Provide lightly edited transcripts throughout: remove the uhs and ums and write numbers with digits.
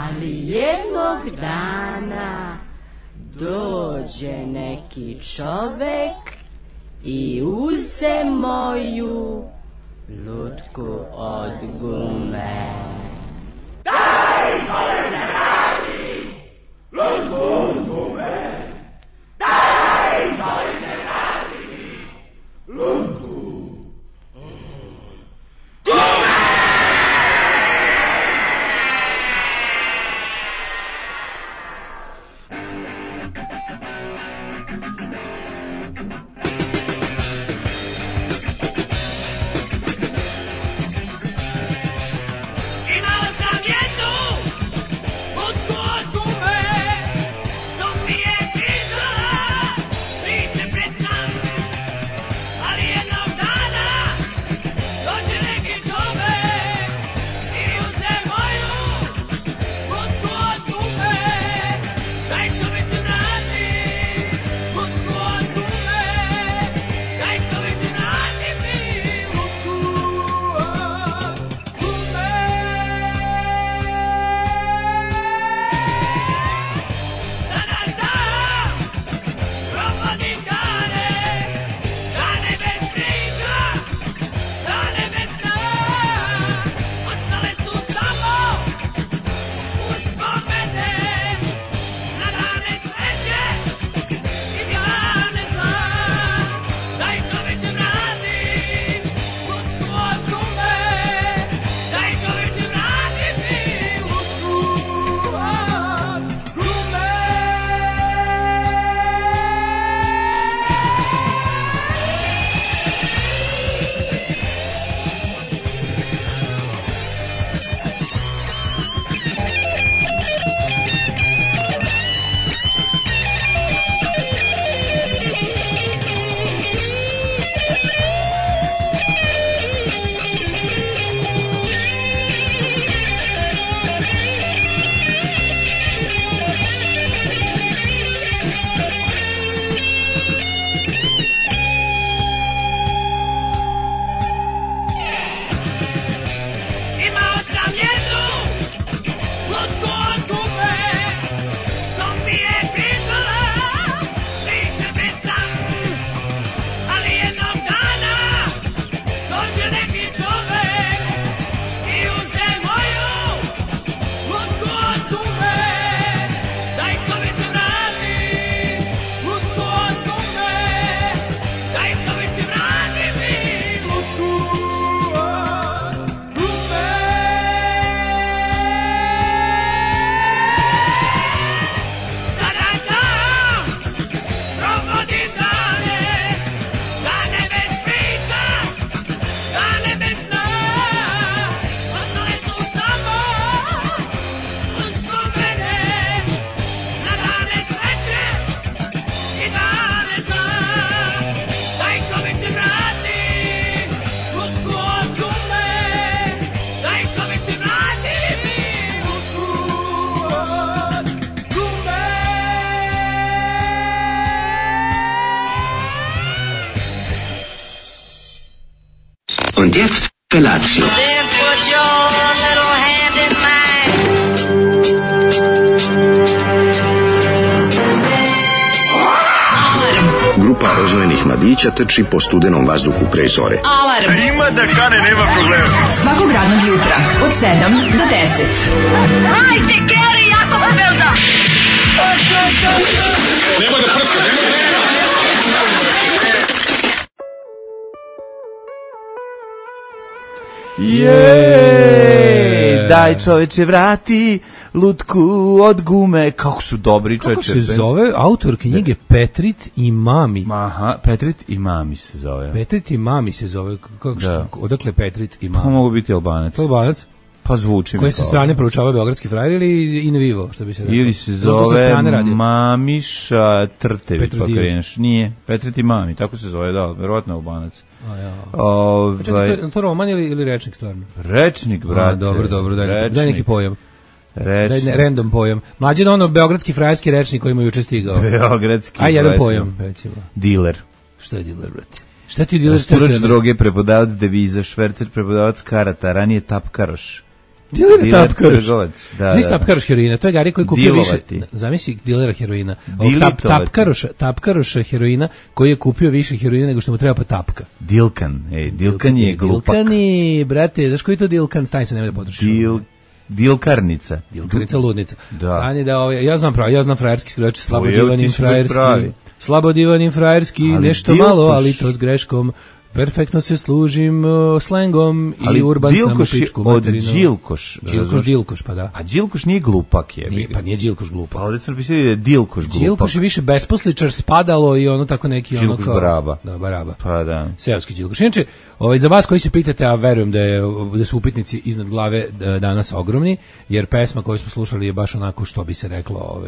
Ali jednog dana dođe neki čovek i uze moju lutku od gume. Daj, molim ne radi, lutku od gume. Daj, molim ne radi, lutku od gume. Und jetzt Felatio. Then put your little hand in mine. Grupa rozvojenih mladića trči po studenom vazduhu pre zore. Alarm! Ima da kane, nema problema. Svakog radnog jutra, od 7 do 10. Hajde, Geri, jako se velda! Nema da prska, nema da... Daj čoveče vrati lutku od gume. Kako su dobri čoveče. Kako se zove autor knjige Petrit i Mami? Aha, Petrit i Mami se zove. Petrit i Mami se zove. Kako da. Odakle Petrit i Mami? Pa mogu biti Albanac. Albanac? Pa zvuči mi. Koje se strane proučava beogradski frajer ili in vivo, što bi se rekao? Ili se zove Mamiša Trtevi, pa kreneš. Nije, Petrit i Mami, tako se zove, da, verovatno Albanac. Je to roman ili rečnik stvarno? Rečnik, brate. Dobro, daj neki pojam. Random pojam. Mlađe ono beogradski frajerski rečnik koji ima juče stigao. Beogradski. A jedan pojam, recimo. Diler. Šta je diler, brate? Šta ti diler? Raspurač droge, prepodavac deviza, švercer, prepodavac karata, ranije tapkaroš. Diler tapkaroš. Znaš tapkaroš heroina, to je Gari koji kupio više, zamisli dilera heroina. Tapkaroš heroina koji je kupio više heroina nego što mu treba pa tapka. Dilkan je glupak. Dilkani, brate, znaš koji je to Dilkan, staj se, nemoj da potrošiš. Dilkarnica. Dilkarnica ludnica. Da. Stani da ja znam frajerski skroč, slabo divanim frajerski, nešto malo, ali to s greškom. Perfektno se služim slengom i urban sam u pičku materinu. Od Đilkoš. Đilkoš, pa da. A Đilkoš nije glupak je. Pa nije Đilkoš glupak. Pa ovdje smo napisali da je Dilkoš glupak. Đilkoš je više besposličar, spadalo i ono tako neki... Đilkoš baraba. Da, baraba. Pa da. Seoski Đilkoš. Inače, za vas koji se pitate, a verujem da su upitnici iznad glave danas ogromni, jer pesma koju smo slušali je baš onako što bi se reklo,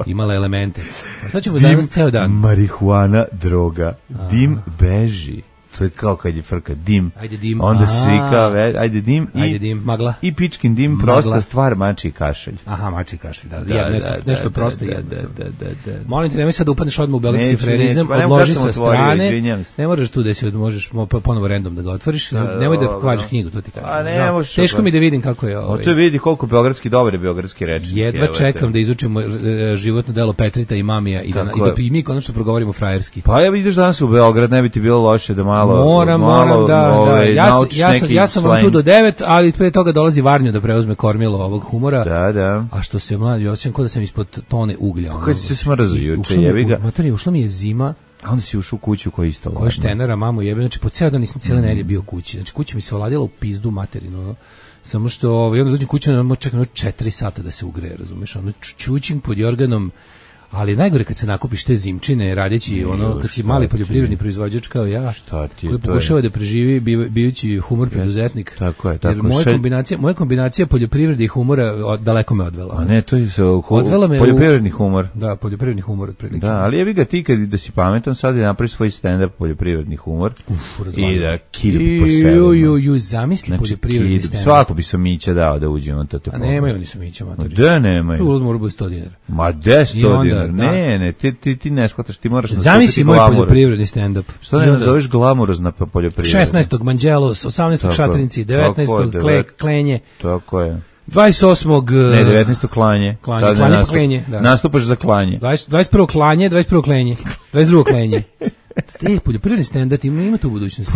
imala elemente. A šta ćemo danas ceo dan? Marihuana, droga, dim beži. To je kao kad je frka dim. Ajde dim. Onda svi kao, ajde dim. Ajde dim, magla. I pičkin dim, prosta stvar, mači kašalj. Aha, mači kašalj, da. Nešto prosto jednostavno. Molim te, nemoj sad da upadneš odmah u belgijski frerizam, odloži sa strane. Ne moraš tu da se možeš ponovo random da ga otvoriš. Nemoj da kvariš knjigu, to ti kažem. Teško mi da vidim kako je ovo. To vidi koliko beogradski dobar je beogradski rečnik. Jedva čekam da izučimo životno delo Petrita i Mamija i da mi konačno progovorimo frajerski. Pa ja ideš danas u Beograd, ne bi ti bilo loše da Moram, da. Ja sam vam tu do 9, ali pre toga dolazi Varnjo da preuzme kormilo ovog humora. Da. A što se mlađi, osjećam kao da sam ispod tone uglja. Kako si se smrzao juče, jebi ga. Ušla mi je zima. A onda si ušao u kuću koja je isto ladna. Koja štenara, mamu jebe, znači po ceo dan nisam cijele nedelje bio kući. Znači kuća mi se oladila u pizdu materinu. Samo što onda dođem kući, čekam 4 sata da se ugreje, razumeš? Ono čučim pod jorganom. Ali najgore kad se nakupiš te zimčine radeći kad si mali poljoprivredni proizvođač kao ja, koji pokušava da preživi bijući humor preduzetnik. Tako je. Jer moja kombinacija poljoprivrede i humora daleko me odvela. A ne, to je poljoprivredni humor. Da, poljoprivredni humor otprilike. Da, ali jebi ga ti kad da si pametan sad da napraviš svoj stand-up poljoprivredni humor i da kidbi po sebi. Zamisli poljoprivredni stand-up. Svako bi Somića dao da uđe on to te. A nemaju oni Somića, matori. Da, nemaju. Tu mora biti 100 dinara. Ma 10 dinara. Ne, ti ne shvataš, ti moraš zamisli moj poljoprivredni stand-up. Što ne nazoveš glamurozna poljoprivreda? 16. Manđelos, 18. Šatrinci, 19. Klenje. Tako je. 28. Ne, 19. klanje. Klanje pa klenje. Nastupaš za klanje. 21. klanje, 21. klenje. 22. klenje. Ste poljoprivredni stand-up ima tu budućnosti.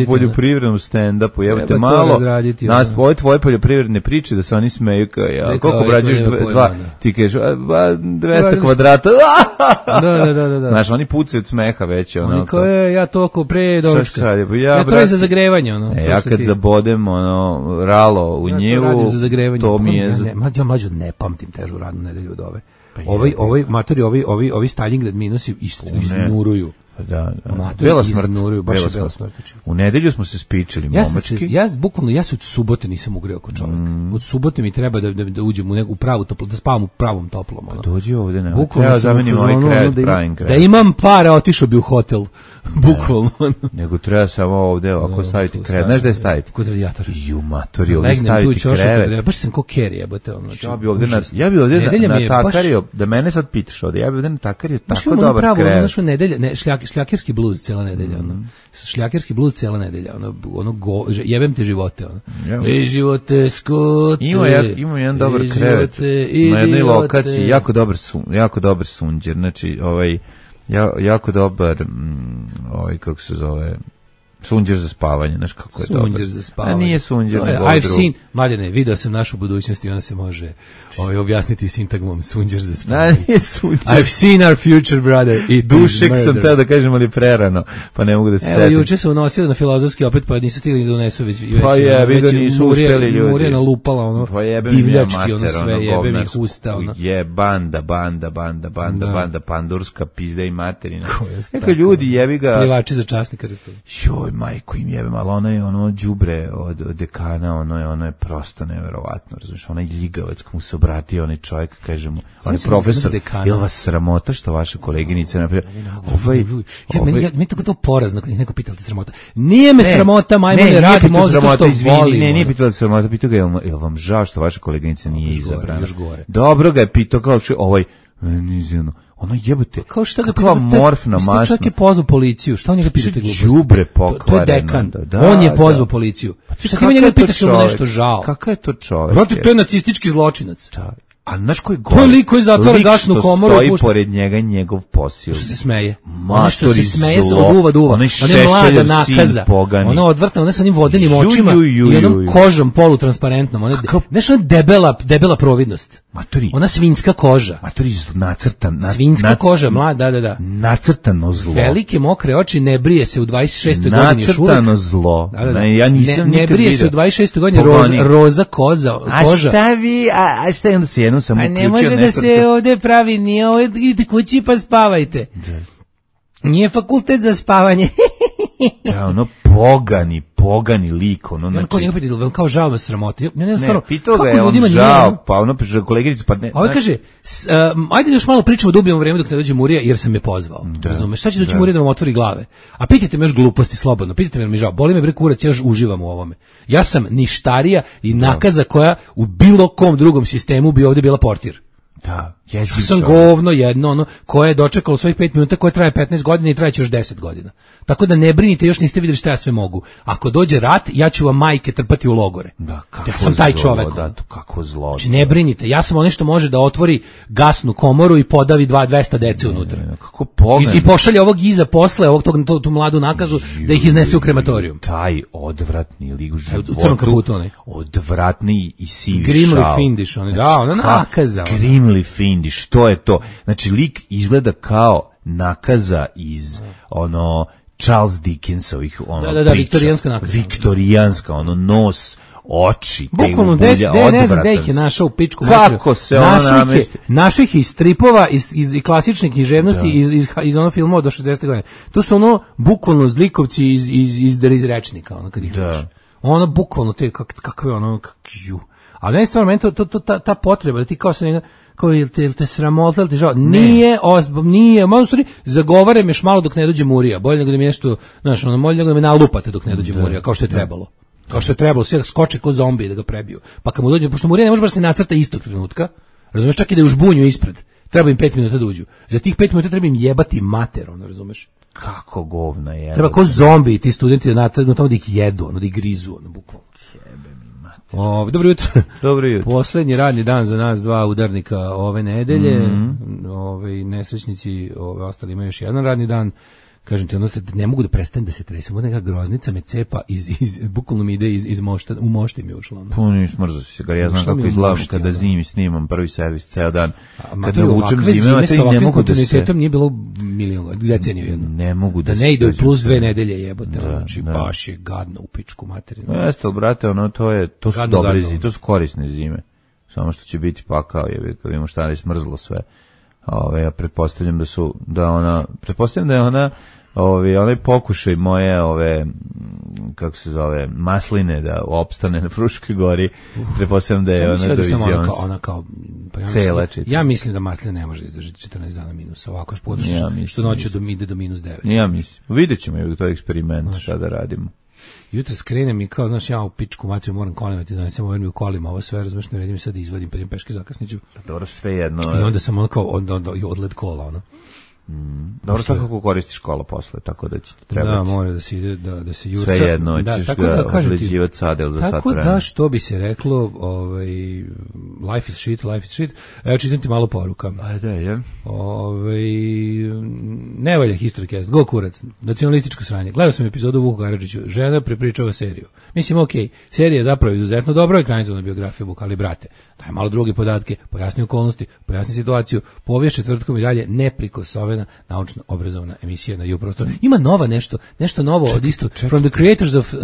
U poljoprivrednom stand-upu, jebate malo. Tvoje poljoprivredne priče da se oni smeju koliko obrađuješ ti kažeš 200 kvadrata. Da. Znaš, oni pucaju od smeha već. Oni kao ja toliko pre doručka. Ja to je za zagrevanje. Ja kad zabodem ralo u njivu, to mi je... Ja mlađo ne pamtim težu radnu nedelju od ove. Ovi Stalingrad minusi iznuruju. Da. Bela smrt. U nedelju smo se spičili momački. Ja se od subote nisam ugreo kao čovjek. Od subote mi treba da uđem u neku pravu toplu, da spavam u pravom toplom. Dođi ovde, ne. Treba zamenim ovaj krevet, pravim krevet. Da imam para, otišao bi u hotel. Bukvalno. Nego treba samo ovde, ako staviti krevet. Znaš da je staviti? Kod radijatora. Ju, matori, ovde staviti krevet. Baš sam ko Kerry, jebote. Ja bi ovde natakario, da mene sad pitaš ovde, ja bi ovde natakario tako dobar krevet. Šljakerski bluz cijela nedelja, šljakerski bluz cijela nedelja, jebem te živote, Ej, živote, skote. Ima jedan dobar krevet na jednoj lokaciji, jako dobar sunđer, znači, jako dobar, kako se zove, sunđer za spavanje, znaš kako je dobro. Sunđer za spavanje. A nije sunđer, nego I've seen, Mladene, video sam našu budućnost i ona se može objasniti sintagmom sunđer za spavanje. Nije sunđer. I've seen our future, brother. I dušek sam teo da kažem, ali prerano, pa ne mogu da se setim. Evo, juče se unosili na Filozofski opet, pa nisu stigli da unesu već. Pa vidio nisu uspeli ljudi. Murija nalupala, divljački, sve, jebem ih usta. Je banda, pandurska pizda i materina. Neka ljudi, jebi ga. Plivači za časnika. Joj, majko im jebem, ali ono đubre od dekana, ono je prosto neverovatno, razumiješ, onaj ljigavac komu se obratio onaj čovjek, kaže mu, onaj profesor, je li vas sramota što vaša koleginica napravila, meni tako to porazno, kad ih neko pitao te sramota, nije me sramota, majmone, radim ovo zato što volim. Nije pitao te sramota, pitao ga, je li vam žao što vaša koleginica nije izabrana? Dobro ga je pitao, kao ono jebote, kao šta ga kakva morfna masna. Čovjek je pozvao policiju, šta on njega pitate gluposti? Đubre pokvareno. To je dekan, on je pozvao policiju. Šta ti njega pitaš mu nešto žao? Kakav je to čovjek? Brate, to je nacistički zločinac. Da. A znaš koji gore? To je lik koji zatvara gasnu komoru. Stoji pored njega njegov posao. Što se smeje? Ono što se smeje od uva do uva. Ona je mlada nakaza. Ona odvrtna, ona sa onim vodenim očima i onom kožom polutransparentnom. Ona debela providnost. Ona svinjska koža. Matori nacrtan. Svinjska koža, mlada, da. Nacrtano zlo. Velike mokre oči, ne brije se u 26. godini još uvek. Nacrtano zlo. Ja nisam ne brije se u 26. godini roza koža. A šta vi, a šta je onda se jednom sam uključio? Ne može da se ovde pravi, nije ovde, idite kući pa spavajte. Nije fakultet za spavanje. Da, ono pogani lik, ono znači. Ko njega pitao, kao žao me sramote. Ne, pitao ga je on žao, pa ono koleginica, pa ne. Ovo kaže, ajde još malo pričamo da ubijemo vreme dok ne dođe Murija, jer sam me pozvao. Razumeš, sad će doći Murija da vam otvori glave. A pitajte me još gluposti, slobodno, pitajte me jer mi žao, boli me bre kurac, ja još uživam u ovome. Ja sam ništarija i nakaza koja u bilo kom drugom sistemu bi ovdje bila portir. Da, ja sam govno jedno, ono, koje je dočekalo svojih 5 minuta, koje traje 15 godina i trajeće još 10 godina. Tako da ne brinite, još niste vidjeli šta ja sve mogu. Ako dođe rat, ja ću vam majke trpati u logore. Da, ja sam taj čovek. Da, kako zlo. Znači, ne brinite, ja sam ono što može da otvori gasnu komoru i podavi 200 dece unutra. Kako pogled. I pošalje ovog iza posle, tu mladu nakazu, da ih iznese u krematorijum. Taj odvratni lik u životu. U crnom kaputu onaj. Odvratni i sivi šao. Grimly Findiš, onaj, da, ona nakaza. Grimly Findiš, što je to? Znači, lik izgleda kao nakaza iz, ono, Charles Dickensovih, ono, da, viktorijanska nakaza. Viktorijanska, ono, nos, oči, bukvalno ne znam da ih je našao u pičku. Kako se ona namesti? Naših iz stripova, iz klasične književnosti, iz ono filmova do 60. godine. To su ono, bukvalno zlikovci iz rečnika, ono, kad ih vidiš. Ono, bukvalno, te, kakve, ono, ali ne je stvarno, meni ta potreba, da ti kao se njega, kao je te sramota, ili te žao, nije, malo stvari, zagovarem još malo dok ne dođe Murija, bolje nego da mi nešto, znaš, ono, bolje nego da me nalupate dok ne dođe Murija, kao što je trebalo. Kao što je trebalo, sve skoče ko zombi da ga prebiju. Pa kad mu dođe, pošto Murija ne može baš se nacrta istog trenutka, razumeš, čak i da je u žbunju ispred, treba im 5 minuta da uđu. Za tih 5 minuta treba im jebati mater, ono, razumeš? Kako govna je. Treba ko zombi, ti studenti da natrgnu tamo da ih jedu, ono, da ih grizu, ono, bukvalno. Dobro jutro. Dobro jutro. Poslednji radni dan za nas dva udarnika ove nedelje. Nesrećnici ostali imaju još jedan radni dan. Kažem ti, ono, ne mogu da prestanem da se tresem. Od neka groznica me cepa, bukvalno mi ide iz mošta, u mošti mi je ušlo. Puno smrzao si se, gar ja znam kako izgledam kada zimi snimam prvi servis ceo dan. Kada vučem zime, ne mogu da se... Nije bilo deceniju jedno. Ne mogu da se... Da ne ide plus 2 nedelje jebote, znači baš je gadno u pičku materinu. Jeste, brate, ono, to su dobre zime, to su korisne zime. Samo što će biti pakao, kad vidimo šta je smrzlo sve. Ja pretpostavljam da je ona onaj pokušaj moje kako se zove, masline da opstane na Fruškoj gori, pretpostavljam da je ona dovizija ja mislim da masline ne može izdržati 14 dana minusa, ovako što noću ide do minus 9. Ja mislim, vidjet ćemo je to eksperiment šta da radimo. Jutro skrenem i kao, znaš, ja u pičku materiju moram kolimati, da ne sam mi u kolima, ovo sve, razumeš, ne redim sad da izvadim, pa idem peške zakasniću. Dobro, sve jedno. I onda sam ono kao, odled kola, ono. Dobro, sad kako koristiš kola posle, tako da će ti trebati. Da, mora da se ide, da se jurca. Sve jedno, ćeš ga odleđivati sadel za sat vremena. Tako da, što bi se reklo, life is shit. Evo, čitam ti malo poruka. Ajde, je. Ne valja Historycast, go kurac, nacionalističko sranje. Gledao sam epizodu Vuku Karadžiću, žena prepričava seriju. Mislim, okej, serija je zapravo izuzetno dobro, ekranizovana biografija Vuka, ali brate, daj malo druge podatke, pojasni okolnosti, pojasni situaciju, povijest četvrtkom i dalje neprikosnovena naučno obrazovna emisija na U-prostoru. Ima nova nešto novo od isto. From the creators of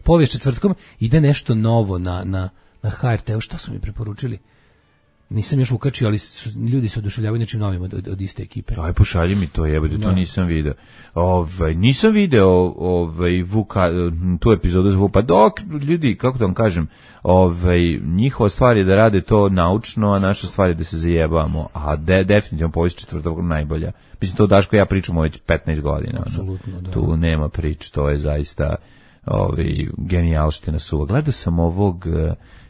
povijest četvrtkom ide nešto novo na HRT-u. Šta su mi preporučili? Nisam još ukačio, ali ljudi se oduševljavaju nečim novim od iste ekipe. Aj, pošalji mi to, jebote, to nisam video. Nisam video tu epizodu za pa dok ljudi, kako da vam kažem, njihova stvar je da rade to naučno, a naša stvar je da se zajebamo, a definitivno povijest četvrtog najbolja. Mislim, to Daško ja pričamo već 15 godina. Apsolutno, da. Tu nema prič, to je zaista genijalština suva. Gledao sam ovog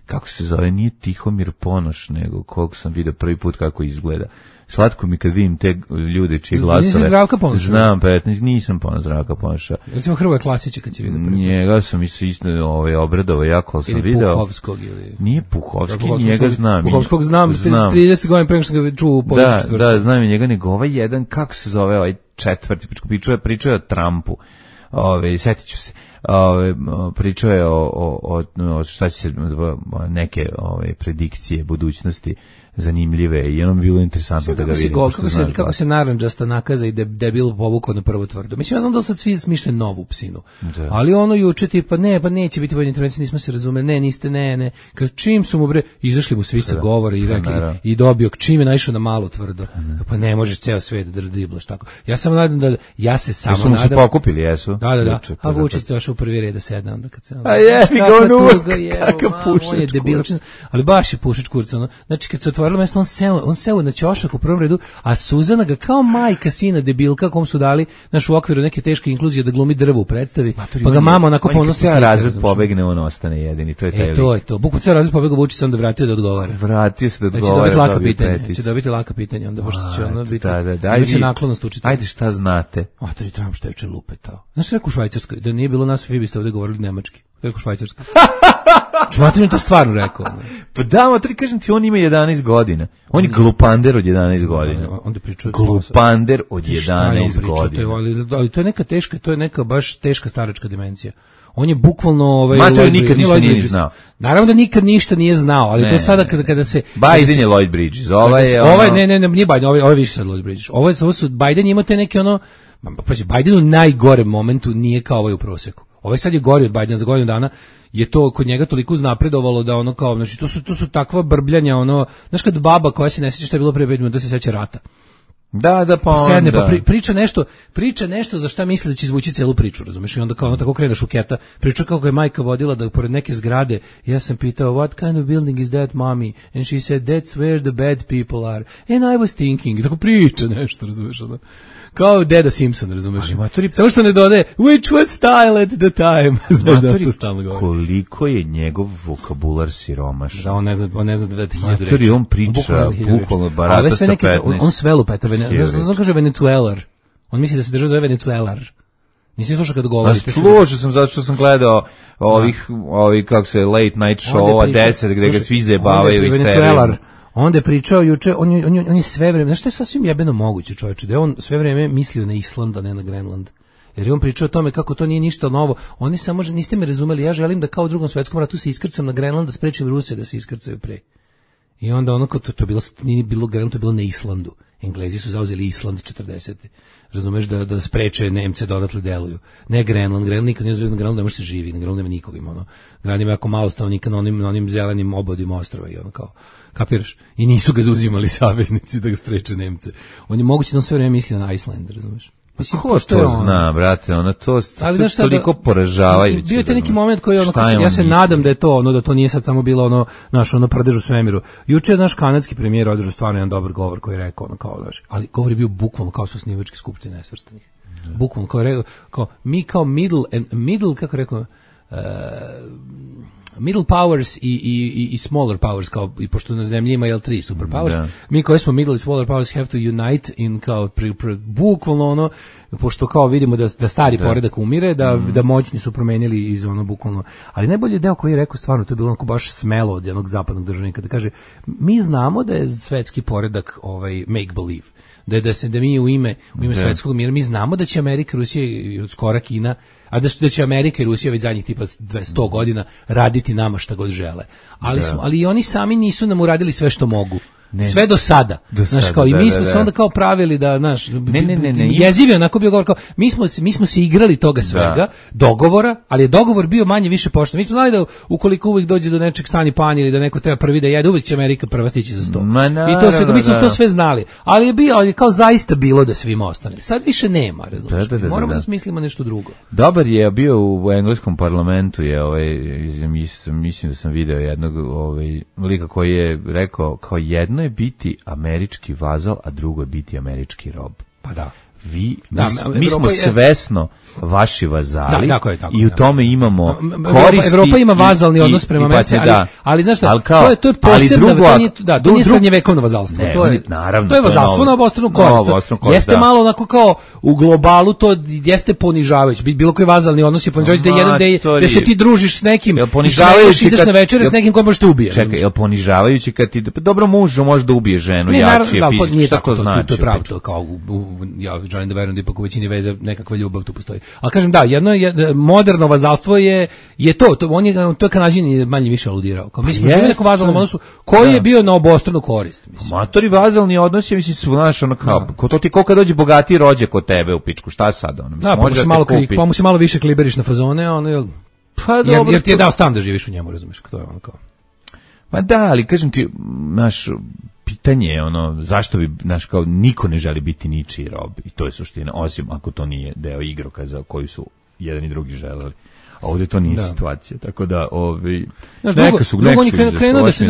kako se zove, nije Tihomir Ponoš, nego koliko sam vidio prvi put kako izgleda. Slatko mi kad vidim te ljude čiji glasove. Nisi Zdravka Ponoša? Znam, 15, nisam Zdravka Ponoša. Recimo Hrvoje Klasića kad si vidio prvi put. Njega sam isto obradovao jako, ali sam ili video. Puhovskog ili... Nije Puhovski, njega znam. Puhovskog znam. 30 godina pre nego što ga čuo u području četvrtu. Da, znam njega, nego ovaj jedan, kako se zove ovaj četvrti, pričao je o Trumpu. Sjetit ću se. Pričao je o šta će se neke predikcije budućnosti zanimljive i ono bi bilo interesantno da ga vidim. Kako se narandžasta nakaza i debil povukao na prvo tvrdo. Mislim, ja znam da sad svi smišljaju novu psinu. Da. Ali ono juče tipa, neće biti vojne intervencije, nismo se razumeli, niste. Kad čim su mu izašli mu svi sa govora i rekli i dobio, čim je naišao na malo tvrdo. Pa ne možeš ceo svet da driblaš tako. Ja sam nadam da, ja se samo nadam. Jesu mu se pokupili, jesu? Da. A Vučić došao u prvi red da sedne onda kad se... A jebi ga on uvek, kakav pušač kurca. Ali baš je pušač kurca. Znači kad se otvorilo mesto, on seo na ćošak u prvom redu, a Suzana ga kao majka sina debilka kom su dali u okviru neke teške inkluzije da glumi drvo u predstavi, pa ga mama onako ponosno slika. Razred pobegne, on ostane jedini, to je taj. To je to. Bukvalno ceo razred pobega, Vučić se onda vratio da odgovara. Vratio se da odgovara. Će dobiti laka pitanja, onda pošto će ono biti. Da. Biće naklonost učiti. Ajde, šta znate? To je Trump što je juče lupetao. Znaš šta rekao u Švajcarskoj? Da nije bilo nas, vi biste ovde govorili nemački. Rekao Švajcarska. Čumatri mi to stvarno rekao. Pa da, matri, kažem ti, on ima 11 godina. On je glupander od 11 godina. Onda pričuje glupander od 11 godina. Ali to je neka teška, to je neka baš teška staračka dimenzija. On je bukvalno Mato nikad ništa nije znao. Naravno da nikad ništa nije znao, ali to sada kada se Biden je Lloyd Bridges. Ovaj ne, nije Biden, ovaj više sad Lloyd Bridges. Ovo su Biden ima te neke pa Biden u najgorem momentu nije kao ovaj u proseku. Ovaj sad je gori od Bidena za godinu dana. Je to kod njega toliko uznapredovalo da ono kao, znači to su takva brbljanja, znaš kad baba koja se ne sjeća šta je bilo pre 5 minuta se seća rata. Da, pa onda. Sedne, pa priča nešto za šta misli da će izvući celu priču, razumiješ? I onda kao tako krene šuketa, priča kako je majka vodila da pored neke zgrade, ja sam pitao, what kind of building is that, mommy? And she said, that's where the bad people are. And I was thinking, tako priča nešto, razumiješ? Kao Deda Simpson, razumeš? Samo što ne dode, which was style at the time. Koliko je njegov vokabular siromašan. Da, on ne zna da 1000 reči. On priča, bukvalno barata sa 15. On sve lupeta, on kaže Venezuelar. On misli da se država zove Venezuelar. Nisi slušao kad govori? Slušao sam, zato što sam gledao ovih kako se, late night show-a 10, gde ga svi zajebavaju i steriju. Onda je pričao juče, on je sve vreme, znaš što je sasvim jebeno moguće, čovječe, da je on sve vreme mislio na Island, a ne na Grenland. Jer je on pričao o tome kako to nije ništa novo. Oni samo, niste me razumeli, ja želim da kao u Drugom svetskom ratu se iskrcam na Grenland, da sprečim Rusije da se iskrcaju pre. I onda ono kao to bilo, nije bilo Grenland, to je bilo na Islandu. Englezi su zauzeli Island 40. Razumeš da spreče Nemce da odatle deluju. Ne Grenland, nikad nije na Grenlandu, ne može se živi, na Grenlandu nema nikoga ima. Grenland ima jako malo stanovnika na onim zelenim obodima ostrava i ono kao, kapiraš? I nisu ga zauzimali saveznici da ga spreče Nemce. On je moguće da on sve vreme misli na Iceland, razumeš? Ko to zna, brate, to toliko poražavajuće. Bio je te neki moment koji ja se nadam da je to da to nije sad samo bilo prdež u svemiru. Juče je naš kanadski premijer održao stvarno jedan dobar govor koji je rekao ali govor je bio bukvalno kao su osnivačke skupštine nesvrstanih. Bukvalno kao je rekao, mi kao middle kako rekao, middle powers i smaller powers, kao i pošto na zemlji ima 3 superpowers, mi koji smo middle i smaller powers have to unite in kao bukvalno pošto kao vidimo da stari poredak umire, da moćni su promenili iz bukvalno. Ali najbolji deo koji je rekao stvarno, to je bilo onako baš smelo od jednog zapadnog državnika, da kaže, mi znamo da je svetski poredak make believe, da mi u ime svetskog mira, mi znamo da će Amerika, Rusija i skora Kina, a da će Amerika i Rusija već zadnjih tipa 100 godina raditi nama šta god žele. Ali i oni sami nisu nam uradili sve što mogu. Sve do sada. I mi smo se onda kao pravili da, jezivi onako bio govor kao, mi smo se igrali toga svega, dogovora, ali je dogovor bio manje više pošten. Mi smo znali da ukoliko uvijek dođe do nečeg stani pan ili da neko treba prvi da jede, uvijek će Amerika prva stići za sto. Mi smo to sve znali. Ali je kao zaista bilo da svima ostane. Sad više nema, razumiješ. Moramo da smislimo nešto drugo. Dobar je bio u engleskom parlamentu, mislim da sam video jednog lika koji je rekao kao jedno je biti američki vazal, a drugo je biti američki rob. Pa da. mi smo svesno vaši vazali tako je, i u tome imamo koristi. Evropa ima vazalni odnos prema Americi, ali znaš šta, to je posebno, to nije srednjevekovno vazalstvo, to je vazalstvo na obostranu korist. Jeste malo onako kao u globalu, to jeste ponižavajuće. Bilo koji vazalni odnos je ponižavajući, da se ti družiš s nekim i ideš na večere s nekim ko možeš te ubije. Čekaj, je li ponižavajući kad ti, dobro, muž može da ubije ženu, jači je fizički, šta to znači? To je pravo, to kao, ja želim da verujem da ipak u većini veza nekakva ljubav tu postoji. Ali kažem, da, moderno vazalstvo je to je Kanađin manje više aludirao. Kao mi smo živjeli nekom vazalnom odnosu koji je bio na obostranu korist. Matori vazalni odnos je, mislim, znaš, ono kao, to ti ko kad dođe bogatiji rođe kod tebe u pičku, šta sad? Ono, mislim, pa mu se malo više kliberiš na fazone, ono, jer ti je dao stan da živiš u njemu, razumiješ, to je ono kao. Ma da, ali kažem ti, naš pitanje je ono, zašto bi, naš, kao, niko ne želi biti ničiji rob, i to je suština, osim ako to nije deo igrokaza koju su jedan i drugi želeli. A ovdje to nije situacija, tako da neka su krenuo da se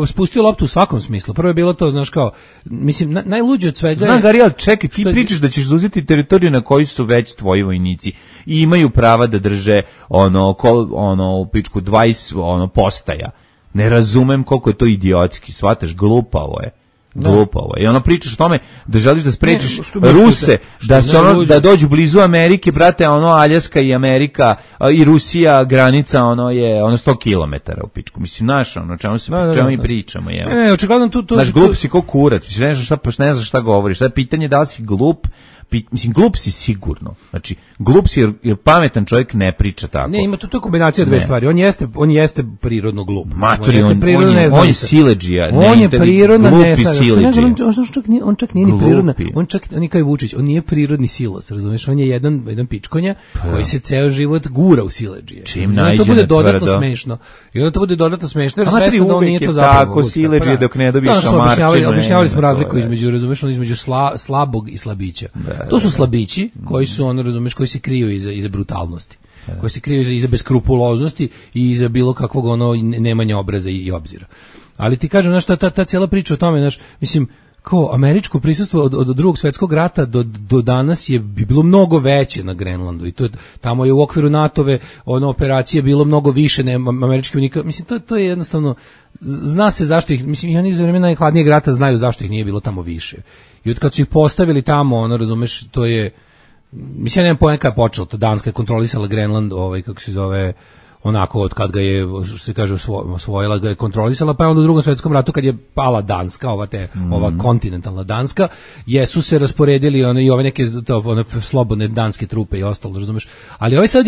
spustio loptu u svakom smislu. Prvo je bilo to, znaš, kao, mislim, najluđe od svega. Znam, Gari, ali čekaj, ti pričaš da ćeš zauzeti teritoriju na kojoj su već tvoji vojnici i imaju prava da drže u pičku 20 postaja. Ne razumem koliko je to idiotski, shvataš, glupavo je. I ono pričaš o tome da želiš da sprečiš Ruse da dođu blizu Amerike, brate, Aljaska i Amerika i Rusija, granica je 100 km u pičku. Mislim, znaš, čemu mi pričamo, je. Očigledno znaš, glup si ko kurac, mislim, ne znaš šta govoriš. Sad pitanje da li si glup, mislim, glup si sigurno. Znači, glup si jer pametan čovjek ne priča tako. Ne, ima to je kombinacija dve stvari. On jeste prirodno glup. Matori, on je siledžija. On je prirodna neznalica. On čak nije ni prirodna. On čak, on je kao i Vučić, on nije prirodni silos, razumiješ? On je jedan pičkonja koji se ceo život gura u siledžije. Čim najde to bude dodatno smešno. I onda to bude dodatno smešno, jer svesno da on nije to zapravo. Tako siledžije dok ne dobiješ šamarčinu. Objašnjavali smo razliku između slabog i slabića. To su slabići koji su, razumeš, koji se kriju iza brutalnosti, koji se kriju iza beskrupuloznosti i iza bilo kakvog nemanja obraza i obzira. Ali ti kažem, znaš, ta cijela priča o tome, znaš, mislim, kao američko prisustvo od drugog svjetskog rata do danas je bilo mnogo veće na Grenlandu i tamo je u okviru NATO-ve operacije bilo mnogo više američkih vojnika. Mislim, to je jednostavno, zna se zašto ih, mislim, i oni za vremena najhladnijeg rata znaju zašto ih nije bilo tamo više. I od kad su ih postavili tamo, razumeš, to je, mislim, ja nemam pojma kada je počelo, to Danska je kontrolisala Grenland, kako se zove, onako od kad ga je, što se kaže, osvojila, ga je kontrolisala, pa je onda u Drugom svjetskom ratu kad je pala Danska, ova kontinentalna Danska, jesu se rasporedili i ove neke slobodne danske trupe i ostalo, razumeš, ali ovaj sad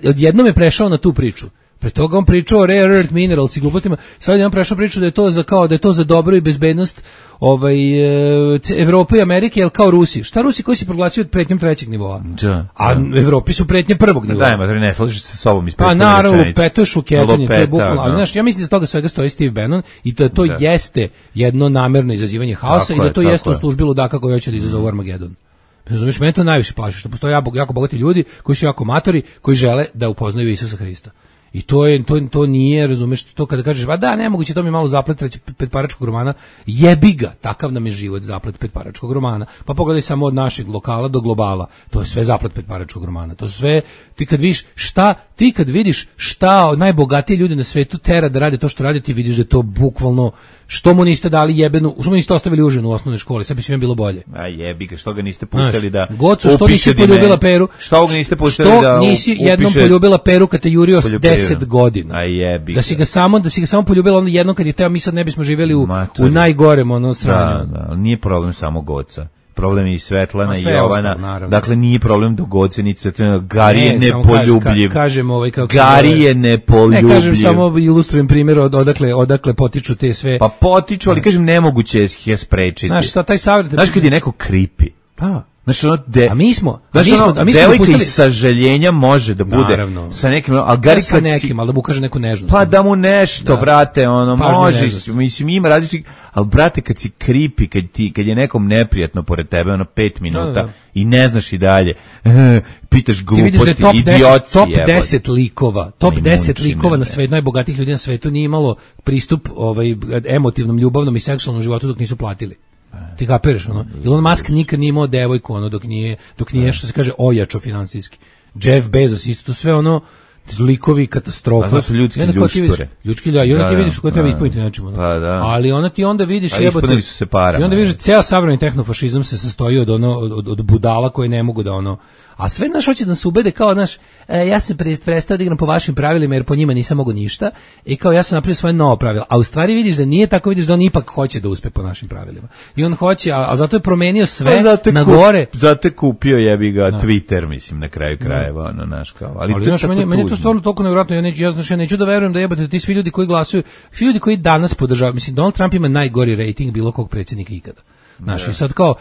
odjednom je prešao na tu priču. Pre toga on pričao o rare earth minerals i glupostima, sad je on prešao priču da je to za dobro i bezbednost Evrope i Amerike, jel kao Rusi. Šta Rusi koji se proglasio pretnjom trećeg nivoa? A Evropi su pretnje prvog nivoa. Da, ma ne slažeš se sa sobom iz prethodne rečenice. Pa naravno, lupeto je šuketanje, to je bukvalno. Ali znaš, ja mislim da s toga svega stoji Steve Bannon i da to jeste jedno namerno izazivanje haosa i da to jeste u službi ludaka koji hoće da izazovu Armagedon. Razumiješ, mene to najviše plaši, što postoje jako bogati ljudi koji su jako matori, koji žele da upoznaju Isusa Hrista. I to nije, razumeš, to kada kažeš, ba da, nemoguće, to mi malo zaplet petparačkog romana, jebi ga, takav nam je život, zaplet petparačkog romana. Pa pogledaj samo od našeg lokala do globala, to je sve zaplet petparačkog romana. To su sve, ti kad vidiš šta najbogatiji ljudi na svetu tera da rade to što rade, ti vidiš da je to bukvalno, što mu niste dali jebenu, što mu niste ostavili užinu u osnovnoj školi, sad bi svima bilo bolje. A jebi ga, što ga niste pustili da Gocu, što nisi poljubila Peru? Što ga niste pustili da nisi jednom poljubila Peru kad te jurio 10 godina. A jebi. Da si ga samo poljubila onda jednom kad je teo, mi sad ne bismo živjeli u najgorem sranju. Da, nije problem samo Goca. Problem je i Svetlana i Jovana. Ostalo, dakle, nije problem do Goce, niti Svetlana. Gari je nepoljubljiv. Gari je nepoljubljiv. Ne kažem, samo ilustrujem primjer odakle potiču te sve. Pa potiču, ali kažem, nemoguće je sprečiti. Znaš, taj savjet... Znaš kad je neko creepy? Pa... Znači, a mi smo devojka iz sažaljenja može da bude sa nekim, ali Gari sa nekim, ali da mu kaže neku nežnost. Pa da mu nešto, brate, može, mislim, ima različitih, ali brate, kad si creepy, kad je nekom neprijatno pored tebe, 5 minuta i ne znaš i dalje, pitaš gluposti, idiotci. Top 10 likova, top 10 likova na svetu, najbogatijih ljudi na svetu nije imalo pristup emotivnom, ljubavnom i seksualnom životu dok nisu platili. Ti kapiraš, ono? Elon Musk nikad nije imao devojku, ono, dok nije što se kaže, ojačo finansijski. Jeff Bezos, isto to sve, ono, likovi katastrofa. To su ljudski ljuštore. Ljudski, da, i onda ti vidiš koje treba ispuniti nečemu. Ono. Pa da. Ali onda ti onda vidiš, ispunili su se para. I onda vidiš, ceo savremeni tehnofašizam se sastoji od budala koje ne mogu da ono. A sve naš hoće da nas ubede kao naš, ja sam prestao da igram po vašim pravilima jer po njima nisam mogu ništa i kao ja sam napravio svoje novo pravilo. A u stvari vidiš da nije tako, vidiš da on ipak hoće da uspe po našim pravilima. I on hoće, a zato je promenio sve na gore. Zato je kupio jebi ga Twitter, mislim, na kraju krajeva, ono naš kao. Ali znaš, meni je to stvarno toliko nevjerojatno, ja neću da verujem da jebate ti svi ljudi koji glasuju, svi ljudi koji danas podržavaju, mislim, Donald Trump ima najgori rating bilo kog predsjednika ikada. Znaš, i sad kao,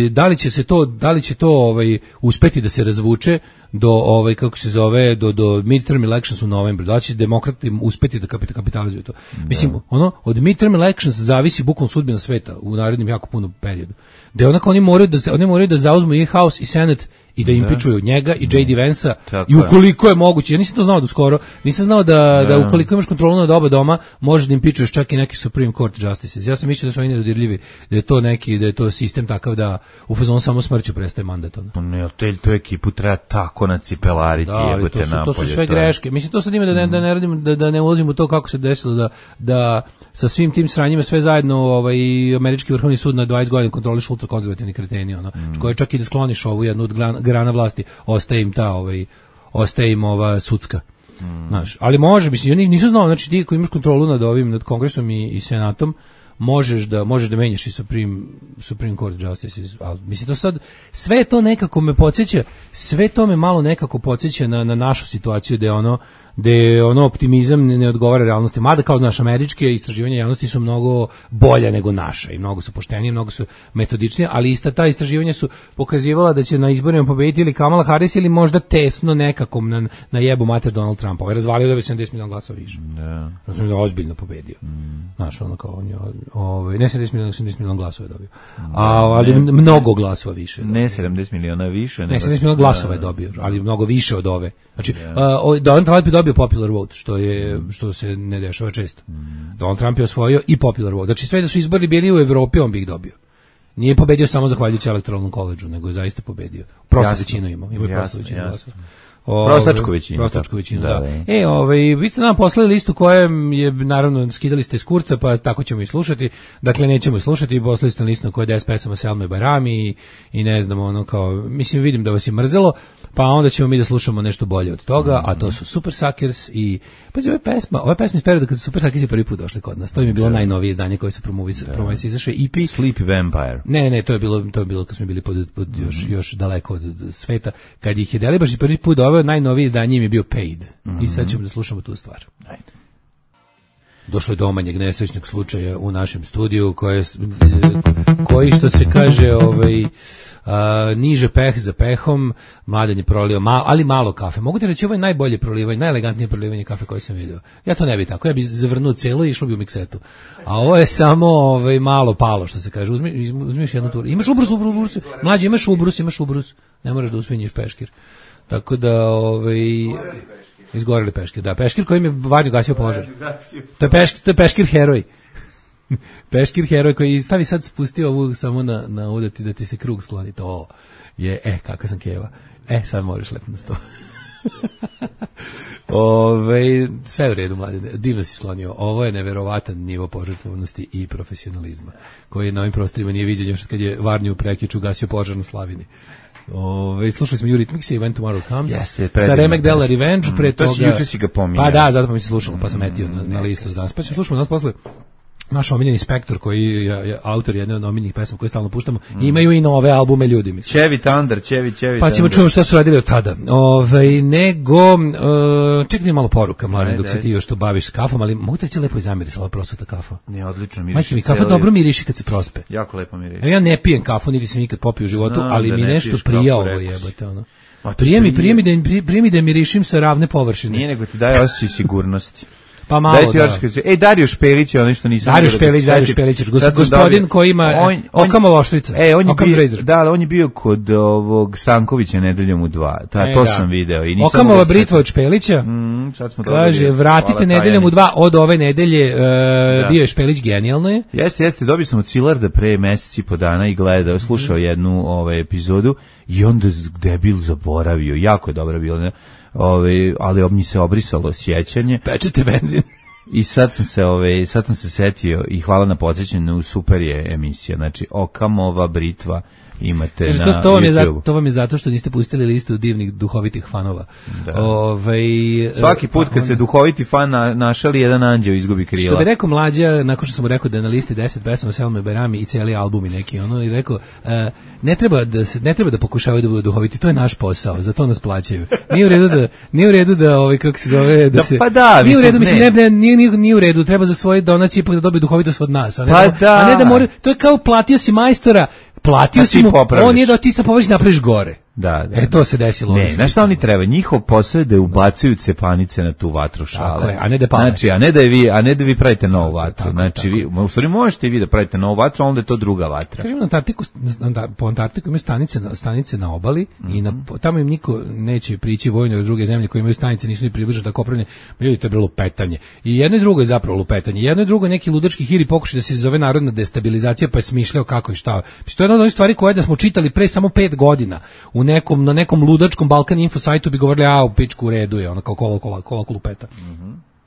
da li će to uspeti da se razvuče do kako se zove do midterm elections u novembru, da će demokrati uspeti da kapitalizuju to. Mislim, ono od midterm elections zavisi bukvalno sudbina sveta u narednim jako puno periodu. Da onako oni moraju da zauzmu i House i Senate i da impičuju njega i J.D. Vansa i ukoliko je moguće, ja nisam to znao do skoro, nisam znao da ukoliko imaš kontrolu nad oba doma, možeš da impičuješ čak i neki Supreme Court Justices. Ja sam mislio da su oni nedodirljivi, da je to sistem takav da u fazonu samo smrću prestaje mandat. Ne, to ekipu treba tako nacipelariti, jebote napolje. To su sve greške. Mislim, to sad ima da ne ulazim u to kako se desilo da sa svim tim sranjima sve zajedno i američki vrhovni sud na 20 godina kontroliš ultrakonzervativni kreteni, koji čak i da skloniš ovu jednu od grana vlasti, ostaje im ova sudska. Znaš, ali može, mislim, oni nisu znao, znači ti koji imaš kontrolu nad Kongresom i Senatom, možeš da menjaš i Supreme Court Justices, ali mislim to sad, sve to nekako me podsjeća, sve to me malo nekako podsjeća na našu situaciju da je optimizam ne odgovara realnosti, mada kao znaš, američke istraživanja javnosti su mnogo bolja nego naša i mnogo su poštenije, mnogo su metodičnije, ali ista ta istraživanja su pokazivala da će na izborima pobediti ili Kamala Harris ili možda tesno nekako na jebu mater Donald Trump. Ovaj razvalio da bi 70 miliona glasova više. Da. Znači da je ozbiljno pobedio. Znaš, ono kao on je, ne 70 miliona, 80 miliona glasova je dobio. Ali mnogo glasova više. Ne 70 miliona više. Ne, 70 miliona glasova je dobio, ali mnogo više od ove. Znači, Donald Trump je dobio popular vote, što se ne dešava često. Donald Trump je osvojio i popular vote. Znači, sve da su izbori bili u Evropi, on bi ih dobio. Nije pobedio samo zahvaljujući elektoralnom koledžu, nego je zaista pobedio. Prosto većinu imao. Prostačku većinu, da. Vi ste nam poslali listu kojem je, naravno, skidali ste iz kurca, pa tako ćemo i slušati. Dakle, nećemo i slušati, poslali ste listu na kojoj je 10 pesama Selma i Bajrami i ne znam, mislim, vidim da vas je mrzelo, pa onda ćemo mi da slušamo nešto bolje od toga, a to su Super Suckers i, pazi, ova pesma iz perioda kad su Super Suckers prvi put došli kod nas. To im je bilo najnovije izdanje koje se promovisali, izašao EP. Sleepy Vampire. Ne, to je bilo kad smo bili pod još daleko od sveta. Kad ih je Delibaš prvi put doveo, najnovije izdanje im je bio Paid. I sad ćemo da slušamo tu stvar. Ajde. Došlo je do manjeg nesrećnog slučaja u našem studiju koji što se kaže niže peh za pehom, Mladen je prolio ali malo kafe. Mogu ti reći, ovo je najbolje prolivanje, najelegantnije prolivanje kafe koje sam vidio. Ja to ne bi tako, ja bi zavrnuo celo i išlo bi u miksetu. A ovo je samo malo palo, što se kaže. Uzmiš jednu turu. Imaš ubrus. Mlađe, imaš ubrus. Ne moraš da usvinjiš peškir. Tako da, izgoreli peškir. Da, peškir kojim je Varnju gasio požar. To je peškir heroj. Peškir heroj koji stavi sad spustio ovu samo na udati da ti se krug skloni. To je, kakva sam keva. Sad možeš lepo na sto. Sve je u redu, Mladine, divno si slonio. Ovo je neverovatan nivo požrtvovnosti i profesionalizma koji na ovim prostorima nije viđen još kad je Varnju u Prekiću gasio požar na Slavini. Slušali smo Eurythmics i When Tomorrow Comes sa Remek Della Revenge, pre toga. To juče si ga pominjao. Pa da, zato pa mi se slušalo, pa sam etio na listu za danas. Pa ćemo slušati nas posle. Naš omiljeni Spektor, koji je autor jedne od omiljenih pesama koje stalno puštamo, imaju i nove albume, ljudi, mislim. Chevy Thunder. Pa ćemo čujemo šta su radili od tada. Čekaj malo poruka, Mladen, dok se ti još to baviš s kafom, ali mogu te reći lepo i zamirisala prosveta kafa. Ne, odlično miriši. Majke mi, kafa dobro miriši kad se prospe. Jako lepo miriši. Ja ne pijem kafu, niti sam nikad popio u životu, ali mi nešto prija ovo jebote, Prije mi da mirišim sa ravne površine. Nije, nego ti daje osjećaj sigurnosti. Pa malo, Daj ti Dario Dario Špelić je onaj što nisam... Dario Špelić, gospodin koji ima Okamova oštrica. On je bio kod ovog Stankovića Nedeljom u 2. To sam video. Okamova britva od Špelića. Kaže, vratite Nedeljom u 2 od ove nedelje. Bio je Špelić, genijalno je. Jeste, dobio sam od Cilarda pre mesec i po dana i gledao, slušao jednu epizodu i onda debil zaboravio. Jako je dobro bilo, ne? Ali mi se obrisalo sjećanje. Pečete benzin. I sad sam se setio i hvala na podsjećanju, super je emisija. Znači, Okamova britva imate na YouTube. To vam je zato što niste pustili listu divnih duhovitih fanova. Svaki put kad se duhoviti fan našali, jedan anđeo izgubi krila. Što bi rekao Mlađa, nakon što sam mu rekao da je na listi 10 pesama Selme Berami i cijeli album i neki i rekao, ne treba da pokušavaju da budu duhoviti, to je naš posao, za to nas plaćaju. Nije u redu da kako se zove, da se... Pa da, nije u redu, nije u redu, treba za svoje donacije ipak da dobije duhovitost od nas, a ne da mora, to je kao platio si majstora, platio si mu, on je da ti sta površi napraviš gore. Da. To se desilo. Ne, znaš šta oni treba? Njihov posao je da ubacuju cepanice na tu vatru šale. Tako je, a ne da pale. Znači, a ne da vi pravite novu vatru. Znači, u stvari možete i vi da pravite novu vatru, a onda je to druga vatra. Kažem, po Antarktiku imaju stanice na obali i tamo im niko neće prići vojno od druge zemlje koje imaju stanice, nisu ni približno tako opremljene. Ljudi, to je bilo lupetanje. I jedno i drugo je zapravo lupetanje. Jedno i drugo neki ludački hiri pokušaj da se zove narodna destabilizacija, pa je smišljao kako i šta. To je jedna od onih stvari koje da smo čitali pre samo 5 godina. Na nekom ludačkom Balkan Info sajtu bi govorili, u pičku u redu je, ono kao kola lupeta.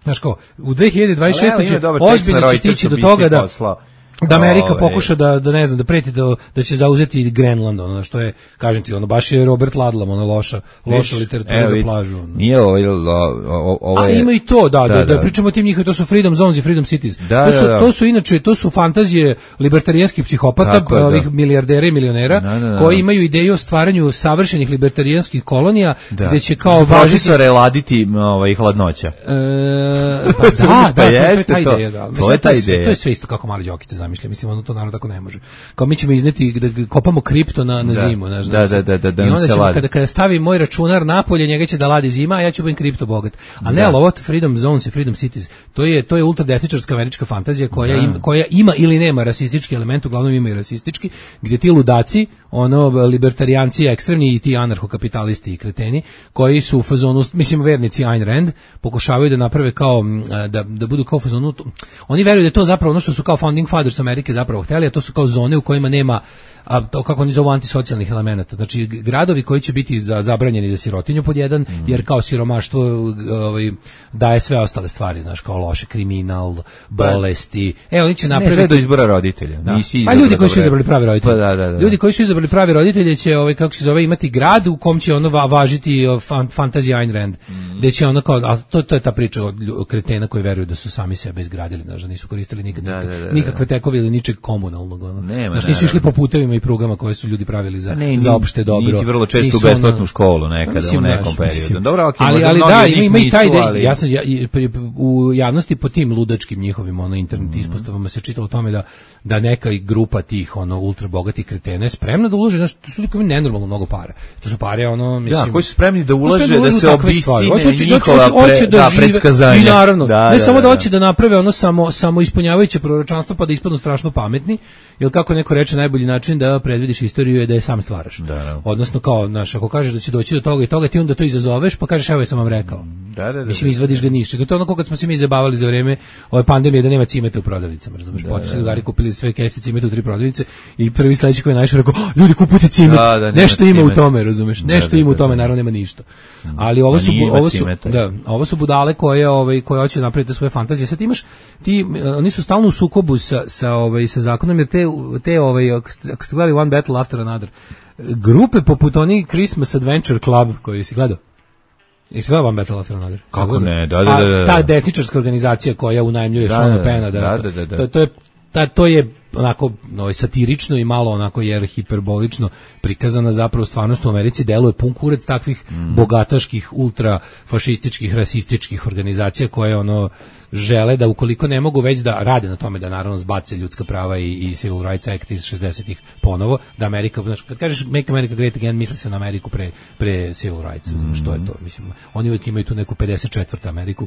Znaš kao, u 2026. će ozbiljno će stići do toga da Amerika pokuša da ne znam, da preti da će zauzeti Grenland, ono što je, kažem ti, ono baš je Robert Ludlum, ono loša literatura za plažu. Nije ovo ima i to, da pričamo o tim njihovim, to su Freedom Zones i Freedom Cities. To su inače, to su fantazije libertarijanskih psihopata, ovih milijardera i milionera, koji imaju ideju o stvaranju savršenih libertarijanskih kolonija, gde će kao važiti... Profesore laditi hladnoća. To je ta ideja. To je sve isto kako mali Đokice zamišlja, mislim, ono to naravno tako ne može. Kao mi ćemo izneti da kopamo kripto na zimu, znaš. Da. I onda ćemo, kada stavi moj računar napolje, njega će da ladi zima, a ja ću biti kripto bogat. A ne, ali ovo Freedom Zones i Freedom Cities, to je ultradesničarska američka fantazija koja ima ili nema rasistički element, uglavnom ima i rasistički, gdje ti ludaci, libertarijanci ekstremni i ti anarhokapitalisti i kreteni, koji su u fazonu, mislim, vernici Ayn Rand, pokušavaju da naprave kao, da budu kao u fazonu, oni veruju da je to zapravo ono što su kao founding fathers Amerike zapravo hteli, a to su kao zone u kojima nema, to kako oni zovu, antisocijalnih elemenata. Znači, gradovi koji će biti zabranjeni za sirotinju pod jedan, jer kao siromaštvo daje sve ostale stvari, znaš, kao loše, kriminal, bolesti. Oni će napraviti... Ne, sve do izbora roditelja. Pa ljudi koji su izabrali pravi roditelji. Ljudi koji su izabrali pravi roditelje će, kako se zove, imati grad u kom će važiti fantazija Ayn Rand. Gde će ono kao, a to je ta priča od kretena koji veruju da su sami sebe izgradili, znaš, da nisu koristili nikakve tekove ili ničeg komunalnog. Znaš, nisu išli po putevima i prugama koje su ljudi pravili za opšte dobro. Niti vrlo često u besplatnu školu nekada, u nekom periodu. Dobro, ali da, ima i taj ide. Ja sam u javnosti po tim ludačkim njihovim internet ispostavama se čitalo o tome da neka grupa tih ultra bogatih kretena je spremna da uloži, znači, to su ljudi koji imaju nenormalno mnogo para. To su pare, mislim... Da, koji su spremni da ulaže, da se obistine njihova predskazanja. I naravno, ne samo da hoće da naprave samo ispunjavajuće proročanstvo pa da ispadnu strašno pametni, jer kako neko reče, najbolji način da predvidiš istoriju je da je sam stvaraš. Odnosno, kao, znaš, ako kažeš da će doći do toga i toga, ti onda to izazoveš, pa kažeš, evo je sam vam rekao. Mislim, izvadiš ga ništa. To je ono kad smo se mi zabavali za vreme ove pandemije da nema cimeta u prodavnicama, razumeš? Počeli drugari kupili sve kese cimeta u 3 prodavnice i prvi sledeći koji je našao rekao, ljudi kupujte cimet. Nešto ima u tome, razumeš? Nešto ima u tome, naravno nema ništa. Ali ovo su budale koje hoće napraviti svoje fantazije. Sad imaš oni su stalno u sukobu sa zakonom, jer ako ste gledali One Battle After Another, grupe poput onih Christmas Adventure Club koji si gledao. Jesi gledao One Battle After Another? Kako ne, da. Ta desničarska organizacija koja unajmljuje Seana Penna, to je onako satirično i malo onako jer hiperbolično prikazana zapravo stvarnost u Americi, deluje pun kurac takvih bogataških, ultrafašističkih, rasističkih organizacija koje žele da ukoliko ne mogu već da rade na tome da naravno zbace ljudska prava i Civil Rights Act iz 60-ih ponovo, da Amerika, kad kažeš Make America Great Again, misli se na Ameriku pre Civil Rights, što je to, mislim, oni uvijek imaju tu neku 54. Ameriku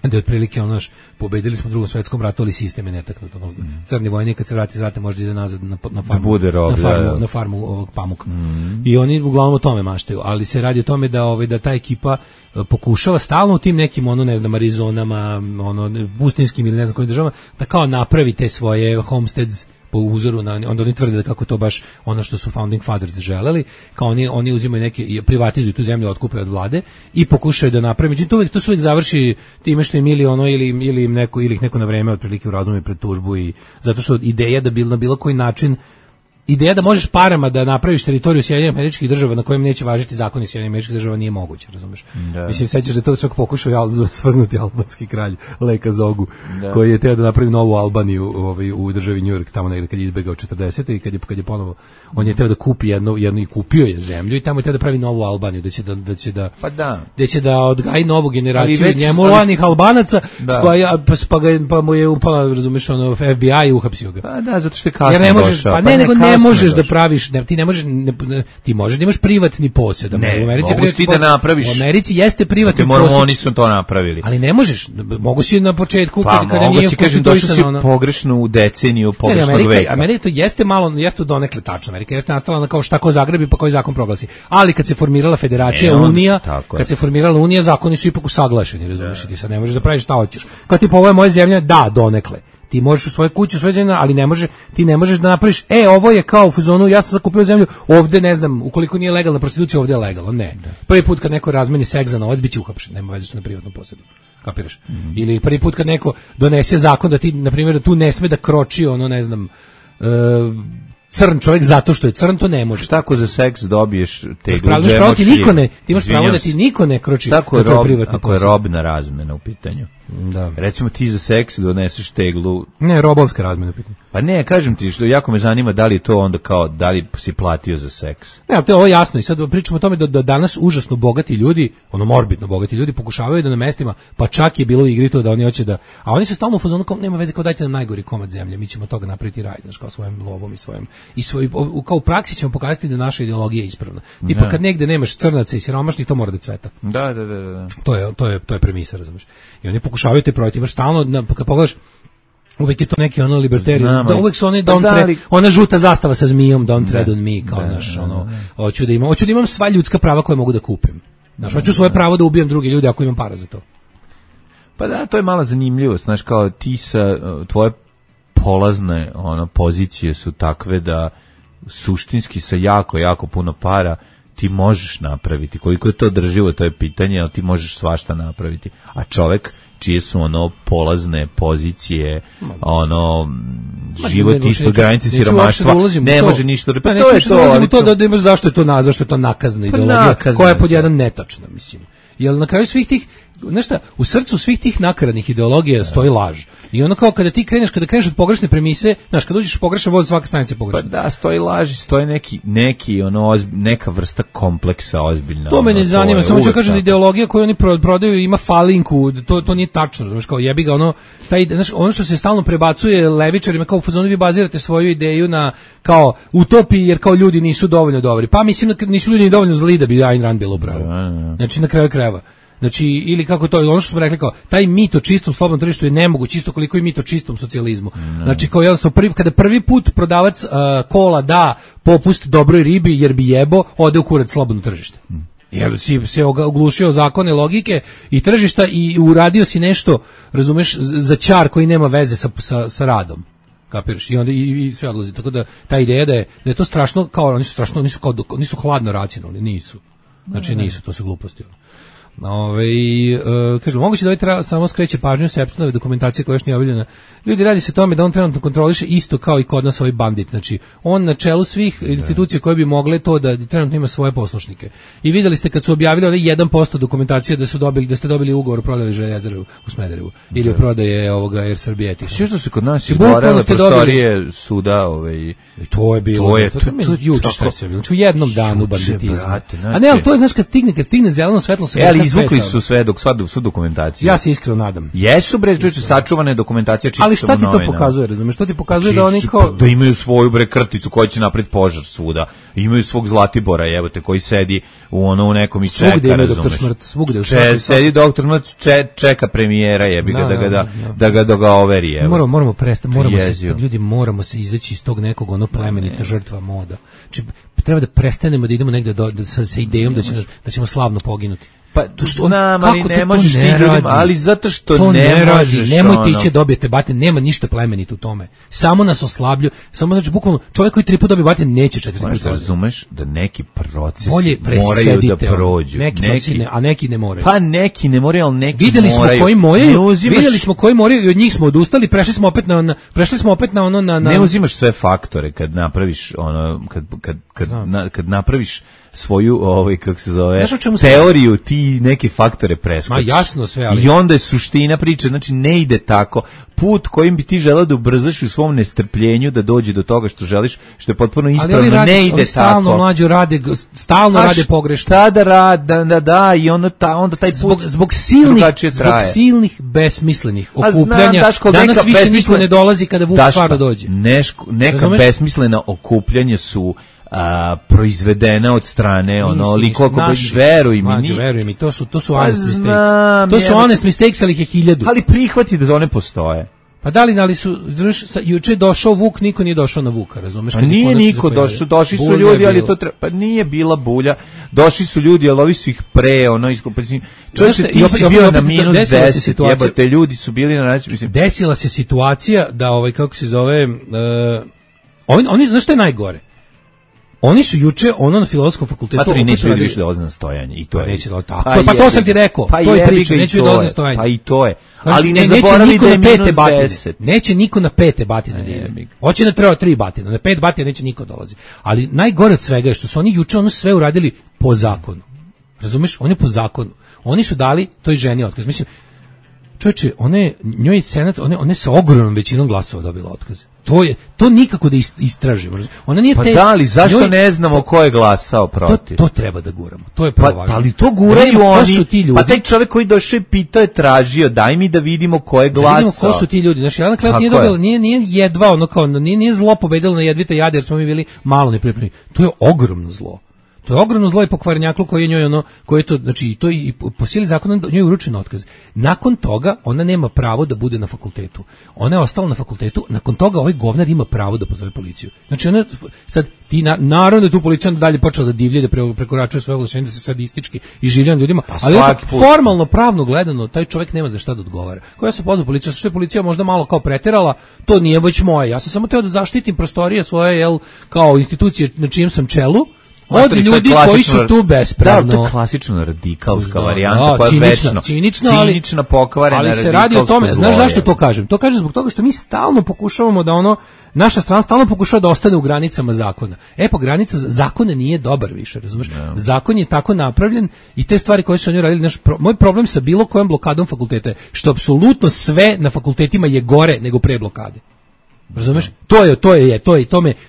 da je otprilike pobedili smo u Drugom svetskom ratu, ali sistem je netaknut. Crni vojnik kad se vrati iz rata može ide nazad na farmu, na farmu ovog pamuka. I oni uglavnom o tome maštaju, ali se radi o tome da ta ekipa pokušava stalno u tim nekim ne znam Arizonama, pustinskim ili ne znam kojim državama, da kao napravi te svoje homesteads po uzoru na, onda oni tvrde da kako to baš ono što su founding fathers želeli, kao oni uzimaju neke, privatizuju tu zemlju, otkupe od vlade i pokušaju da naprave. Međutim, to se uvijek završi time što im ili ih neko na vreme otprilike u razumu pred tužbu, i zato što ideja da na bilo koji način, ideja da možeš parama da napraviš teritoriju Sjedinjenih Američkih Država na kojem neće važiti zakoni Sjedinjenih Američkih Država nije moguće, razumeš? Da. Mislim, sećaš da to čak pokušao svrgnuti albanski kralj Leka Zogu, koji je teo da napravi novu Albaniju u državi New York, tamo negde kad je izbegao 40. i kad je ponovo, on je teo da kupi jednu i kupio je zemlju i tamo je teo da pravi novu Albaniju, da će da odgaji novu generaciju njemu lanih Albanaca, pa mu je upala, razumeš, FBI i uhapsio ga. Pa da, zato što je kasno došao. Ne možeš da praviš, ti možeš da imaš privatni posjed. Ne, mogu ti da napraviš. U Americi jeste privatni posjed. Oni su to napravili. Ali ne možeš, mogu si na početku, kada nije konstituisano. Došli si pogrešno u deceniju pogrešnog veka. Amerika to jeste malo, jeste donekle tačno. Amerika jeste nastala kao šta ko zagrebi pa koji zakon proglasi. Ali kad se formirala federacija, Unija, kad se formirala Unija, zakoni su ipak usaglašeni, razumiješ, ti sad ne možeš da praviš šta hoćeš. Kao tipa, ovo je moja zemlja, da, donekle. Ti možeš u svojoj kući, u svojoj zemlji, ali ti ne možeš da napraviš, ovo je kao u fazonu, ja sam zakupio zemlju, ovde ne znam, ukoliko nije legalna prostitucija, ovde je legalno, ne. Prvi put kad neko razmeni seks za novac, biće uhapšen, nema veze što na privatnom posjedu. Kapiraš? Ili prvi put kad neko donese zakon da ti, na primjer, da tu ne sme da kroči, ne znam, crn čovjek zato što je crn, to ne može. Šta ako za seks dobiješ teglu ti imaš pravo da ti niko ne kroči. Tako je ako je robna razmena u pitanju. Da. Recimo ti za seks doneseš teglu. Ne, robovska razmena u pitanju. Pa ne, kažem ti, što jako me zanima da li je to onda kao, da li si platio za seks. Ne, ali to je ovo jasno i sad pričamo o tome da danas užasno bogati ljudi, morbidno bogati ljudi pokušavaju da na mestima, pa čak je bilo u igri to da oni hoće da, a oni se stalno u fazonu kao nema veze, kao dajte nam najgori komad zemlje, mi ćemo toga napraviti raj, znaš, kao svojim lovom i svojim kao u praksi ćemo pokazati da naša ideologija je ispravna. Tipa kad negde nemaš crnaca i siromašnih, to mora da cveta. Da. To je premisa, razumeš. I oni pokušavaju te protiv, stalno kad pogledaš, uvek je to neki libertarian, da uvek su oni ona žuta zastava sa zmijom, don't tread on me, kao naš, hoću da imam sva ljudska prava koje mogu da kupim. Znaš, hoću svoje pravo da ubijem druge ljude ako imam para za to. Pa da, to je mala zanimljivost, znaš, kao ti tvoje polazne pozicije su takve da suštinski sa jako, jako puno para ti možeš napraviti. Koliko je to održivo, to je pitanje, ali ti možeš svašta napraviti. A čovek čije su polazne pozicije, život ispod granice siromaštva, ne može ništa. Pa to je to. Da imaš zašto je to nakazna ideologija, koja je pod jedan netačna, mislim. Jer na kraju svih tih, nešto, u srcu svih tih nakaradnih ideologija stoji laž. I ono kao kada kreneš od pogrešne premise, znaš, kad uđeš u pogrešan voz, svaka stanica je pogrešna. Pa da, stoji laž i stoji neka vrsta kompleksa ozbiljna. To me ne zanima, samo ću kažem da ideologija koju oni prodaju ima falinku, to nije tačno, znaš, kao jebi ga, ono što se stalno prebacuje levičarima, kao u fazonu vi bazirate svoju ideju na kao utopiji, jer kao ljudi nisu dovoljno dobri. Pa mislim da nisu ljudi dovoljno zli da bi Ayn Rand bilo upravo. Znači na kraju krajeva. Znači, ili kako to, ono što smo rekli kao, taj mit o čistom slobodnom tržištu je nemoguć, isto koliko i mit o čistom socijalizmu. Znači, kao jednostavno, kada prvi put prodavac kola da popust dobroj ribi jer bi jebo, ode u kurac slobodno tržište. Jer si se oglušio zakone logike i tržišta i uradio si nešto, razumeš, za ćar koji nema veze sa radom. Kapiraš? I onda i sve odlazi. Tako da ta ideja da je to strašno, kao oni su strašno, nisu hladno racionalni, nisu. Znači nisu, to su gluposti. Kažem, moguće da ovaj treba samo skreće pažnju sa Epsteinove dokumentacije koja još nije objavljena. Ljudi, radi se o tome da on trenutno kontroliše isto kao i kod nas ovaj bandit. Znači, on na čelu svih institucija koje bi mogle to da trenutno ima svoje poslušnike. I videli ste kad su objavili ovaj 1% dokumentacije da ste dobili ugovor o prodaji željezare u Smederevu ili o prodaje ovoga Air Srbije. Sve što se kod nas izborele prostorije suda, to je bilo. To je juče šta se bilo. Znači u jednom danu banditizma. A ne, ali to je, znaš, kad stigne zeleno svetlo se izvukli su sve svu dokumentaciju. Ja se iskreno nadam. Jesu bre, sačuvane dokumentacije, ali šta ti to pokazuje, razumeš? Što ti pokazuje da oni da imaju svoju bre krticu koja će napraviti požar svuda. Imaju svog Zlatibora, jebote, koji sedi u nekom i čeka, razumeš. Svugde sedi doktor Smrt, čeka premijera, jebi ga da ga overi, jebi. Moramo prestati, moramo se izaći iz tog nekog plemenita žrtva moda. Znači treba da prestanemo da idemo negde sa idejom da ćemo slavno poginuti. Pa znam, ali ne možeš ti ljudima, ali zato što to ne možeš. Nemojte ići dobijete batin, nema ništa plemenito u tome. Samo nas oslablju, samo znači bukvalno čovjek koji 3 puta dobije batin neće 4 puta. Možda razumeš da neki procesi moraju da prođu. A neki ne moraju. Pa neki ne moraju, ali neki videli moraju. Videli smo koji moraju i od njih smo odustali, prešli smo opet na ono na Ne uzimaš sve faktore kad napraviš kad napraviš svoju kako se zove teoriju, ti neke faktore preskočiš. Ma jasno sve, ali i onda je suština priče, znači ne ide tako. Put kojim bi ti želeo da ubrzaš u svom nestrpljenju da dođe do toga što želiš, što je potpuno ispravno, ne ide tako. Stalno rade pogrešno. Šta da rade, da i onda taj put zbog silnih besmislenih okupljanja. Danas više niko ne dolazi kada Vuk stvarno dođe. Neka besmislena okupljanja su proizvedena od strane likova koji veruj mi, to su honest mistakes. To su honest mistakes, ali ih je 1000. Ali prihvati da one postoje. Pa da li su, juče došao Vuk, niko nije došao na Vuka, razumeš? Pa nije niko došao, došli su ljudi, ali to pa nije bila bulja, došli su ljudi, ali ovi su ih čovječe, ti si bio na minus 10, jebote, ljudi su bili na način, mislim. Desila se situacija da, kako se zove, oni, znaš što je najgore? Oni su juče na Filozofskom fakultetu opet neće ljudi više dolaziti na stojanje i to je. Neće dolaziti. Pa to sam ti rekao, to je priča, neće ljudi dolaziti na stojanje. Pa i to je. Ali ne zaboravi da je minus 10. Neće niko na 5 batine da ide. Hoće na 3 batine, na 5 batine neće niko dolazi. Ali najgore od svega je što su oni juče sve uradili po zakonu. Razumeš? Oni po zakonu. Oni su dali toj ženi otkaz. Mislim, čovječe, njoj je senat, one sa ogromnom većinom glasova dobila otkaz. To nikako da istražimo. Ona nije ali zašto ne znamo ko je glasao protiv? To treba da guramo. To je prvo važno. Ali to guraju oni. Pa taj čovjek koji došao i pitao je tražio, daj mi da vidimo ko je glasao. Da vidimo ko su ti ljudi. Znači, Jelena Klevot nije dobila, nije jedva nije zlo pobedilo na jedvite jade jer smo mi bili malo nepripremljeni. To je ogromno zlo. To je ogromno zlo i pokvarnjaklu koji je njoj koji je to, znači to i po sili zakona njoj je uručen otkaz. Nakon toga ona nema pravo da bude na fakultetu. Ona je ostala na fakultetu, nakon toga ovaj govnar ima pravo da pozove policiju. Znači ona sad naravno da tu policija dalje počela da divlje, da prekoračuje svoje ovlašćenje, da se sadistički iživljava ljudima, ali formalno pravno gledano taj čovjek nema za šta da odgovara. Koja se pozvao policiju, što je policija možda malo kao preterala, to nije već moje. Ja sam samo teo da zaštitim prostorije svoje kao institucije na čijem sam čelu. Od ljudi koji su tu bespravno. Da, to je klasično radikalska varijanta, koja je večno. Cinična, pokvarena, ali se radi o tome, znaš zašto to kažem? To kažem zbog toga što mi stalno pokušavamo da naša strana stalno pokušava da ostane u granicama zakona. Pa granica zakona nije dobar više, razumeš? Yeah. Zakon je tako napravljen i te stvari koje su oni radili, moj problem sa bilo kojom blokadom fakulteta je što apsolutno sve na fakultetima je gore nego pre blokade. Razumeš?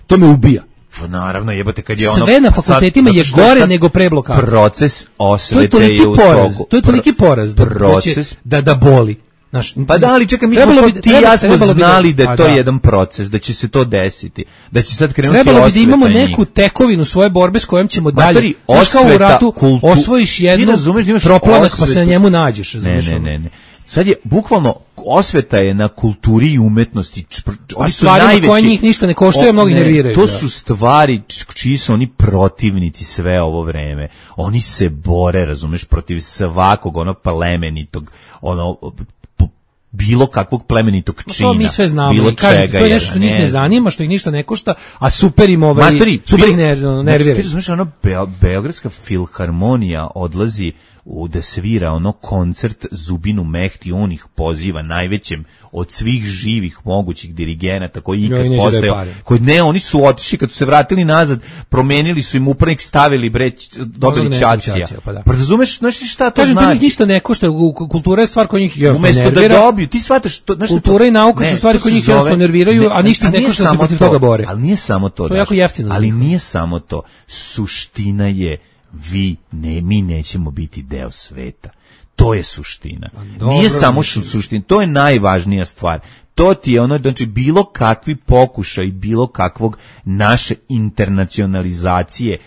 To me ubija. Pa naravno, jebote, kad je sve na fakultetima je gore nego pre blokade. Proces osvete je u toku. To je toliki poraz da boli. Pa da, ali čekaj, mi smo ti i ja smo znali da je to jedan proces, da će se to desiti, da će sad krenuti osveta. Trebalo bi da imamo neku tekovinu svoje borbe s kojom ćemo dalje. Kao u ratu osvojiš jednu proplanak pa se na njemu nađeš. Ne. Sad je bukvalno osveta je na kulturi i umetnosti. Oni su stvarima koje njih ništa ne koštaju, mnogi nerviraju. To su stvari čiji su oni protivnici sve ovo vreme. Oni se bore, razumeš, protiv svakog plemenitog, bilo kakvog plemenitog čina. To mi sve znamo. Bilo i kažem, to je nešto što njih ne zanima, što ih ništa ne košta, a super im super ih nervira. Ti razumeš, Beogradska filharmonija odlazi da svira koncert Zubinu Mehti, on ih poziva najvećem od svih živih mogućih dirigenata koji ikad postao. Oni su otišli, kad su se vratili nazad, promenili su im upravnik, stavili dobili ćacija. Pa razumeš, šta to znači? Kažem, ništa ne košta, kultura je stvar koja njih umesto da dobiju, ti shvataš to, kultura i nauka su stvari koje njih jednostavno nerviraju, a ništa ne košta da se protiv toga bore. Ali nije samo to. To je jako jeftino. Ali nije samo to. Suština je mi nećemo biti deo sveta. To je suština. Dobro, nije samo suština, to je najvažnija stvar. To ti je ono, znači bilo kakvi pokušaj, bilo kakvog naše internacionalizacije,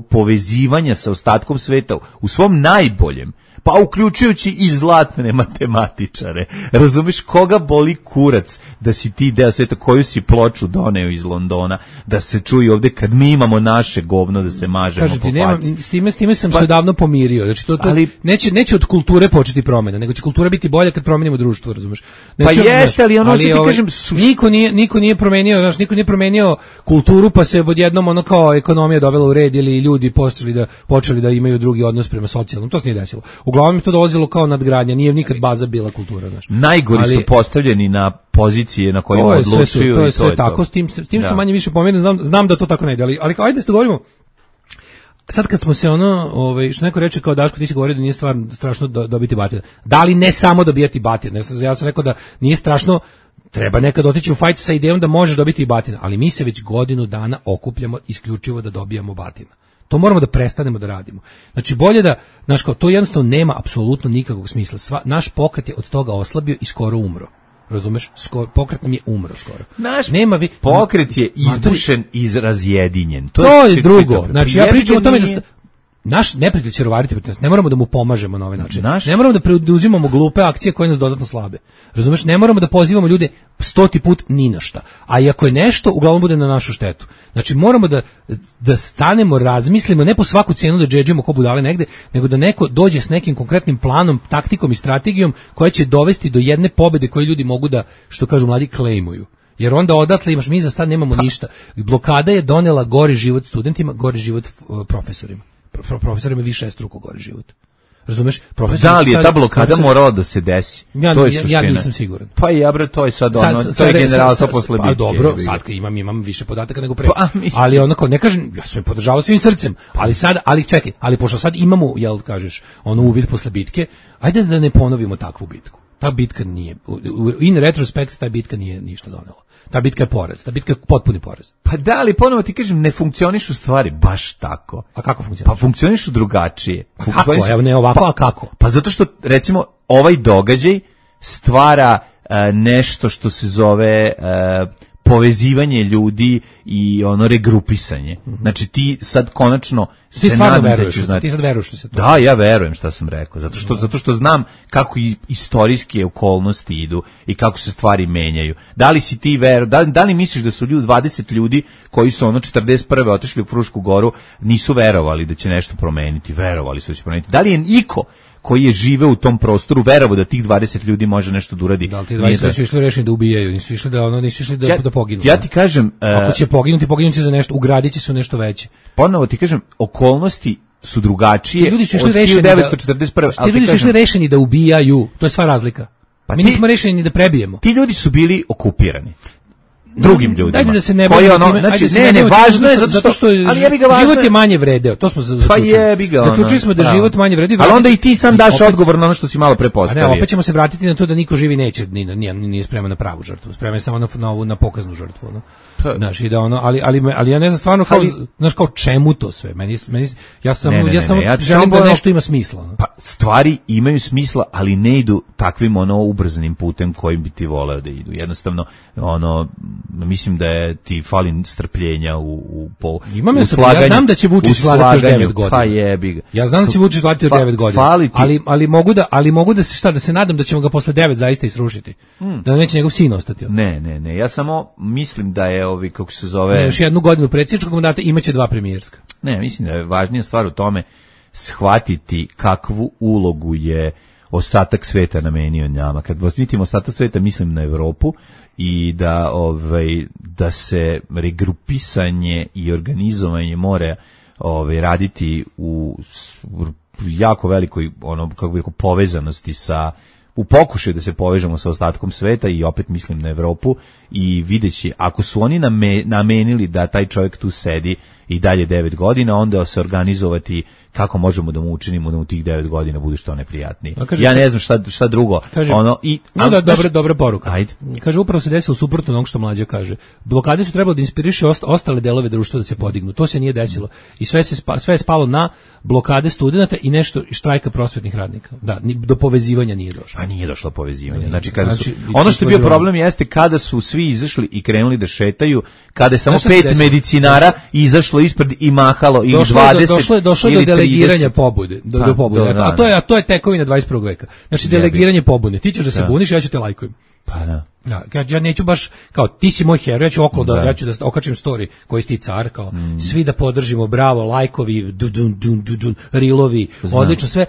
povezivanja sa ostatkom sveta u svom najboljem, pa uključujući i zlatne matematičare. Razumeš, koga boli kurac da si ti deo sveta, koju si ploču doneo iz Londona, da se čuje ovde kad mi imamo naše govno da se mažemo po faci. S time sam se odavno pomirio. Znači ali, neće od kulture početi promena, nego će kultura biti bolja kad promenimo društvo, razumeš? Neće, pa jeste, ali ono ti kažem... Niko nije promenio, znači niko nije promenio kulturu, pa se odjednom ono kao ekonomija dovela u red ili ljudi počeli da imaju drugi odnos prema socijalnom. To se nije desilo. Uglavnom je to dolazilo kao nadgradnja, nije nikad baza bila kultura, znaš. Najgori su postavljeni na pozicije na kojima odlučuju. To je sve tako, s tim sam manje više pomiren, znam da to tako ne ide, ali ajde se dogovorimo. Sad kad smo se što neko reče kao Daško, ti si govorio da nije strašno dobiti batina. Da li ne samo dobijati batina? Ja sam rekao da nije strašno, treba nekad otići u fajt sa idejom da možeš dobiti i batina, ali mi se već godinu dana okupljamo isključivo da dobijamo batina. To moramo da prestanemo da radimo. Znači bolje da, znaš kao, to jednostavno nema apsolutno nikakvog smisla. Naš pokret je od toga oslabio i skoro umro. Razumeš? Pokret nam je umro skoro. Naš pokret je izbušen i razjedinjen. To je drugo. Znači ja pričam o tome da naš neprijatelj će rovariti protiv nas. Ne moramo da mu pomažemo na ovaj način. Ne moramo da preuzimamo glupe akcije koje nas dodatno slabe. Razumeš? Ne moramo da pozivamo ljude 100 put ni na šta. A i ako je nešto, uglavnom bude na našu štetu. Znači moramo da stanemo, razmislimo, ne po svaku cijenu da džedžimo ko budale negde, nego da neko dođe s nekim konkretnim planom, taktikom i strategijom koja će dovesti do jedne pobede koju ljudi mogu da, što kažu mladi, klejmuju. Jer onda odatle imaš, mi za sad nemamo ništa. Blokada je donela gori život studentima, gori život profesorima. Profesorima više struko gori život. Razumeš? Da li je ta blokada morala da se desi? Ja nisam siguran. Pa to je sad to je generalno posle bitke. Pa dobro, sad imam više podataka nego pre. Ali onako, ne kažem, ja sam je podržavao svim srcem, ali čekaj, ali pošto sad imamo, jel kažeš, uvid posle bitke, ajde da ne ponovimo takvu bitku. Ta bitka nije, in retrospekt, ta bitka nije ništa donela. Ta bitka je poraz, ta bitka je potpuni poraz. Pa da, ali ponovo ti kažem, ne funkcionišu stvari baš tako. A kako funkcionišu? Pa funkcionišu drugačije. Pa kako? Evo ne ovako, a kako? Pa zato što, recimo, ovaj događaj stvara nešto što se zove povezivanje ljudi i regrupisanje. Znači ti sad konačno ti stvarno veruješ, ti sad veruješ što se to. Da, ja verujem šta sam rekao, zato što znam kako istorijske okolnosti idu i kako se stvari menjaju. Da li si ti da li misliš da su 20 ljudi koji su 41. otišli u Frušku goru nisu verovali da će nešto promeniti, verovali su da će promeniti. Da li je iko koji je žive u tom prostoru verovao da tih 20 ljudi može nešto da uradi? Da li ti 20 su išli rešeni da ubijaju, nisu išli da poginu. Ja ti kažem, ako će poginuti za nešto, ugradit će se u nešto veće. Ponovo ti kažem, okolnosti su drugačije. Ljudi su išli rešeni 1941. Ti ljudi su išli rešeni da ubijaju, to je sva razlika. Mi nismo rešeni ni da prebijemo. Ti ljudi su bili okupirani drugim ljudima. Ajde da se ne bavimo time. Znači, ne, važno je zato što život je manje vredeo. To smo zaključili. Pa jebi ga. Zaključili smo da život manje vredi. Ali onda i ti sam daš odgovor na ono što si malo prepostavio. Ne, opet ćemo se vratiti na to da niko živi neće, nije spreman na pravu žrtvu. Spreman je samo na pokaznu žrtvu, no. Znaš, i da ali ja ne znam stvarno kao, znaš, kao čemu to sve. Ja samo želim da nešto ima smisla. Pa stvari imaju smisla, ali ne idu takvim ubrzanim putem kojim bi ti voleo da idu. Jednostavno, mislim da je ti fali strpljenja u slaganju. Ja znam da će Vučić vladati još 9 godina. Pa jebi ga. Ja znam da će Vučić vladati još 9 godina. Ali mogu da se nadam da ćemo ga posle 9 zaista isrušiti. Da neće njegov sin ostati. Ne. Ja samo mislim da je kako se zove... Još jednu godinu predsjedničkog mandata imaće 2 premijerska. Ne, mislim da je važnija stvar u tome shvatiti kakvu ulogu je ostatak sveta namenio njama. Kad mislim ostatak sveta, mislim na Evropu i da se regrupisanje i organizovanje mora raditi u jako velikoj povezanosti sa u pokušaju da se povežemo sa ostatkom sveta i opet mislim na Evropu i videći, ako su oni namenili da taj čovjek tu sedi i dalje 9 godina, onda se organizovati kako možemo da mu učinimo da u tih 9 godina bude što neprijatnije. Ja ne znam šta drugo. Kaže, ono i dobra poruka. Ajde. Kaže, upravo se desilo suprotno onog što Mlađa kaže. Blokade su trebalo da inspiriše ostale delove društva da se podignu. To se nije desilo. I sve je spalo na blokade studenata i nešto štrajka prosvetnih radnika. Da, do povezivanja nije došlo. Pa nije došlo povezivanje. Znači, ono što je bio problem jeste kada su svi izašli i krenuli da šetaju, kada je samo 5 medicinara izašlo ispred i mahalo ili 20 došlo do delegiranja pobude, do pobude. A to je tekovina 21. veka. Znači delegiranje pobude. Ti ćeš da se buniš, ja ću te lajkujem. Pa da. Ja neću baš kao ti si moj heroj, ja ću ja ću da okačim story koji si ti car, kao svi da podržimo, bravo, lajkovi, rilovi, odlično sve,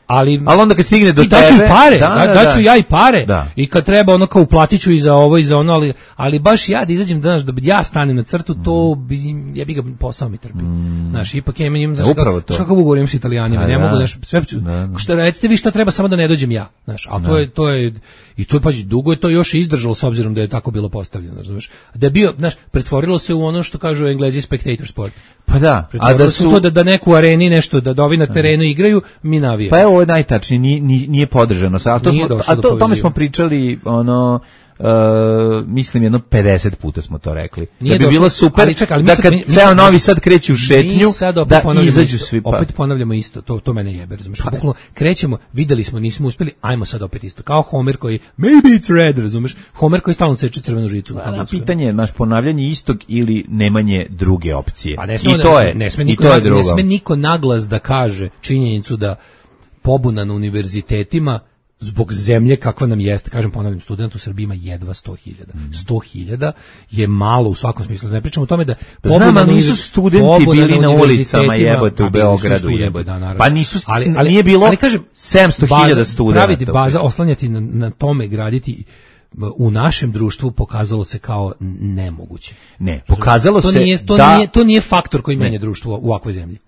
ali onda kad stigne do tebe daću pare, daću ja i pare i kad treba ono kao uplatiću i za ovo i za ono, ali baš ja da izađem danas da ja stanem na crtu, to bi ja bi ga posao mi trpi. Znaš, ipak imam kakav ugovor imam s Italijanima, ne mogu sve što recite vi šta treba samo da ne dođem ja, znaš, ali to je i to je pa dugo je to još izdržalo s obzirom da je tako bilo postavljeno, znaš. Da je bio, znaš, pretvorilo se u ono što kažu Englezi spectator sport. Pa da, a da su to da neku areni nešto da ovi na terenu igraju, mi navijamo. Pa evo ovo je najtačnije, nije podržano. A tome smo pričali mislim jedno 50 puta smo to rekli. Da bi bilo super da kad ceo Novi Sad kreće u šetnju da izađu svi. Opet ponavljamo isto, to mene jebe, razumeš? Bukvalno krećemo, videli smo, nismo uspeli, ajmo sad opet isto. Kao Homer koji maybe it's red, razumeš? Homer koji stalno seče crvenu žicu. Pitanje je naš ponavljanje istog ili nemanje druge opcije. Ne sme niko naglas da kaže činjenicu da pobuna na univerzitetima zbog zemlje kakva nam jeste, kažem, ponavljam, student u Srbiji ima jedva 100.000. 100.000 je malo u svakom smislu. Ne pričamo o tome da pobuna nisu studenti bili na ulicama, jebote, u Beogradu, jebote. Pa nisu, nije bilo 700.000 studenta. Praviti baza, oslanjati na tome, graditi u našem društvu pokazalo se kao nemoguće. Ne, pokazalo se to nije faktor koji menja društvo u ovakvoj zemlji.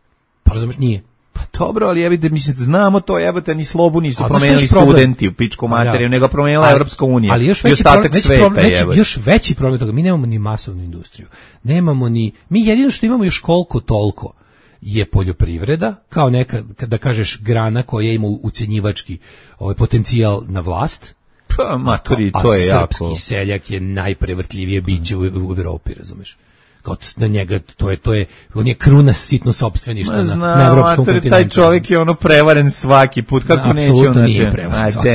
Pa razumeš, nije. Pa dobro, ali jebite, mislim, znamo to, jebate, ni slobu nisu promenili studenti u pičku materiju, nego promenila Evropska unija. Ali još veći problem toga, mi nemamo ni masovnu industriju. Nemamo ni, mi jedino što imamo još koliko toliko je poljoprivreda, kao neka, da kažeš, grana koja ima ucenjivački potencijal na vlast. Pa, maturi, to je jako. Srpski seljak je najprevrtljivije biće u Evropi, razumeš? Kao na njega, on je kruna sitno sopstveništva na evropskom kontinentu. Taj čovjek je ono prevaren svaki put, kako neće on naći? Nije prevaren svaki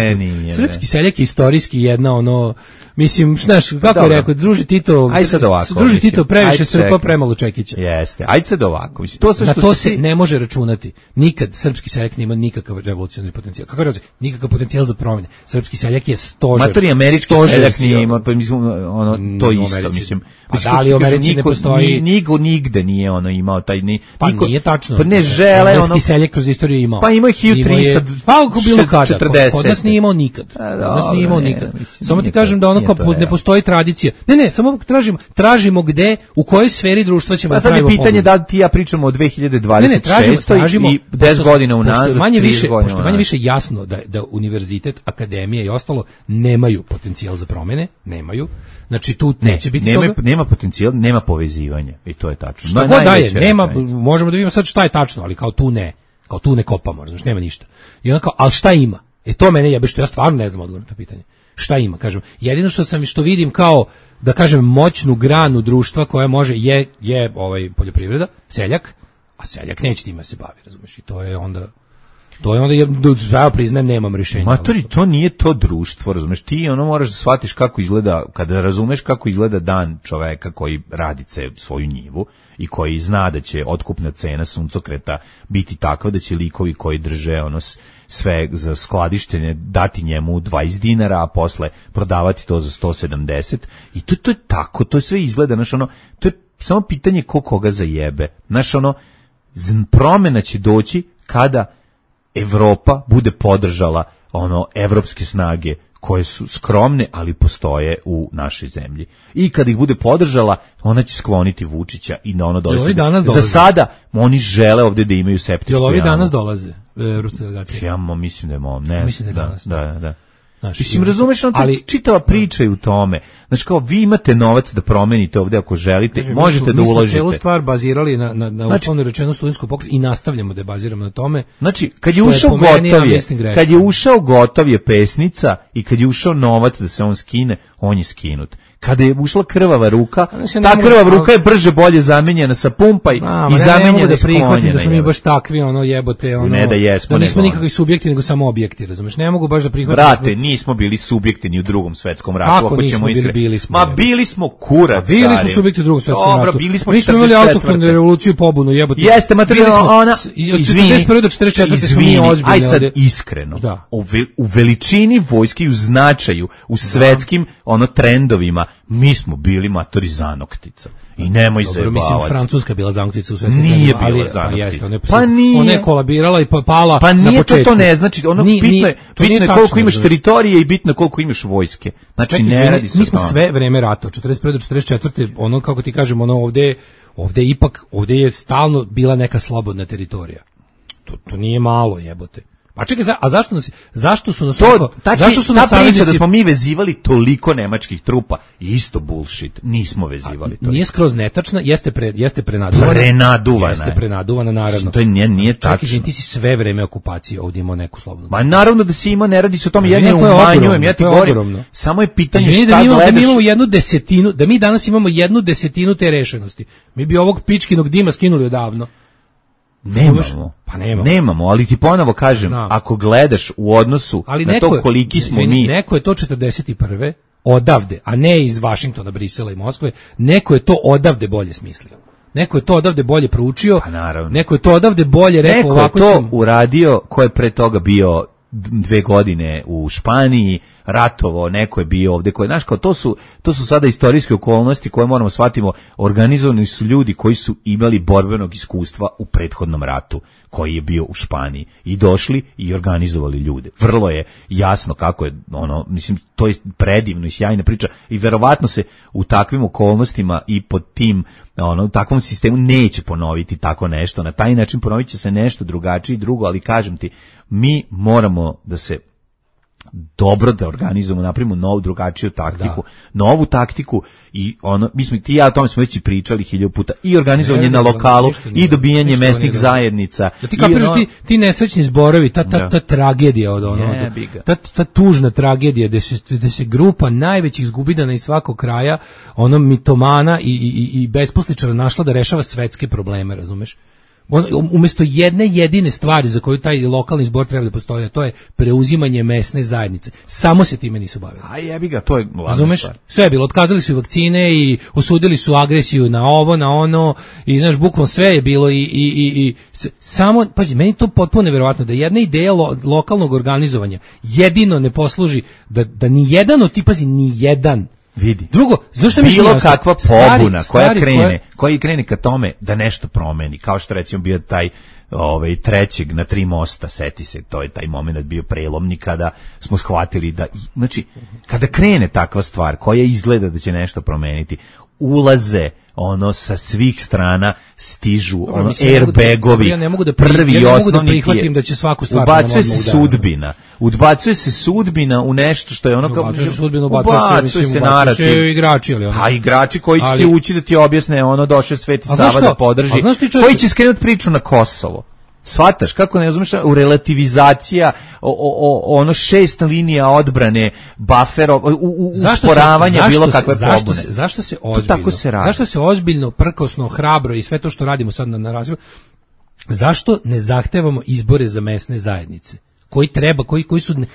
put. Srpski seljak je istorijski jedna ono, mislim, znaš, kako je rekao, druži Tito previše Srpa, premalo Čekića. Jeste, ajde sad ovako. Na to se ne može računati. Nikad srpski seljak nema nikakav revolucionarni potencijal. Kako reći? Nikakav potencijal za promjene. Srpski seljak je stožer. Matori američki seljak nije imao, pa mislim, ono, to isto, mislim. Da li u Americi ne postoji? Nigde nije ono imao taj pa nije tačno. Pa ne žele ono. Srpski seljak kroz istoriju imao. Pa ima 1300. Pa ako bilo kada. Kod nas nije imao nikad. Samo ti kažem da ono kao ne postoji tradicija. Ne, samo tražimo gde, u kojoj sferi društva ćemo praviti. Sad je pitanje da ti ja pričamo o 2026 i 10 godina unazad. Pošto manje više jasno da univerzitet, akademija i ostalo nemaju potencijal za promene, nemaju. Znači tu neće biti toga. Nema potencijal, nema povezivanja i to je tačno. Šta god daje, nema, možemo da vidimo sad šta je tačno, ali kao tu ne kopamo, znači nema ništa. I onda kao, ali šta ima? To mene jebe, što ja stvarno ne znam odgovor na to pitanje. Šta ima, kažem. Jedino što vidim kao, da kažem, moćnu granu društva koja može je poljoprivreda, seljak, a seljak neće time se bavi, razumiješ, i to je onda ja priznajem, nemam rješenja. Matori, to nije to društvo, razumeš, ti ono moraš da shvatiš kako izgleda, kada razumeš kako izgleda dan čoveka koji radi svoju njivu i koji zna da će otkupna cena suncokreta biti takva da će likovi koji drže ono sve za skladištenje dati njemu 20 dinara, a posle prodavati to za 170 i to je tako, to sve izgleda, znaš, ono, to je samo pitanje koga zajebe, znaš, ono, promjena će doći kada Evropa bude podržala ono evropske snage koje su skromne, ali postoje u našoj zemlji. I kad ih bude podržala, ona će skloniti Vučića i na ono dolazi. Za sada oni žele ovdje da imaju septičku jamu. Jel ovi danas dolaze? Evropske delegacije? Ja mislim da je ne. Mislim da je danas. Da. Znaš, mislim, razumeš, ali čitava priča je u tome. Znači, kao, vi imate novac da promenite ovde ako želite, možete da uložite. Mi smo celu stvar bazirali na uslovno rečeno studentsku pokret i nastavljamo da je baziramo na tome. Znači, kad je ušao gotov je pesnica i kad je ušao novac da se on skine, on je skinut. Kada je ušla krvava ruka, ta krvava ruka je brže bolje zamenjena sa pumpa i zamenjena s konjena. Da smo mi baš takvi, jebote, ne da jesmo, da nismo nikakvi subjekti, nego samo objekti, razumeš? Ne mogu baš da prihvatim. Brate, nismo bili subjekti ni u Drugom svetskom ratu, ako ćemo iskreno. Bili smo. Ma bili smo kurac. Bili smo subjekti u Drugom svetskom ratu. Bili smo 44. Mi smo imali autohtonu revoluciju i pobunu, jebote. Jeste, materijalno ona. Od 41. do 44. smo mi ozbiljni. Aj sad iskreno. U veličini vojske i u značaju, u svetskim trendovima, mi smo bili matori zanoktica. I nemoj se bavati. Mislim, Francuska bila zanoktica u svetskim nije bila zanoktica. Pa nije. Ona je kolabirala i pala pa na početku. To ne znači. Bitno je koliko imaš teritorije i bitno je koliko imaš vojske. Znači, ne radi se. Mi smo sve vreme rata, od 41. do 44. Kako ti kažem, ovde je stalno bila neka slobodna teritorija. To nije malo, jebote. Pa čekaj, a zašto su nas ta priča da smo mi vezivali toliko nemačkih trupa, isto bullshit, nismo vezivali to. Nije skroz netačna, jeste prenaduvana. Jeste prenaduvana, naravno. To nije tačno. Čekaj, ti si sve vreme okupacije ovdje imao neku slobodnu. Ma naravno da si imao, ne radi se o tome, ja ne umanjujem, ja ti govorim. Samo je pitanje šta gledaš. Da mi imamo 1/10, da mi danas imamo 1/10 te rešenosti. Mi bi ovog pičkinog dima skinuli odavno. Nemamo, ali ti ponovo kažem, ako gledaš u odnosu na to koliki smo mi... Neko je to 41. odavde, a ne iz Vašingtona, Brisela i Moskve, neko je to odavde bolje smislio. Neko je to odavde bolje proučio, neko je to odavde bolje rekao ovako ćemo... Neko je to uradio ko je pre toga bio 2 godine u Španiji, ratovo, neko je bio ovde, znaš, kao to su sada istorijske okolnosti koje moramo shvatimo, organizovani su ljudi koji su imali borbenog iskustva u prethodnom ratu, koji je bio u Španiji, i došli i organizovali ljude. Vrlo je jasno kako je, mislim, to je predivno i sjajna priča i verovatno se u takvim okolnostima i pod tim, u takvom sistemu neće ponoviti tako nešto, na taj način ponovit će se nešto drugačije i drugo, ali kažem ti, mi moramo da se dobro da organizujemo, napravimo novu drugačiju taktiku, novu taktiku i ti i ja o tome smo već i pričali 1000 puta, i organizovanje na lokalu i dobijanje mesnih zajednica. Ti kapiraš ti nesrećni zborovi, ta tragedija ta tužna tragedija gde se grupa najvećih zgubidana iz svakog kraja, mitomana i besposličara našla da rešava svetske probleme, razumeš? Umjesto jedne jedine stvari za koju taj lokalni zbor treba da postoji, a to je preuzimanje mesne zajednice. Samo se time nisu bavili. A jebi ga, to je glavna Razumeš? Stvar. Sve je bilo, otkazali su i vakcine i osudili su agresiju na ovo, na ono, i znaš, bukvalno sve je bilo i samo, pazi, meni to potpuno neverovatno da jedna ideja lokalnog organizovanja jedino ne posluži da ni jedan od tipa, ni jedan. Vidi. Drugo, zašto mi bilo kakva pobuna koja krene ka tome da nešto promeni, kao što recimo bio taj trećeg na 3 mosta, seti se, to je taj moment bio prelomni kada smo shvatili da, znači, kada krene takva stvar koja izgleda da će nešto promeniti, ulaze sa svih strana stižu airbagovi, prvi i osnovni prihvatim da će svaku stvar udbacuje se sudbina u nešto što je kao ubacuje se narativ, igrači, a igrači koji će ti ući da ti objasne došao Sveti Sava da podrži, koji će skrenuti priču na Kosovo. Shvataš, kako ne razumeš, u relativizacija, 6 linija odbrane, bufera, usporavanja bilo kakve pobune. Zašto se ozbiljno, prkosno, hrabro i sve to što radimo sad na razvoju, zašto ne zahtevamo izbore za mesne zajednice? Koji treba,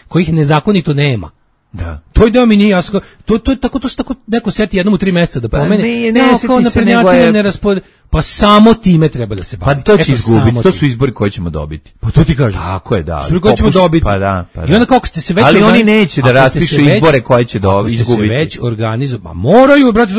kojih nezakonito nema? Da. To je da mi nije jasno. To je tako neko seti jednom u 3 mjeseca da pomene. Ne seti se, nego je... Pa samo time treba da se bavi. Pa to će izgubiti, to su izbori koje ćemo dobiti. Pa to ti kažem. Tako je, da. Izbori koje ćemo dobiti. Pa da. I onda kako ste se već... Ali oni neće da raspišu izbore koje će izgubiti. Ako ste se već organizovali, pa moraju, brate,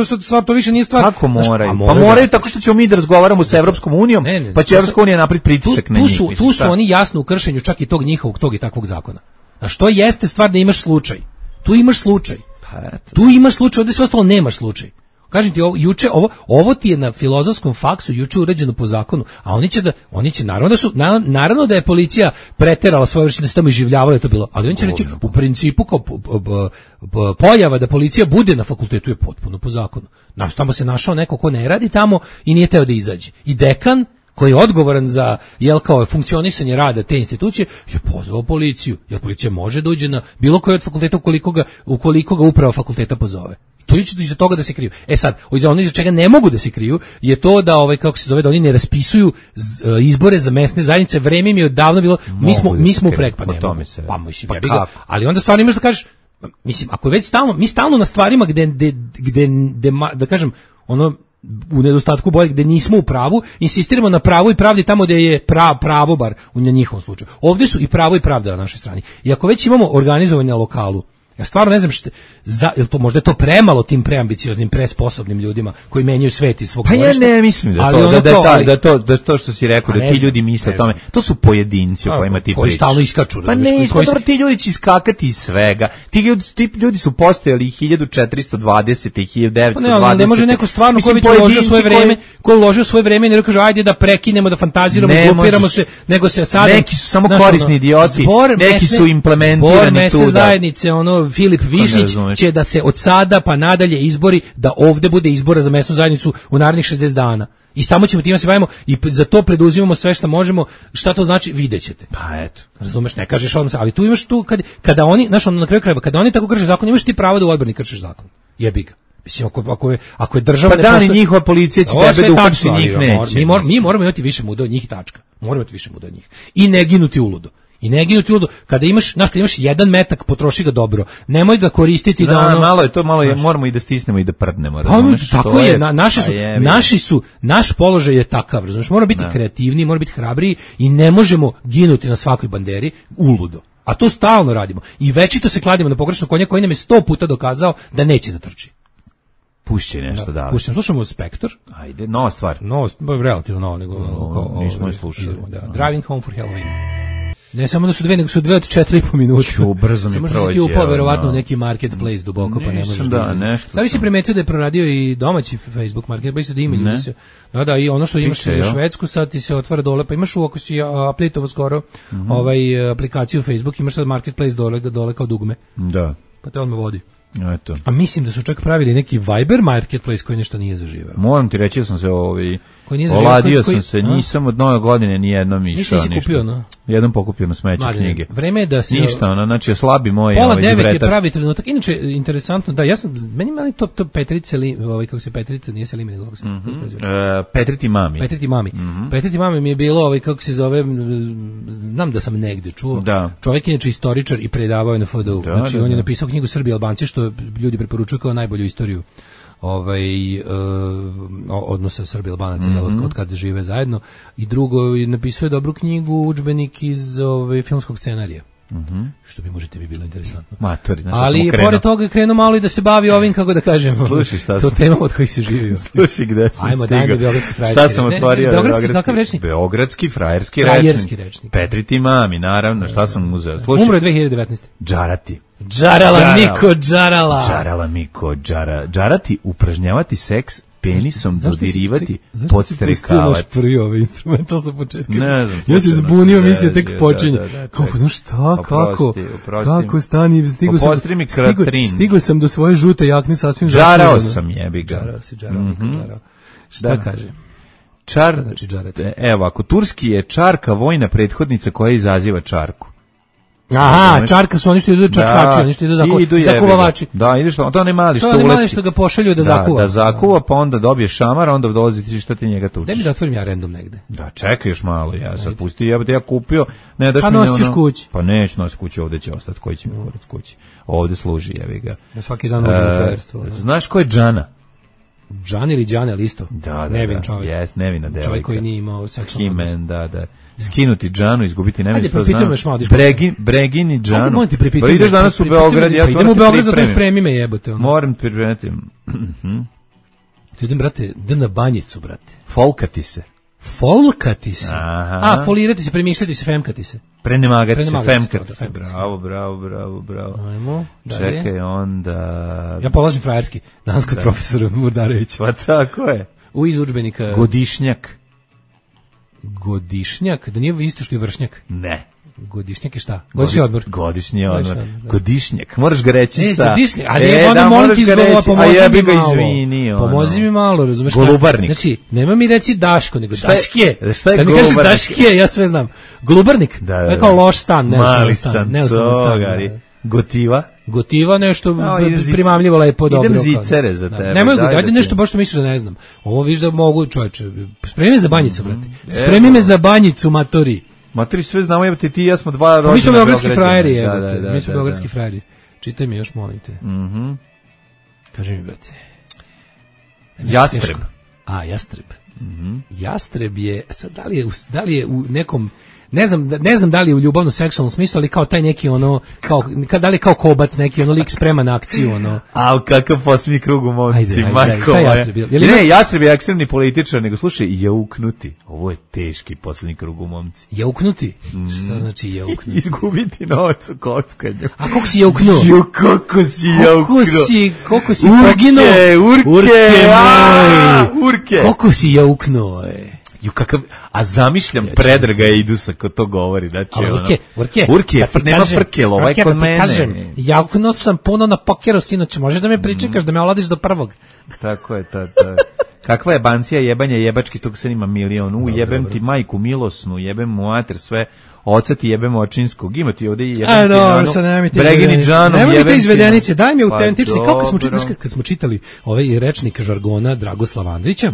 to više nije stvar. Kako moraju? Pa moraju tako što ćemo mi da razgovaramo sa Evropskom unijom, pa će Evropska unija napraviti pritisak na njih. Tu su oni jasno u kršenju čak i tog njihovog, tog i takvog zakona. A što jeste stvar da imaš slučaj? Tu imaš slučaj. Tu imaš slučaj, ovdje sve ostalo nemaš slučaj. Kažem ti, ovo ti je na filozofskom faksu juče urađeno po zakonu, a oni će naravno da je policija preterala svoje vrste, da se tamo iživljavalo, je to bilo, ali oni će reći, u principu kao pojava da policija bude na fakultetu je potpuno po zakonu. Tamo se našao neko ko ne radi tamo i nije teo da izađe. I dekan koji je odgovoran za kao funkcionisanje rada te institucije je pozvao policiju, jer policija može da uđe na bilo koji od fakulteta ukoliko ga uprava fakulteta pozove. To je iza toga da se kriju. Sad, ono iza čega ne mogu da se kriju je to da da oni ne raspisuju izbore za mesne zajednice. Vreme im je odavno bilo, mi smo ali onda stvarno imaš da kažeš, mislim, ako je već mi stalno na stvarima gde da kažem, ono, u nedostatku boje gde nismo u pravu, insistiramo na pravu i pravdi tamo gde je pravo, bar u njihovom slučaju. Ovdje su i pravo i pravda na našoj strani. I ako već imamo organizovanje na lokalu, ja stvarno ne znam jel to možda je to premalo tim preambicioznim, presposobnim ljudima koji menjaju svet iz svog dvorišta. Pa ja ne mislim da to što si rekao, da ti ljudi misle o tome, to su pojedinci o kojima ti pričaš. Koji stalno iskaču. Pa ne, ti ljudi će iskakati iz svega. Ti ljudi su postojali 1420. i 1920. Ne može neko stvarno ko uložio svoje vreme i ne kaže ajde da prekinemo, da fantaziramo, grupiramo se, nego se sada... Neki su samo korisni idioti, neki su implementirani tu. Zajednice, Filip Višnjić će da se od sada pa nadalje izbori, da ovde bude izbora za mesnu zajednicu u narednih 60 dana. I samo ćemo time se bavimo i za to preduzimamo sve što možemo. Šta to znači, videćete. Pa eto. Razumeš, ne kažeš odmah, ali tu imaš kada oni, na kraju krajeva, kada oni tako krše zakon, imaš ti pravo da u odbrani kršiš zakon. Jebi ga. Mislim, ako je država... Pa da li njihova policija će tebe da uhapsi, njih neće. Mi moramo imati više muda od njih, tačka. Moramo imati više muda od njih. I ne ginuti uludo. Kada imaš 1 metak, potroši ga dobro. Nemoj ga koristiti da moramo i da stisnemo i da prdnemo. Tako je, naš položaj je takav, razumiješ, moramo biti kreativniji, moramo biti hrabriji i ne možemo ginuti na svakoj banderi uludo. A to stalno radimo. I večito se kladimo na pogrešnog konja koji nam je 100 puta dokazao da neće da trči. Pušće nešto da. Slušamo Spektor. Ajde, nova stvar. Relativno nova, nego nismo je slušali. Driving Home for Halloween. Ne samo da su 2, nego su 2 od 4,5 minuta. Brzo mi prođe. Samo što si upao verovatno u neki marketplace duboko, pa ne možeš da li si primetio da je proradio i domaći Facebook marketplace, da ima ljudi se... Da, i ono što imaš za Švedsku, sad ti se otvara dole, pa imaš ako si updateovo skoro aplikaciju Facebook, imaš sad marketplace dole kao dugme. Da. Pa te odmah vodi. Eto. A mislim da su čak pravili neki Viber marketplace koji nešto nije zaživeo. Moram ti reći da sam se oladio sam se, nisam od nove godine ni jednom išao. Nisi kupio, no? Jednom pokupio na smeće knjige. Vreme je da se... Ništa, znači slabi moj... Pola 9 je pravi trenutak. Inače, interesantno, da, meni mali to Petrice, kako se Petrice, nije se Limi, nego kako se... Petriti mami. Petriti mami mi je bilo, kako se zove, znam da sam negde čuo. Čovjek je inače istoričar i predavao je na FDU. Znači, on je napisao knjigu Srbi i Albanci, što ljudi preporučuju kao najbolju istoriju odnosa Srbi i Albanaca od kada žive zajedno. I drugo, napisao je dobru knjigu, udžbenik iz filmskog scenarija. Što bi bilo interesantno. Ali pored toga je krenuo malo i da se bavi ovim, kako da kažem, to tema od kojih se živio. Slušaj, gde sam stigao. Ajmo, dajme beogradski frajerski. Šta sam otvorio? Kakav rečnik? Beogradski frajerski rečnik. Petriti mami, naravno, šta sam uzeo? Umro je 2019. Džarati. Džarala Miko, džarati, upražnjavati seks, penisom dodirivati, podstrekavati. Zašto si prvi ovaj instrumental sa početka? Ne znam. Ja se zbunio, mislim, tek počinje. Kako, znaš šta, kako stani, stigo sam do svoje žute jakne sasvim zašljeno. Žarao sam, jebi ga. Žarao. Šta kaže? Znači džarati. Evo, ako turski je čarka vojna prethodnica koja izaziva čarku. Aha, čarka su oni što idu čačkači, oni što idu zakuvavači. Da, ideš to onaj mali što uleti. To onaj što ga pošalju da zakuva. Da zakuva, pa onda dobiješ šamar, onda dolazi ti šta ti njega tučeš. Daj mi da otvorim ja random negde. Da, čekaj još malo, ja sad pusti, ja kupio, ne daš mi ono. Pa nosiš kući. Pa neću nositi kući, ovde će ostati, koji će mi kurac kući. Ovde služi, jevi ga. Ja svaki dan uđem u frajerstvo. Znaš ko je Džana? Džan ili Džane, ali isto? Da, nevin čovjek. Jes, nevina devojka. Čovjek koji nije imao seksualnu odnos. Da. Skinuti Džanu, izgubiti nevin, što znam. Bregini Džanu. Ajde, molim ti pripitam. Pa ideš danas u Beograd, ja to idem u Beograd, zato spremi me jebote. Moram pripremiti. Ti idem, brate, idem na banjicu, brate. Folkati se. Folkati se. Aha. A, folirati se, premišljati se, femkati se. Prenemagati se, Prenemagati se, femkati se. femkati se. Bravo. Ajmo, dalje. Čekaj, onda... Ja polažem frajerski, danas kod profesora Murdarevića. Pa tako je. Iz udžbenika. Godišnjak. Godišnjak, da nije isto što je vršnjak. Ne. Godišnjak je šta? Godišnji odmor. Godišnji odmor. Godišnji odmor, da. Godišnjak. Moraš ga reći sa... Godišnjak, ali onda molim ti izgovora, pomozi mi malo. Pomozi mi malo, razumeš? Golubarnik. Znači, nema mi reći Daško, nego Daškije. Šta je da mi kažeš golubarnik? Daškije, ja sve znam. Golubarnik, Da. je kao loš stan, Mali stan. stan. Gotiva. Gotiva nešto primamljivo lepo dobro. Idem zicere za tebe. Nemoj, ajde nešto baš što misliš da ne znam. Ovo viš da mogu, čoveče. Spremi me za banjicu, brate. Spremi me za banjicu, matori. Matri, sve znamo, jebate, ti i ja smo dva rođena. Mi smo beogradski frajeri, jebate. Mi smo beogradski frajeri. Čitaj mi još, molim te. Mhm. Kaži mi, brate. Jastreb. A, jastreb. Jastreb je, sad, da li je u nekom, ne znam da li je u ljubavno seksualnom smislu, ali kao taj neki ono, da li je kao kobac neki, ono lik sprema na akciju, ono. A kakav posljednji krug u momci, majko šta je moja. Jastreb? Ne, Jastreb je ekstremni političar, nego slušaj, jauknuti. Ovo je teški posljednji krug u momci. Jauknuti? Šta znači jauknuti? Izgubiti novac u kockanju. A kako si jauknuo? Kako si jauknuo? Koliko si poginuo? Urke. Koliko si jauknuo, a zamišljam Predraga Idusa ko to govori, znači Urke, nema frkel, ovaj kod mene. Kažem, jauknuo sam puno na pokeru, sinoć, možeš da me pričekaš, da me oladiš do prvog. Tako je, kakva je bancija jebanja jebački, tog se ima milion, jebem ti majku milosnu, jebem mu mater sve, oca ti jebem očinskog, ima ti ovde i jebem ti Džanu, Bregini Džanom, jebem ti... Nemoj te izvedenice, daj mi autentični, kako kad smo čitali ovaj rečnik žargona Dragoslava Andrića,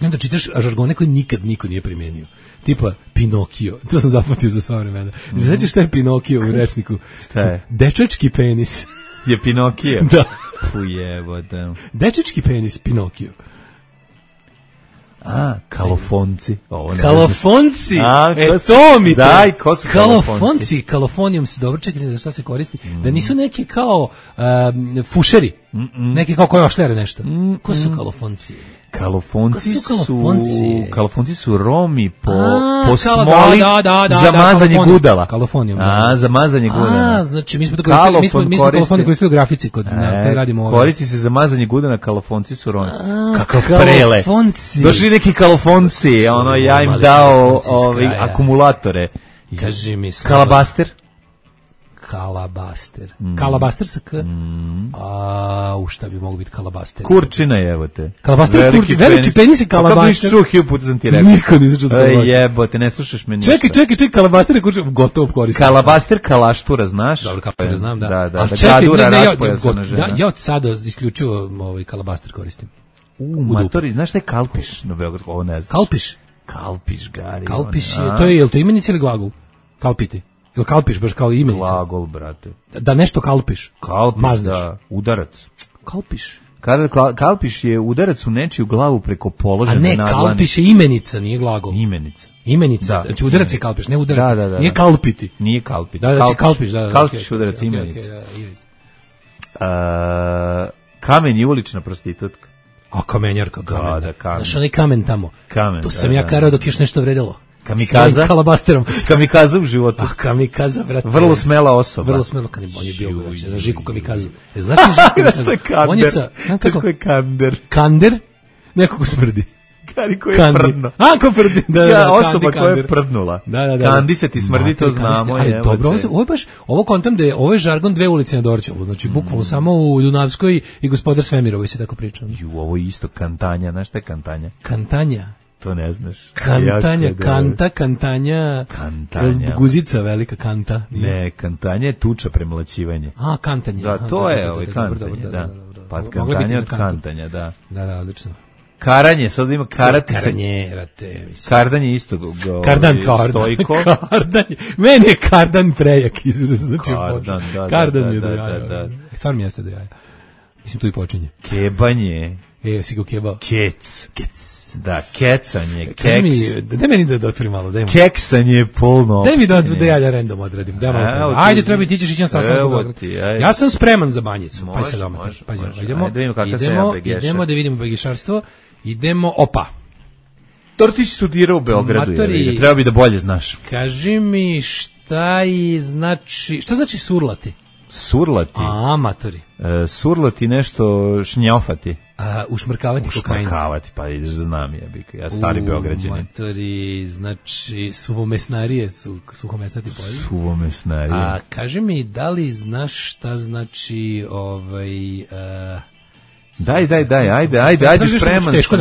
i onda čitaš žargone koje nikad niko nije primenio. Tipa Pinokio, to sam zapamtio za sva vremena. Znaš šta je Pinokio u rečniku? Šta je? Dečački penis. Je Pinokio? Da. Ujebote. Dečački penis, Pinokio. A, kalofonci. Kalofonci? To mi daj, ko su kalofonci? Kalofonijom se dobro, čekaj, za šta se koristi? Da nisu neki kao fušeri, neki kao koji ošljare nešto. Ko su kalofonci? Kalofonci su Romi po smoli za mazanje gudala. Kalofonijom. Za mazanje gudala. Znači mi smo kalofoniju koristili u grafici kod radimo. Koristi se za mazanje gudala, kalofonci su Romi. Kakav prele. Došli neki kalofonci, ja im dao akumulatore. Kaži mi Kalabaster. Kalabaster sa K. Šta bi mogu biti kalabaster? Kurčina, jebote. Kalabaster, veliki penis i kalabaster. Kako niš čuo, hiljadu puta sam ti rekao. Niko nisam čuo kalabaster. Jebote, ne slušaš me ništa. Čekaj, kalabaster je kurčina, gotovo koristim. Kalabaster, kalaštura, znaš? Dobro, kalaštura znam, da. Da, gladura, raspojasana žena. Ja od sada isključivo kalabaster koristim. Matori, znaš šta je kalpiš na Beogradu? Ovo ne znam. Kalpiš, Gari. Kalpiš je to imenica ili glagol? Kalpiti. Ili kalpiš baš kao imenica? Glagol, brate. Da nešto kalpiš. Mazneš. Da, udarac. Kalpiš. Kalpiš je udarac u nečiju glavu preko položene nadlani. A ne, kalpiš je imenica, nije glagol. Imenica. Znači udarac je kalpiš, ne udarac. Da. Nije kalpiti. Nije kalpiti. Da, znači kalpiš, da. Kalpiš, udarac, imenica. Kamen je ulična prostitutka. A kamenjarka, kamen. Da, kamen. Znaš onaj kamen tamo. To sam ja karao dok još nešto vredelo. Kamikaza? Kalabasterom. Kamikaza u životu. Kamikaza, brate. Vrlo smela osoba. Vrlo smela, on je bio za Žiku Kamikazu. Znaš li Žiku Kamikazu? Znaš Kander? On je sa... Znaš ko je Kander? Kander? Neko ko smrdi. Kari koji je prdno. Ko prdi? Da, osoba koja je prdnula. Da. Kandi se ti smrdi, to znamo. Ali dobro, ovo je baš, ovo kontam da je, ovo je žargon dve ulice na Dorćolu, znači bukvalno samo u Dunavskoj i Gospodar Svemirovoj se tako priča. Ovo je isto kantanja, znaš šta je kantanja? Kantanja? To ne znaš. Kantanja. Guzica velika kanta. Ne, kantanja je tuča, premlaćivanje. Kantanje. Da, to je kantanje, da. Pa kantanja od kantanja, da. Da, odlično. Karanje, sad ima karate. Kardanje isto stojko. Kardanje. Meni je kardan prejak izraz. Znači, kardan je do jaja. Stvarno mi jeste do jaja. Mislim, tu i počinje. Kebanje. Si go kebao. Kec. Da, kecanje, keks. Daj meni da otvorim malo. Keksanje polno. Daj mi da ja random odradim. Ajde, treba ti ćeš ići na sastanak. Ja sam spreman za banjicu. Pa se doma. Idemo da vidimo begišarstvo. Idemo, Dobro, ti si studirao u Beogradu, Matori, treba bi da bolje znaš. Kaži mi šta znači surlati? Surlati? Matori. Surlati nešto šnjofati. Ušmrkavati kokain. Ušmrkavati, pa znam jebika, ja stari Beograđanin. Matori, znači suvomesnarije, suhomesnati polje. Suvomesnarije. Kaži mi, da li znaš šta znači Daj, ajde, spreman sam.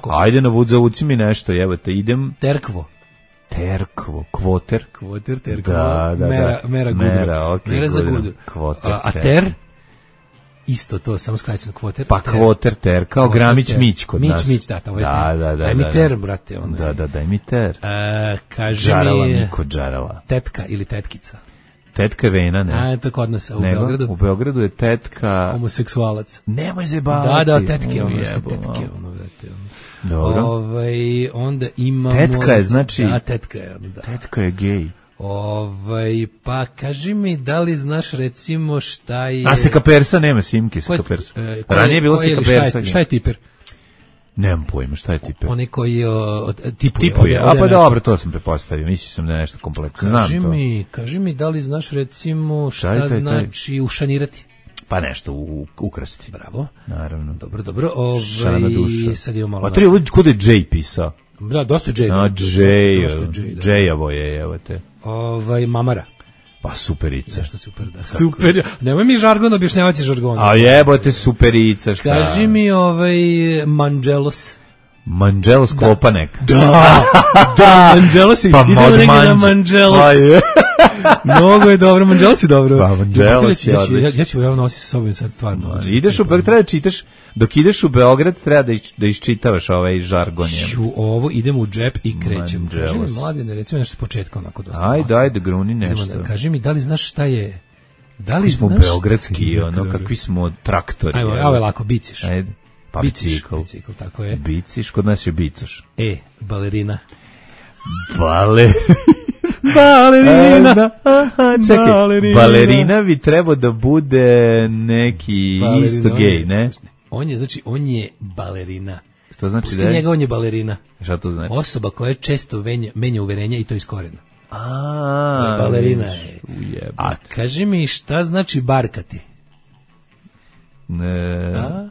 Ajde, zavuci mi nešto, evo te, idem. Terkvo, kvoter. Kvoter, terkvo. Da. Mera gudu. Mera za gudu. Kvoter, a ter? Isto to, samo skraćeno kvoter. Pa kvoter, ter, kao Gramić Mić kod nas. Mić, da, ovo je ter. Da. Daj mi ter, brate. Daj mi ter. Kaži Džarala, mi... Niko džarala. Tetka ili tetkica. Tetka je vena, ne? To kod nas, u Beogradu. U Beogradu je tetka... Homoseksualac. Nemoj zebavati. Da, tetke, brate. Dobro. Onda imamo... Tetka je, znači... Da, tetka je, da. Tetka je gej. Pa kaži mi, da li znaš recimo šta je... A sekapersa nema, Simke sekapersa. Ranije je bilo sekapersa. Šta je tiper? Nemam pojma, šta je tiper? Onaj koji tipuje. Tipuje, a pa dobro, to sam prepostavio, mislio sam da je nešto kompleksno. Kaži mi, da li znaš recimo šta znači ušanirati? Pa nešto, ukrasti. Bravo. Naravno. Dobro. Šana duša. Sad imamo malo... A to je kuda je Jay pisao? Da, dosta Jay. Jay-avo je, evo te. Mamara. Pa superica. Nešto super, da. Super. Nemoj mi žargon objašnjavati žargon. A jebote superica, šta? Kaži mi Manđelos. Manđelos Klopanek. Da, Manđelos. Pa idemo negdje na Manđelos. Mnogo je dobro, Manđelos je dobro. Pa Manđelos je odlično. Ja ću nositi sa sobom sad stvarno. Ideš u Beograd, treba da čitaš, dok ideš u Beograd, treba da iščitavaš ovaj žargon. Ovo idemo u džep i krećemo. Kaži mi, Mladine, recimo nešto s početka onako dosta. Ajde, gruni nešto. Kaži mi, da li znaš šta je... Kakvi smo beogradski, kakvi smo traktori. Ajmo, je lako, biciš. Ajde. Pa bicikl, tako je. Biciš, kod nas je bicoš. Balerina. Balerina. Čekaj, balerina bi trebao da bude neki isto gej, ne? On je balerina. Što znači pusti njega, on je balerina. Šta to znači? Osoba koja često menja uverenja i to iz korena. Balerina je. A kaži mi, šta znači barkati?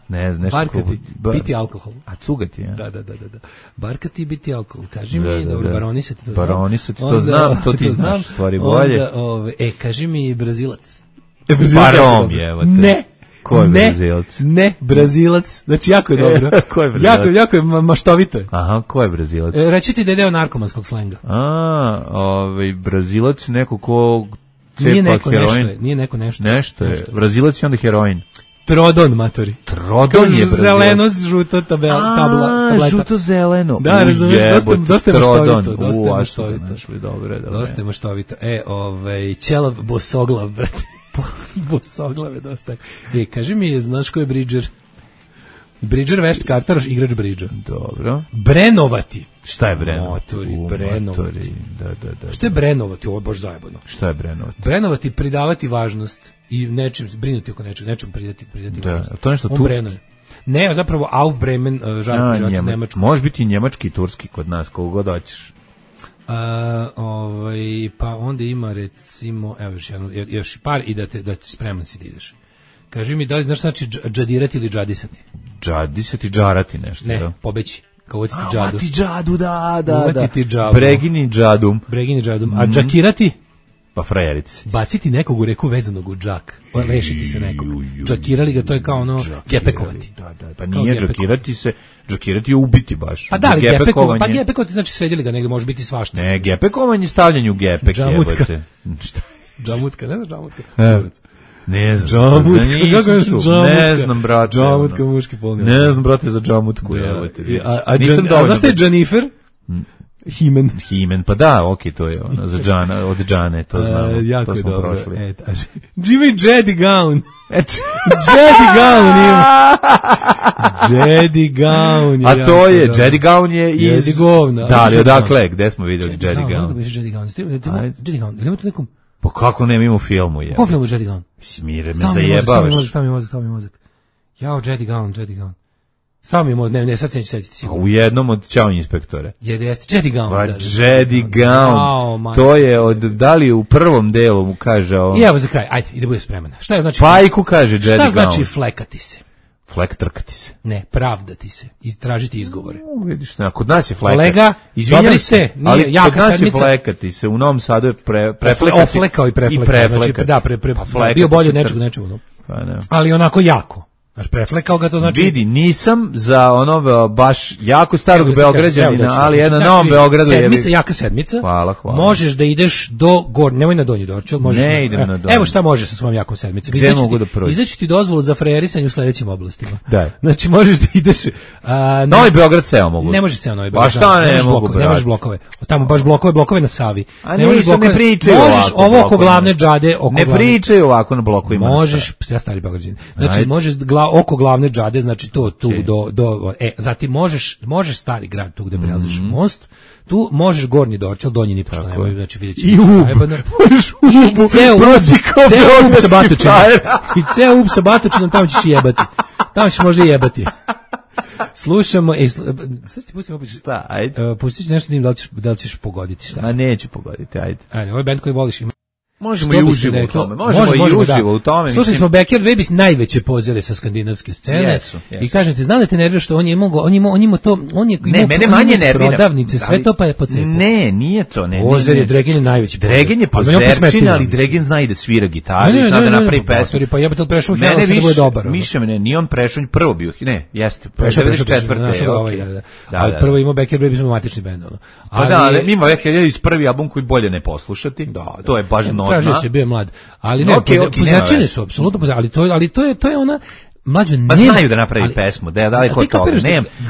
Ne znam, barkati, biti alkohol. A cugati, ja? Da. Barkati, biti alkohol. Kaži mi, dobro, baronisati to znam. Baronisati to znam, to ti znaš, stvari bolje. Kaži mi Brazilac. Barom je, evo te. Ne. Ko je Brazilac? Ne, Brazilac. Znači, jako je dobro. Ko je Brazilac? Jako je maštovito. Aha, ko je Brazilac? Reći ti da je deo narkomanskog slenga. Brazilac neko ko cepa heroin. Nije neko nešto. Nešto je. Brazilac je onda heroin. Trodon, matori. Trodon je Brazilac. Zeleno, žuto tableta. Žuto-zeleno. Da, razumiješ, dosta je maštovito. Dosta je maštovito. Ćelav bosoglav, brate. Bosoglave dosta. Kaži mi, znaš ko je Bridger? Bridger, vešt kartaroš, igrač Bridger. Dobro. Brenovati. Šta je brenovati? Brenovati. Da. Šta je brenovati? Ovo je baš zajebano. Šta je brenovati? Brenovati, pridavati važnost i nečim, brinuti oko nečem pridati važnost. Da, to nešto turski? Ne, zapravo Aufbremen, žarko nemačko. Može biti i njemački i turski kod nas, koliko god hoćeš. Pa onda ima recimo, evo još par i da spreman si da ideš. Kaži mi, da li znaš znači džadirati ili džadisati? Džadisati, džarati nešto. Ne, pobeći. Kao uvjetiti džadu. Uvjetiti džadu, da. Uvjetiti džadu. Bregini džadum. A džakirati? Pa frajerici. Baciti nekog u reku vezanog u džak. Rešiti se nekog. Džakirali ga, to je kao ono gepekovati. Da. Pa nije džakirati se, džakirati je ubiti baš. Pa da, gepekovati. Gepekovati znači sredili ga, negdje može biti svašta. Ne, gepekovanje je stavljanje u gepek. Džamutka. Džamutka, ne znaš džamutka? Ne znam. Ne znam, brate. Džamutka, muški polni. Ne znam, brate, za džamutku. A znaš šta je Džanifer? Himen, pa da, okej, to je ono, za Džana, od Džane, to znamo, jako to smo dobro. prošli. Jimmy Jedi Gown. Jedi Gown ima. Jedi Gown. A to je, Jedi Gown je iz... Jedi Govna. Da, ali odakle, gde smo vidjeli Jedi Gown? Jedi Gown. Ili imate nekom... Pa kako ne, ima u filmu je. U kom filmu Jedi Gown? Smire, me zajebavaš. Stavi mi mozak. Jao, Jedi Gown. Samo imamo, ne, sad se neću setiti sigurno. U jednom od Ćao inspektore. Jeste, Jedi Gown. Pa da. Jedi Gown, to je od, da li u prvom delu mu kaže ovo? I evo za kraj, ajde, i da bude spreman. Šta je znači? Pajku kaže Jedi Gown. Šta znači flekati se? Flek trkati se. Ne, pravdati se i tražiti izgovore. Vidiš, kod nas je flekati. Kolega, dobri ste, nije jaka sedmica. Ali kod nas je flekati se, u Novom Sadu je preflekati. Oflekao i preflekao. Znači, da, bio bolje od nečeg. Pa ne. Ali onako jako. Znaš, preflekao ga, to znači... Vidi, nisam za ono baš jako starog Beograđanina, ali jedna na Novom Beogradu je... Sedmica, jaka sedmica. Hvala. Možeš da ideš do gore, nemoj na Donji Dorčel. Ne idem na Donji. Evo šta možeš sa svojom jakom sedmicom. Gde mogu da prođem? Izdaći ti dozvolu za frejerisanje u sledećim oblastima. Da. Znači, možeš da ideš... Novi Beograd ceo mogu. Ne može ceo Novi Beograd. Pa šta ne mogu, brate? Ne možeš blokove. Tamo baš blokove na Savi. A ne pričaju ovako. Možeš ovo oko glavne džade. Ne pričaju ovako na blokovima. Možeš, ja stari Beograđanin. Znači, možeš oko glavne džade, znači to tu do zatim možeš stari grad tu gde prelaziš most, tu možeš Gornji Dorčel, Donji ni pošto nema, znači videći i ceo ub sa batočinom i ceo ub sa batočinom, tamo ćeš jebati, tamo ćeš možda jebati. Slušamo, sad ti pustimo opet šta, ajde. Pustit ću nešto da im da li ćeš pogoditi šta. Ma neću pogoditi, ajde. Ajde, ovaj band koji voliš ima. Možemo i uživo u tome. Možemo i uživo u tome. Slušali smo Backyard Babies, najveće pozore sa skandinavske scene. Jesu. I kažete, znali te nervira što on je imao to, on je ne, mene manje nervira. Prodavnice, sve to pa je po cepu. Ne, nije to. Pozer je, Dregen je najveći pozer. Dregen je pozerčina, ali Dregen zna i da svira gitaru, zna da napravi pesmu. Pa jebate, prešao Hela se da bude dobar. Više mene, nije on prešao, prvo bio, ne, jeste, prešao 94. Ali prvo imao Backyard Babies, imao matični bend. Pa da, ali ima Backyard Babies prvi album koji bolje ne poslušati, to je baš norma. Ali ne, pozerčine su apsolutno, ali to je ona mlađe pa znaju da napravi pesmu, da li kod toga,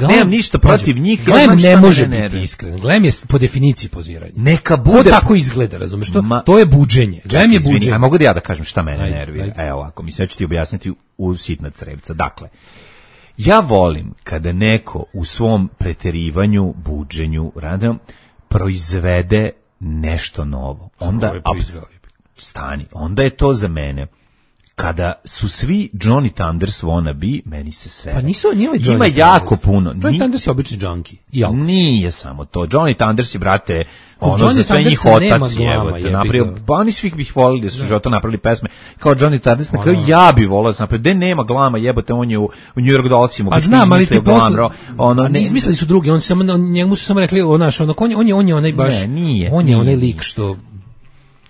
nemam ništa protiv njih. Glem ne može biti iskren, Glem je po definiciji poziranje. Neka bude. To tako izgleda, razumeš, to je buđenje. Glem je buđenje. A mogu da ja da kažem šta mene nervira? Evo ovako, mislim, ću ti objasniti u sitna crevca. Dakle, ja volim kada neko u svom preterivanju, buđenju, proizvede nešto novo. Onda stani, onda je to za mene. Kada su svi Johnny Thunders wannabe, meni se sere. Pa nisu oni ovaj Johnny Ima Thunders. jako puno. Johnny Thunders je obični junkie. Nije samo to. Johnny Thunders je, brate, ono za sve njih otac je napravio. Pa oni svih bih volili da su života napravili pesme. Kao Johnny Thunders, na kraju ja bih volao da sam napravio. Gde nema glama, jebote, on je u New York Dollsima. Pa znam, ali ti posle, izmislili su drugi, njemu su samo rekli, on je onaj baš, on je onaj lik što...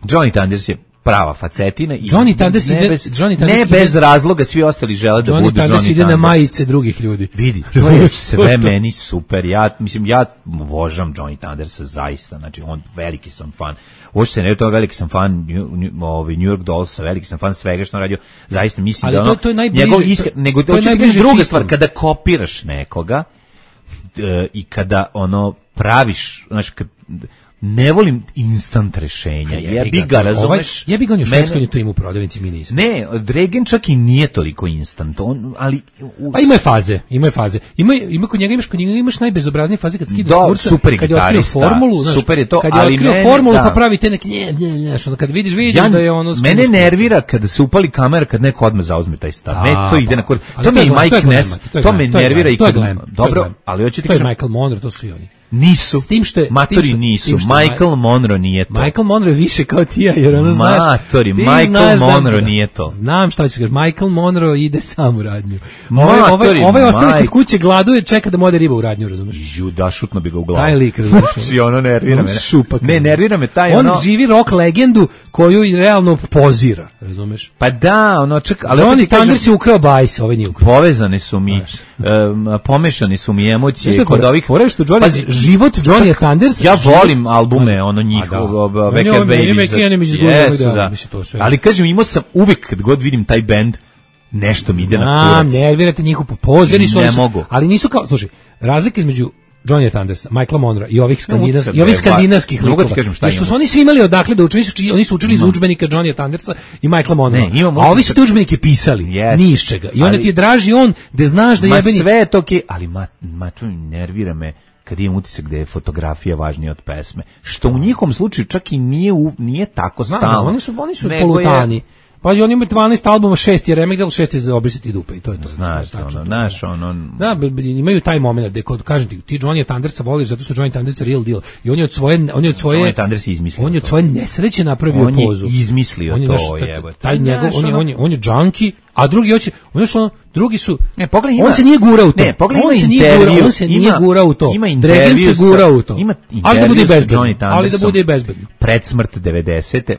Johnny Thunders je prava facetina i Johnny Thunders ne bez razloga svi ostali žele da budu Johnny Thunders. Ide na majice drugih ljudi. Vidi, to je sve meni super. Ja vožam Johnny Thundersa zaista. Znači, on veliki sam fan. Uopšte se ne to, veliki sam fan New York Dolls, veliki sam fan svega što on radio. Zaista mislim da ono nego to je druga stvar kada kopiraš nekoga i kada ono praviš, znači ne volim instant rešenja. Jebi ga, razumeš? Jebi ga, on je u Švedskoj to ima u prodavnici, mi nismo. Ne, Dregen čak i nije toliko instant. Ali... Pa ima je faze. Ima kod njega, imaš najbezobraznije faze kad skida s kurca, kad je otkrio formulu, znaš, super je to, kad je otkrio formulu pa pravi te neke, kad vidiš da je ono... Mene nervira kada se upali kamera, kad neko odmah zauzme taj stav. Ne, to ide na kurc. To mi je Mike Ness, to me nervira i kad... Dobro, ali hoću ti kažem... To je Michael Monroe, to su i oni. Nisu. Matori nisu. Michael Monroe nije to. Michael Monroe više kao ti ja, jer ono znaš. Matori, Michael Monroe nije to. Znam šta ćeš kažeš. Michael Monroe ide sam u radnju. Ovaj ostane kod kuće, gladuje, čeka da mu ode riba u radnju, razumeš? Da, šutno bi ga u glavu. Taj lik, razumeš? I ono nervira mene. Ne, nervira me taj ono. On živi rock legendu koju realno pozira, razumeš? Pa da, ono čeka, ali Johnny Thunders je ukrao bajs, ovaj nije ukrao. Povezane su mi, pomešane su mi emocije kod ovih. Život Johnny Thunders. Ja volim albume, ono njihov Backyard Babies. Ali kažem, imao sam uvek kad god vidim taj bend, nešto mi ide na kurac. Nervirate njihov pozori su, ali nisu kao, slušaj, razlika između Johnny Thundersa, Michaela Monroe i ovih skandinavskih likova. Što su oni svi imali odakle da uče, oni su učili iz udžbenika Johnny Thundersa i Michaela Monroe. A ovi su te udžbenike pisali, ni iz čega. I onda ti je draži on, da znaš da jebeni... Ma sve je to okej, ali to nervira me kad imam utisak da je fotografija važnija od pesme. Što u njihovom slučaju čak i nije tako stalno. Oni su polutani. Pazi, oni imaju 12 albuma, 6 je remigdal, 6 je za obrisati dupe i to je to. Znaš, Da, imaju taj moment gde kod kažem ti Johnny Thundersa voliš zato što Johnny Thunders je real deal i on je od svoje Johnny Thunders je izmislio. On je od svoje nesreće napravio pozu. On je izmislio to, jebote. Taj njegov on je junkie, a drugi hoće, drugi su ne, pogledaj, on se nije gurao u to. Ne, pogledaj, on se nije gurao u to. Dragan se gurao u to. Ali da bude bezbedno. Pred smrt 90.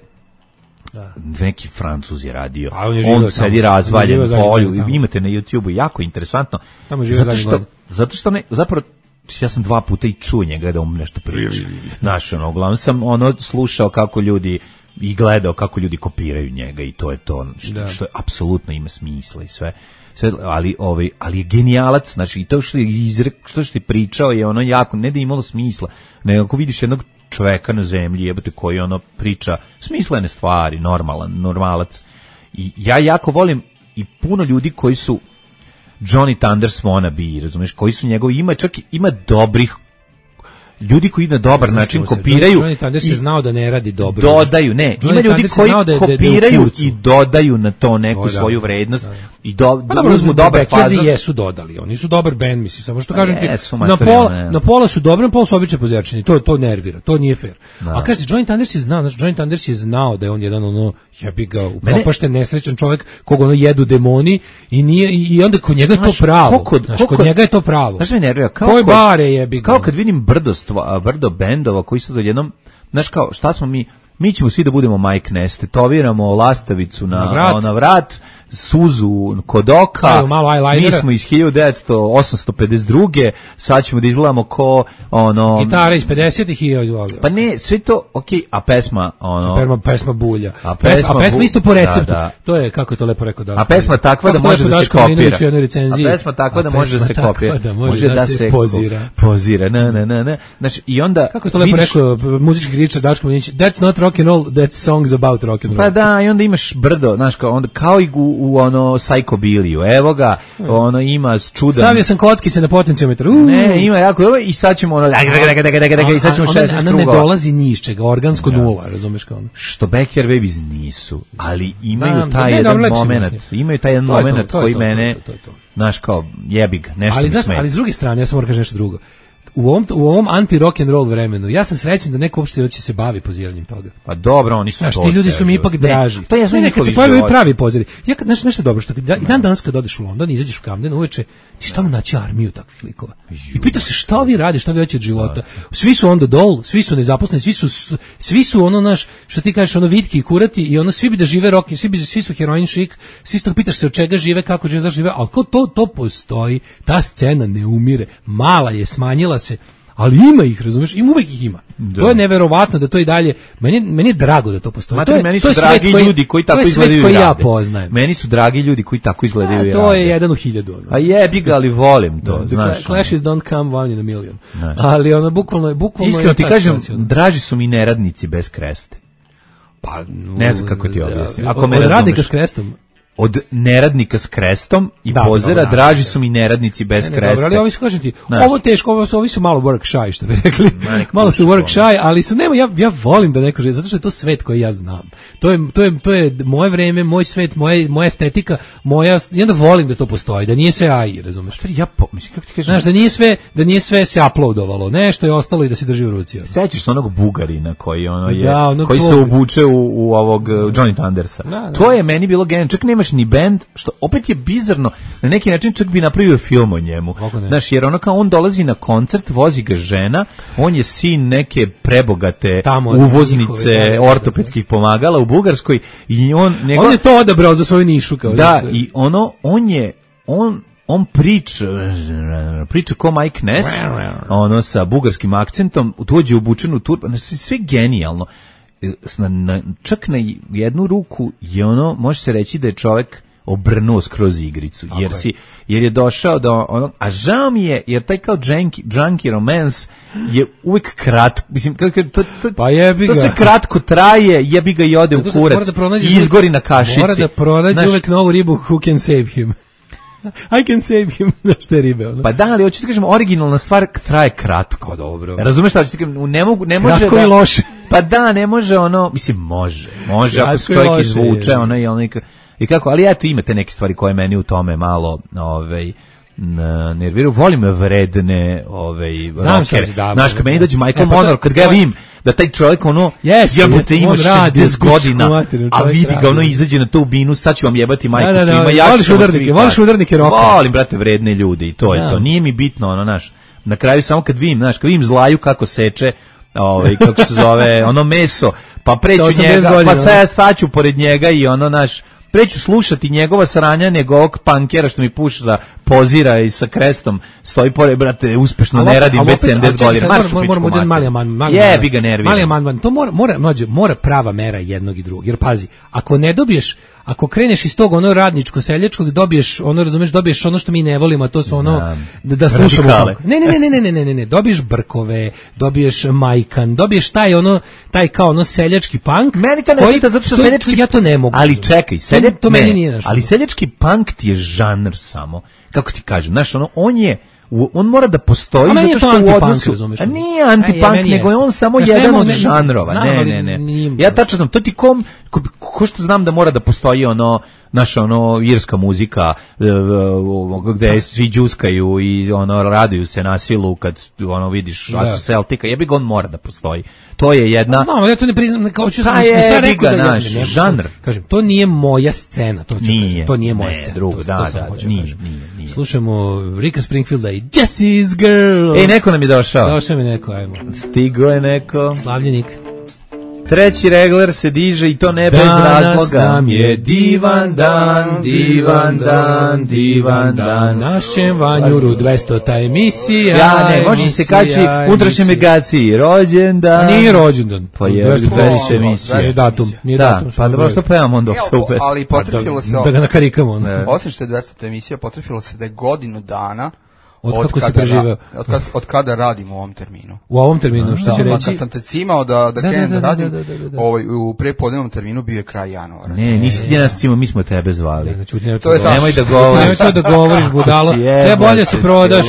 Da. Neki Francuz je radio. On sedi razvaljen u polju. Imate na YouTubeu, jako interesantno. Zato što zapravo ja sam 2 puta i čuo njega da on nešto priča. Znaš, uglavnom sam slušao kako ljudi i gledao kako ljudi kopiraju njega i to je to što apsolutno ima smisla i sve ali je genijalac, znači i to što je ti pričao je jako, ne da je imalo smisla, nego ako vidiš jednog čoveka na zemlji, jebote, koji priča smislene stvari, normalac. I ja jako volim i puno ljudi koji su Johnny Thunders wannabe, razumeš, koji su njegovi, ima dobrih ljudi koji na dobar način kopiraju. Johnny Thunders je znao da ne radi dobro. Dodaju, ne. Ima ljudi koji kopiraju i dodaju na to neku svoju vrednost i uzmu dobar fazon. Jesu dodali, oni su dobar bend, mislim, samo što kažem ti, na pola su dobri, na pola su obično pozjačeni, to nervira, to nije fair. A kažete, Johnny Thunders je znao da je on jedan jebi ga, upropašten, nesrećan čovjek, koga jedu demoni i onda kod njega je to pravo. Kod njega je to pravo. Znaš me nervira, kao kad vidim brdo bendova koji su jednom, znaš kao, šta smo mi ćemo svi da budemo Mike Ness, tetoviramo lastavicu na vrat, suzu kod oka, mi smo iz 1852. Sad ćemo da izgledamo ko gitara iz 50-ih i izvolio. Pa ne, sve to, a pesma pesma bulja. A pesma isto po receptu. Da. To je, kako je to lepo rekao. A pesma takva da može da se kopira. A pesma takva da može da se kopira. Može da se pozira. Na. Znači, i onda kako je to lepo rekao muzički kritičar Daško Milinić, that's not rock and roll, that's songs about rock and roll. Pa da, i onda imaš brdo, znaš, kao i u psychobiliju. Evo ga, ima čudan. Stavio sam kockice na potenciometar. Ne, ima jako i sad ćemo i sad ćemo 16 krugova. Ne dolazi ni iz čega, organsko nula, razumeš kao ono. Što Backyard Babies nisu, ali imaju taj jedan moment. Imaju taj jedan moment koji mene, znaš, kao jebig, nešto mi smeta. Ali s druge strane, ja sam moram kažem nešto drugo. U ovom anti-rock and roll vremenu, ja sam srećan da neko uopšte će se bavi poziranjem toga. Pa dobro, oni su ti ljudi su mi ipak draži. To je kad se pojavljaju pravi poziri. Ja nešto dobro što i dan danas kad odeš u London, izađeš u Camden uveče, ti šta mu naći armiju takvih likova. I pitaš se šta vi radi, šta vi hoćete od života. Svi su on the dole, svi su nezaposleni, svi su naš, što ti kažeš, vitki i kurati i svi bi da žive rock, svi su heroin šik, svi su pitaš se od čega žive, kako žive, zašto žive, al to postoji, ta scena ne umire, mala je, smanjila se, ali ima ih, razumeš, uvek ih ima. Da. To je neverovatno da to i dalje, meni je drago da to postoji. Meni su dragi ljudi koji tako izgledaju i ja poznajem. Meni su dragi ljudi koji tako izgledaju i rade. To je 1 u 1000. A jebi ga, ali volim to, znaš. Clashes don't come one in a million. Ali bukvalno iskreno ti kažem, draži su mi neradnici bez kreste. Pa, ne znam kako ti objasnim. Ako me radnika s krestom, od neradnika s krestom i pozera, draži su mi neradnici bez kresta. Dobro, ali ovi su, kažem ti, ovo teško, ovi su malo work shy, što bi rekli. Malo su work shy, ali su, ja volim da neko živi, zato što je to svet koji ja znam. To je moje vreme, moj svet, moja estetika, i onda volim da to postoji, da nije sve AI, razumeš? Mislim, kako ti kažem? Znaš, da nije sve se uploadovalo, nešto je ostalo i da se drži u ruci. Sećaš se onog Bugarina koji koji se obuče u ovog Johnny Thundersa. To je meni bilo genijalno, čak nemaš ni band, što opet je bizarno, na neki način čak bi napravio film o njemu. Znaš, jer kao on dolazi na koncert, vozi ga žena, on je sin neke prebogate uvoznice ortopedskih pomagala u Bugarskoj i on je to odabrao za svoju nišu. I on priča ko Mike Ness, sa bugarskim akcentom, dođe obučen u turban, sve genijalno. Čak na jednu ruku je može se reći da je čovjek obrnuo skroz igricu, jer je došao do a žao mi je, jer taj kao junkie romance je uvijek kratko, mislim, to sve kratko traje, jebi ga i ode u kurac i izgori na kašici. Mora da pronađe uvijek novu ribu who can save him. I can save him, znaš te ribe. Pa da, ali hoću ti kažem, originalna stvar traje kratko. Dobro. Razumeš šta hoću ti kažem, ne može kratko i loše. Pa da, ne može ono, mislim, može ako se čovjek izvuče, ono i kako, ali eto imate neke stvari koje meni u tome malo, nerviraju. Volim vredne rockere. Znaš, kad meni dođe Michael Monroe, kad ga vidim da taj čovjek jebote ima 60 godina, a vidi ga izađe na tu binu, sad ću vam jebati majku svima. Voliš udarnike roka? Volim, brate, vredne ljude i to je to. Nije mi bitno, na kraju samo kad vidim Zlaju kako seče, kako se zove, meso, pa preću njega, pa sad ja staću pored njega i preću slušati njegova sranja nego ovog pankera što mi puša da pozira i sa krestom stoji pored, brate, uspešno ne radim već 70 godina. Moramo jedan mali amandman. Jebi ga, nervira. Mali amandman, to mora prava mera jednog i drugog. Jer pazi, ako ne dobiješ, ako kreneš iz tog radničko seljačkog, dobiješ dobiješ ono što mi ne volimo, a to su da slušamo. Ne, dobiješ brkove, dobiješ majkan, dobiješ taj kao seljački punk. Meni to ne svita zato što seljački, ja to ne mogu. Ali čekaj, to meni nije nešto. Ali seljački punk ti je žanr samo. Kako ti kažem, on mora da postoji zato što u odnosu... A nije antipunk, nego je on samo jedan od žanrova. Ne. Ja tačno znam, to ti ko što znam da mora da postoji irska muzika gde svi džuskaju i raduju se na silu kad vidiš Acu Celtica, jebi ga, on mora da postoji. To je jedna... No, ali ja to ne priznam, kao ću sam rekao da naš žanr. Kažem, to nije moja scena, to nije moja scena. Drugo, nije. Slušamo Ricka Springfielda i Jessie's Girl. Neko nam je došao. Došao mi neko, ajmo. Stigo je neko. Slavljenik. Treći regler se diže i to ne bez razloga. Danas nam je divan dan. Našem Vanjuru 200. emisija. Ja ne, može se kaći unutrašnje megaciji. Rođendan. Nije rođendan. Pa je 200. emisija. Nije datum. Da, pa dobro što pevamo onda super. Ali potrefilo se... Da ga nakarikamo. Osim što je 200. emisija, potrefilo se da je godinu dana od kako se preživeo. Od kada radimo u ovom terminu. U ovom terminu, što će reći? Kad sam te cimao da krenem da radim, u prepodnevnom terminu bio je kraj januara. Ne, nisi ti nas cimao, mi smo tebe zvali. To je nemoj da govoriš. Nemoj to da govoriš, budalo. Treba bolje se prodaš.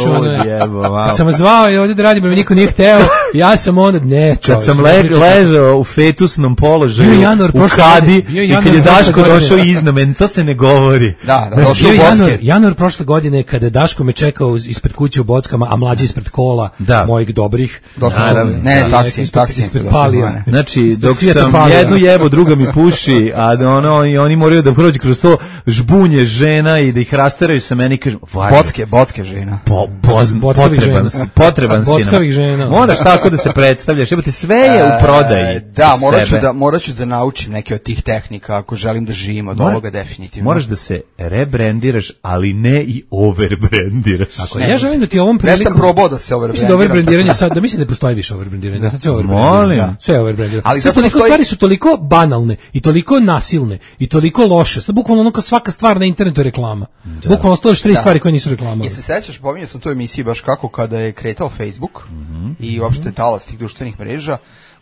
Kad sam zvao i ovdje da radim, mi niko nije hteo, ja sam onda, ne. Kad sam ležao u fetusnom položaju, u kadi, i kad je Daško došao iznad meni, to se ne govori. Da, došao u Bocke. Januar prošle godine, kada Daško me čekao ispred kuće u Bockama, a mlađi ispred kola mojih dobrih. Ne, taksi. Znači, dok sam jednu jebo, druga mi puši, a oni moraju da prođu kroz to žbunje žena i da ih rasteraju sa meni, kažem, Bocke žena. Potreban si nam. Moraš tako da se predstavljaš, jebate, sve je u prodaji. Da, morat ću da naučim neke od tih tehnika ako želim da živim od ovoga definitivno. Moraš da se rebrandiraš, ali ne i overbrandiraš. Tako je. Ja želim da ti ovom prilikom... Ja sam probao da se overbrandiram. Da overbrandiranje sad, da mislim da ne postoji više overbrandiranje. Sad sve overbrandiranje. Sve overbrandiranje. Ali sad toliko stvari su toliko banalne i toliko nasilne i toliko loše. Sad bukvalno kao svaka stvar na internetu je reklama. Bukvalno stojiš 3 stvari koje nisu reklama. Se sećaš, pominjao sam to u emisiji baš kako kada je kretao Facebook i uopšte talas tih društvenih mreža,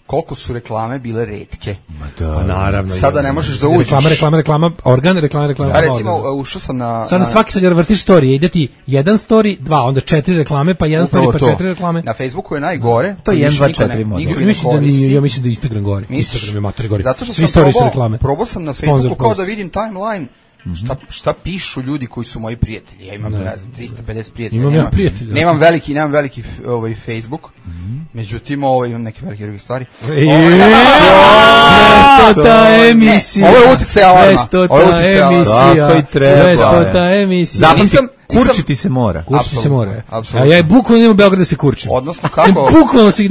koliko su reklame bile retke. Pa naravno. Sada ne možeš da uđeš. Reklama, organ, reklama. Recimo, ušao sam na... Sada svaki sad vrtiš storije, ide ti 1 story, 2, onda 4 reklame, pa 1 story, pa 4 reklame. Na Facebooku je najgore. To je 1, 2, 4 model. Ja mislim da Instagram gore. Instagram je matori gore. Zato što svi stories su reklame. Probao sam na Facebooku kao da vidim timeline. Šta pišu ljudi koji su moji prijatelji? Ja imam, ne znam, 350 prijatelja. Nemam veliki Facebook. Međutim, imam neke velike druge stvari. 200. emisija. Ovo je utjecaj alarma. 200. emisija. Tako i treba. 200. emisija. Zapamti, kurčiti se mora. Kurčiti se mora. A ja bukvalno idem u Beograd da se kurčim. Odnosno kako? Bukvalno se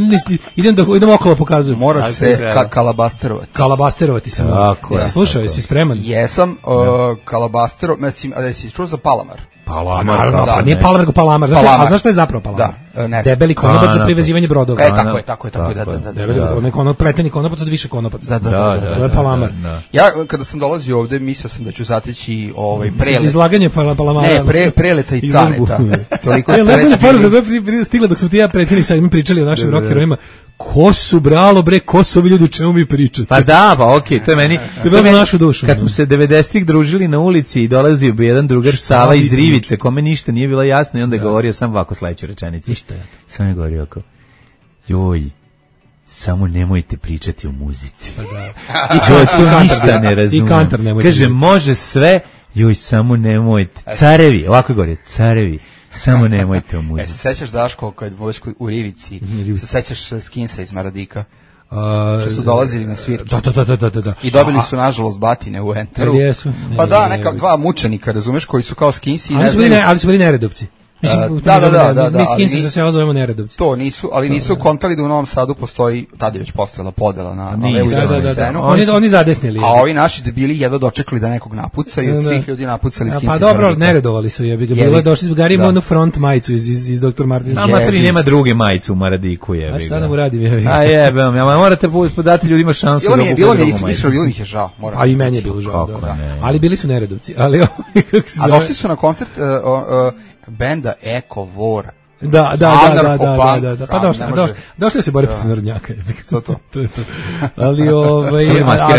idem okolo pokazujem. Mora se kalabasterovati. Kalabasterovati se mora. Jesi slušao, jesi spreman? Jesam, kalabastero, mislim, a da si čuo za Palamar? Palamar, pa nije Palamar, nego Palamar. A znaš što je zapravo Palamar? Da, debeli konopac za privezivanje brodova. Tako je. Neko preteni konopac od više konopaca. To je Palamar. Ja, kada sam dolazio ovde, mislio sam da ću zateći prelet. Izlaganje Palamara. Ne, preleta i caneta. Toliko stigla dok smo ti ja pretili sad mi pričali o našim rock herojima. Ko su ko su ovi ljudi, o čemu mi pričate? Pa da, pa okej, to je meni. To je bilo našu dušu. Kad smo se 90-ih družili na ulici i dolazio bi jedan drugar Sava iz Rivice, kome ništa nije bilo jasno i onda je govorio sam ovako sledeću rečenicu. Sam je govorio oko, joj, samo nemojte pričati o muzici. To ništa ne razumem. I Kantar nemojte. Kaže, može sve, joj, samo nemojte. Carevi, ovako govori, carevi, samo nemojte o muzici. Se sećaš, Daško, kad budeš u Rivici, se sećaš Skinsa iz Maradika? Što su dolazili na svirke. Da. I dobili su, nažalost, batine u Enteru. Pa da, neka dva mučenika, razumeš, koji su kao Skinsi. Ali su bili neredovci. Mislim, da. Mi Skinsi za selo zovemo neredovci. To nisu, ali nisu kontali da u Novom Sadu postoji, tada je već postojala podela na levu i desnu scenu. Oni zadesnili. A ovi naši debili jedva dočekali da nekog napuca i od svih ljudi napucali Skinsi. Pa dobro, neredovali su, jebi ga. Bilo je došli, Gari ima onu front majicu iz Dr. Martina. Amatri nema druge majice u Maradiku, jebi ga. A šta da mu radim, jebi ga? A jebem, ja morate podati ljudima šansu da kupe drugu majicu. Iskreno, bilo mi je žao. A i meni je bilo žao, da. Ali bili su neredovci. A došli su na koncert benda Eko Vora. Da. Pa došli se bore protiv narodnjaka. To. Ali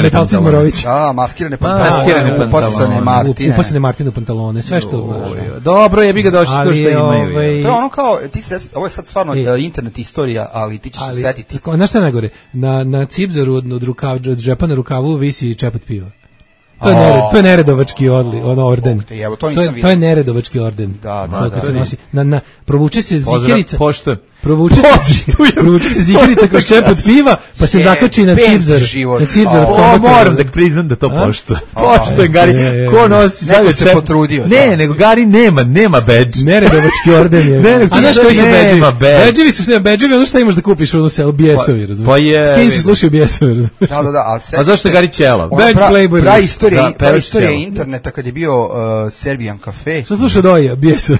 metalci Morović. Maskirane pantalone. Upasane Martine pantalone, sve što. Dobro, jebi ga došli to što imaju. To je ono kao, ovo je sad stvarno internet istorija, ali ti ćeš se setiti. Znaš šta najgore? Na cipzaru od džepa na rukavu visi čepat piva. To je neredovački orden. To je neredovački orden. Da. Provuče se zikerica. Pošto. Provuče se zikerica kroz čepot piva, pa se zakači na cipzar. Moram da priznam da to poštuje. Poštuje, Gari. Ko nosi? Neko se potrudio. Ne, nego Gari nema badge. Neredovački orden je. A znaš koji su badgevi? Badgevi su badgevi, ono šta imaš da kupiš u selu, bijesovi, razumiješ? Pa je. S kim se slušaju bijesovi, razumiješ? Da. A zašto je Gari ćelav? Badge Playboy. Pravi istorija interneta kad je bio Serbian Cafe. Što sluša Doja, bijesovi?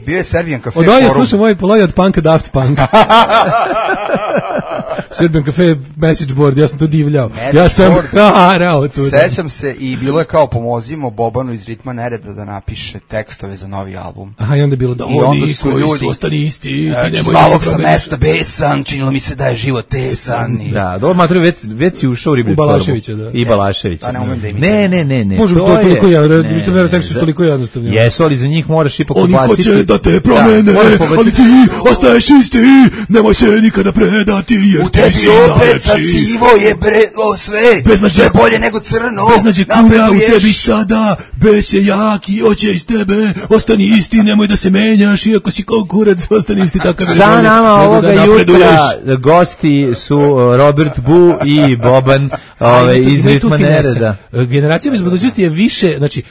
Bio je Serbian Cafe. Od Doja slušao moj poloj od Punka Daft Punk. Serbian Cafe message board, ja sam to divljao. Ja sam harao tu. Sećam se i bilo je kao pomozimo Bobanu iz Ritma nereda da napiše tekstove za novi album. Aha, i onda je bilo da oni koji su ostani isti, ti nemoj Svalog sam mesta besan, činilo mi se da je život tesan. Da, dobro, Matro, već si ušao u riblju čorbu. Balaševića, da. I Balaševića. A ne umem da imitam. Ne. Može to toliko Ritma nereda tekstu su toliko jednostavni. Jesu, ali za njih moraš ipak ubaciti. Oni hoće da te promene, ali ti ostaješ isti, nemoj se nikada predati, jer u tebi opet sad sivo je brelo sve, što je bolje nego crno. Beznađe kuja u tebi sada, bes je jaki, oće iz tebe, ostani isti, nemoj da se menjaš, iako si konkurac, ostani isti takav. Sa nama ovoga jutra gosti su Robert Bu i Boban iz Ritma nereda. Generacija bez budućnosti je više, znači,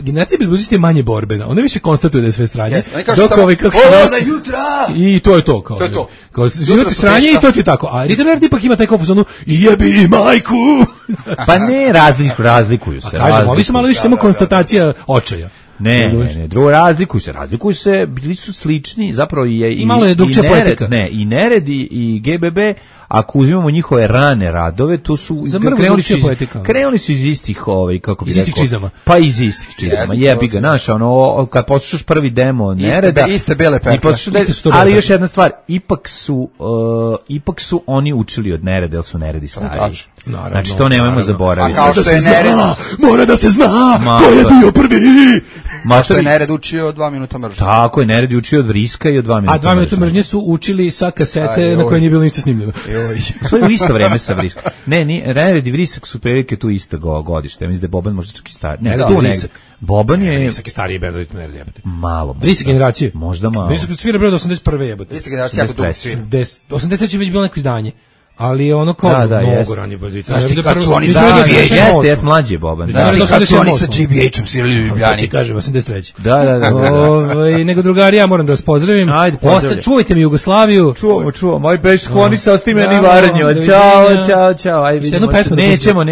generacija bez budućnosti je manje borbena, ona više konstatuje da je sve stranje. Dok ovi kako da jutra! I to je to. Kao život stranje i to ti je tako. A Ritma nereda ipak ima taj konfuzonu i jebi majku! Pa ne, razlikuju se. Kažem, ovi su malo više samo konstatacija očaja. Ne, drugo, razlikuju se, bili su slični, zapravo i malo je drugčija poetika. Ne, i Nered i GBB, ako uzimamo njihove rane radove, to su krenuli su iz istih kako bi rekao. Čizama. Pa iz istih čizama. Jebi ga, znaš, ono kad poslušaš prvi demo Nereda, iste bele pekle. Ali još jedna stvar, ipak su oni učili od Nereda, jer su Neredi stariji. Znači to nemojmo zaboraviti. A kao što je Nered, mora da se zna ko je bio prvi. Ma što je Nered učio 2 minuta mržnje. Tako je, Nered učio od Vriska i od 2 minuta mržnje. A 2 minuta mržnje su učili sa kasete na koje nije bilo ništa snimljeno. To je u isto vreme sa Vriska. Ne, Nered i Vrisak su prilike tu isto godište. Ja mislim da je Boban možda čak i stari. Ne, tu Vrisak. Boban je... Vrisak je stariji band od Nereda, jebate. Malo. Vrisak generacije. Možda malo. Vrisak svira bre od 81. jebate. Vrisak generacija jako dugo svira. 83. je već bilo neko izdanje. Ali ono kao mnogo ranije bandita. Znaš ti kad su oni Jeste mlađi je Boban. Znaš ti kad su oni sa GBH-om svirali u Ljubljani. Ti kažem, 83. Da. Nego drugari, ja moram da vas pozdravim. Čuvajte mi Jugoslaviju. Čuvam. Moj beš skloni se, osti meni Varanju. Ćao. Ajde vidimo. Nećemo.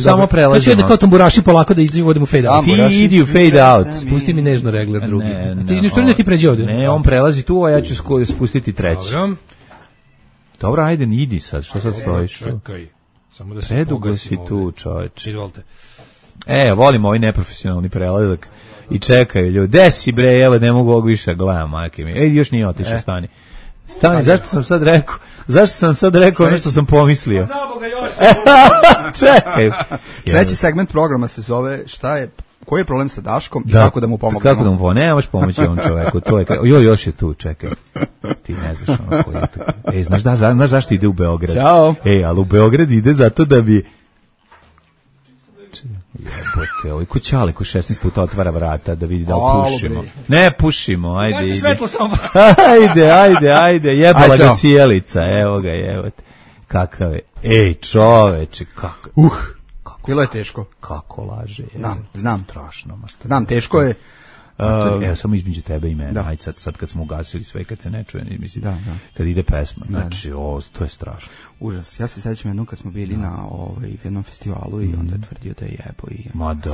Samo prelazimo. Sad ću da kao tamburaši polako da izvodimo fade out. Ti idi u fade out. Spusti mi nežno regler drugi. Ti pređi ovde. Ne, on prelazi tu, a ja ću spustiti treći. Dobro, ajde, idi sad, što sad stojiš? Čekaj, samo da se predugo si tu, čoveč. Izvolite. Volim ovaj neprofesionalni prelazak i čekaju ljudi. Desi bre, evo, ne mogu ovog više, gledam, majke mi. Još nije otišao, stani. Zašto sam sad rekao ono što sam pomislio? Zaboga još! Čekaj. Treći segment programa se zove Šta je koji je problem sa Daškom i kako da mu pomognemo. Kako da mu pomognemo, nemaš pomoći ovom čoveku, to je, još je tu, čekaj, ti ne znaš ono koji je tu. Znaš zašto ide u Beograd? Ćao. Ali u Beograd ide zato da bi... Jebote, ovaj kućali ko 16 puta otvara vrata da vidi da li pušimo. Ne pušimo, ajde, ide. Svetlo samo. Ajde, jebala ga sjelica, evo ga, jebote. Kakav je, čoveče, kako. Bilo je teško. Kako laže. Znam. Strašno. Znam, teško je. Evo, samo između tebe i mene. Ajde, sad kad smo ugasili sve, kad se ne čuje, mislim, kad ide pesma. Znači, to je strašno. Užas. Ja se sećam jednom kad smo bili na jednom festivalu i onda je tvrdio da je jebo i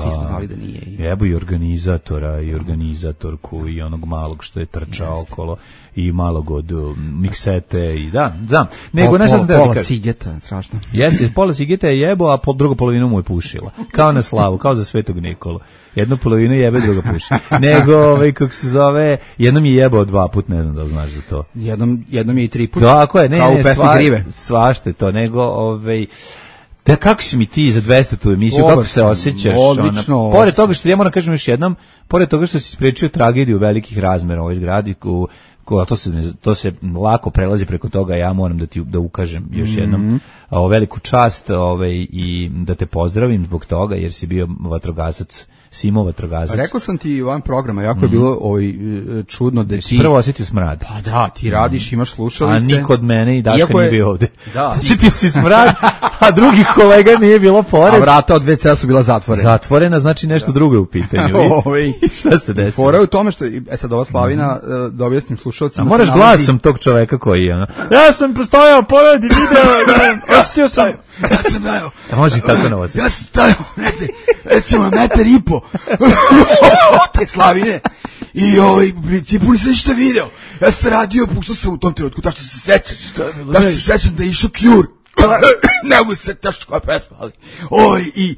svi smo znali da nije. Jebo i organizatora i organizatorku i onog malog što je trčao okolo i malog od miksete i znam. Nego nešto sam teo pola Sigeta, strašno. Jeste, pola Sigeta je jebo, a drugu polovinu mu je pušila. Kao na slavu, kao za Svetog Nikolu. Jednu polovinu jebe, druga puši. Nego, kako se zove, jednom je jebao 2 put, ne znam da znaš za to. Jednom je i 3 put. Tako je, kao u pesmi Grive. Svašte to, nego, da kako si mi ti za 200 emisiju, kako se osjećaš? Odlično. Pored toga što, ja moram kažem još jednom, pored toga što si sprečio tragediju velikih razmera u ovoj zgradi, to se lako prelazi preko toga, ja moram da ukažem još jednom veliku čast i da te pozdravim zbog toga, jer si bio vatrogasac, Simo vatrogasac. Rekao sam ti van programa, jako je bilo čudno da ti... Prvo osjetio smrad. Pa da, ti radiš, imaš slušalice. A niko od mene i Daška nije bio ovde. Da. Osjetio si smrad, a drugih kolega nije bilo pored. A vrata od WC-a su bila zatvorena. Zatvorena, znači nešto drugo je u pitanju. Šta se desilo? Fora je u tome što, sad ova Slavina, da objasnim slušalcima... A moraš glasom tog čoveka koji je, ja sam prostojao pored i video, osjetio sam... Ja sam dao. Može tako na ja sam stajao negde, recimo 1,5 metra te Slavine i u principu nisam ništa video. Ja sam radio, puštao sam u tom trenutku, tako što se sećam da je išao Cure. Ne mogu se tačno koja pesma, ali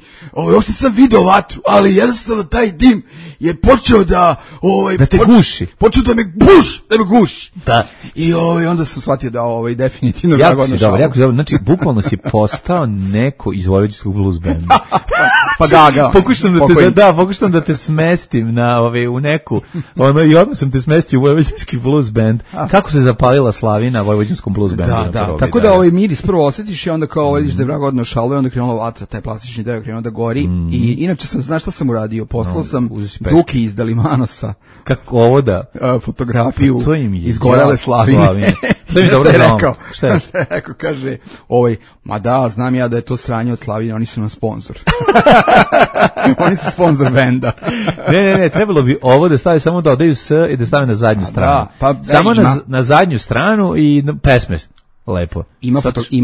uopšte sam video vatru, ali jednostavno taj dim je počeo da te guši. Počeo da me guši. Da. I onda sam shvatio da definitivno jako si dobro. Znači bukvalno si postao neko iz vojvođanskog blues benda. Pa Gaga. Pokušam da te smestim u neku, i odmah sam te smestio u vojvođanski blues band. Kako se zapalila Slavina vojvođanskom blues bandu? Da. Tako da miris prvo osjetiš i onda kao vidiš da je vrag odno šalo i onda krenula vatra, taj plastični deo krenuo da gori i inače znaš šta sam uradio? Poslao sam Duki iz Dalimanosa. Kako ovo da? Fotografiju izgorele Slavine. To je dobro rekao. Šta je rekao? Kaže, ma da, znam ja da je to sranje od Slavine, oni su nam sponsor. Oni su sponsor benda. Ne, trebalo bi ovo da stavi samo da odaju S i da stave na zadnju stranu. Samo na zadnju stranu i pesme. Lepo. Ima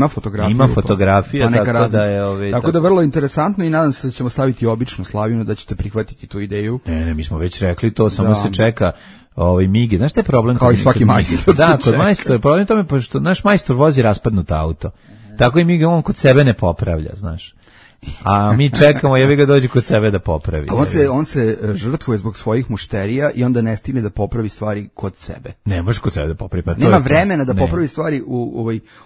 fotografiju. Ima fotografija, tako da je... Tako da vrlo interesantno i nadam se da ćemo staviti običnu Slavinu, da ćete prihvatiti tu ideju. Ne, mi smo već rekli to, samo se čeka Migi. Znaš šta je problem? Kao i svaki majstor. Da, kod majstora je problem tome, pošto naš majstor vozi raspadnuto auto. Tako i Migi, on kod sebe ne popravlja, znaš. A mi čekamo, jebi ga dođe kod sebe da popravi. On se žrtvuje zbog svojih mušterija i onda ne stigne da popravi stvari kod sebe. Ne može kod sebe da popravi. Pa nema vremena da popravi stvari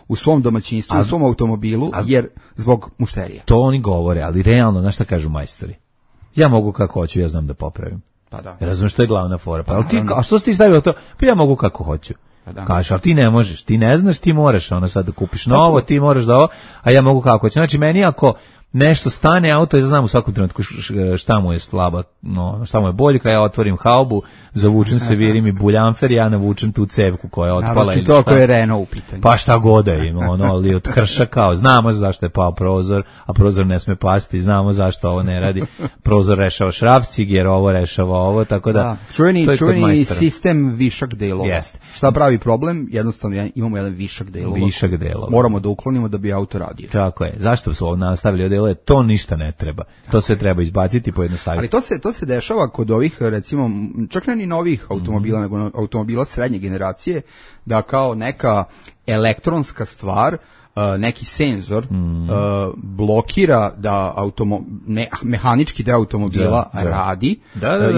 u svom domaćinstvu, u svom automobilu, jer zbog mušterija. To oni govore, ali realno, znaš šta kažu majstori? Ja mogu kako hoću, ja znam da popravim. Pa da. Razumiješ, što je glavna fora. A što si ti stavio to? Pa ja mogu kako hoću. Kažeš, ali ti ne možeš, ti ne znaš, ti moraš sad da kupiš novo, ti moraš da ovo, a ja mogu kako hoću. Znači, meni ako nešto stane auto, ja znam u svakom trenutku šta mu je slaba, šta mu je boljka, ja otvorim haubu, zavučem se, virim i buljanfer, ja navučem tu cevku koja je otpala. Naravno, to ako je Renault u pitanju. Pa šta god da ima, ali od krša kao, znamo zašto je pao prozor, a prozor ne sme pasti, znamo zašto ovo ne radi. Prozor rešava šrafcig, jer ovo rešava ovo, tako da... Čuveni sistem višak delova. Jeste. Šta pravi problem? Jednostavno imamo jedan višak delova. Moramo da uklonimo da bi auto radio. Tako je. Zašto su ovo nastavili od to ništa ne treba. To sve treba izbaciti, pojednostaviti. Ali to se dešava kod ovih, recimo, čak ne ni novih automobila, nego automobila srednje generacije, da kao neka elektronska stvar, neki senzor blokira da mehanički deo automobila radi.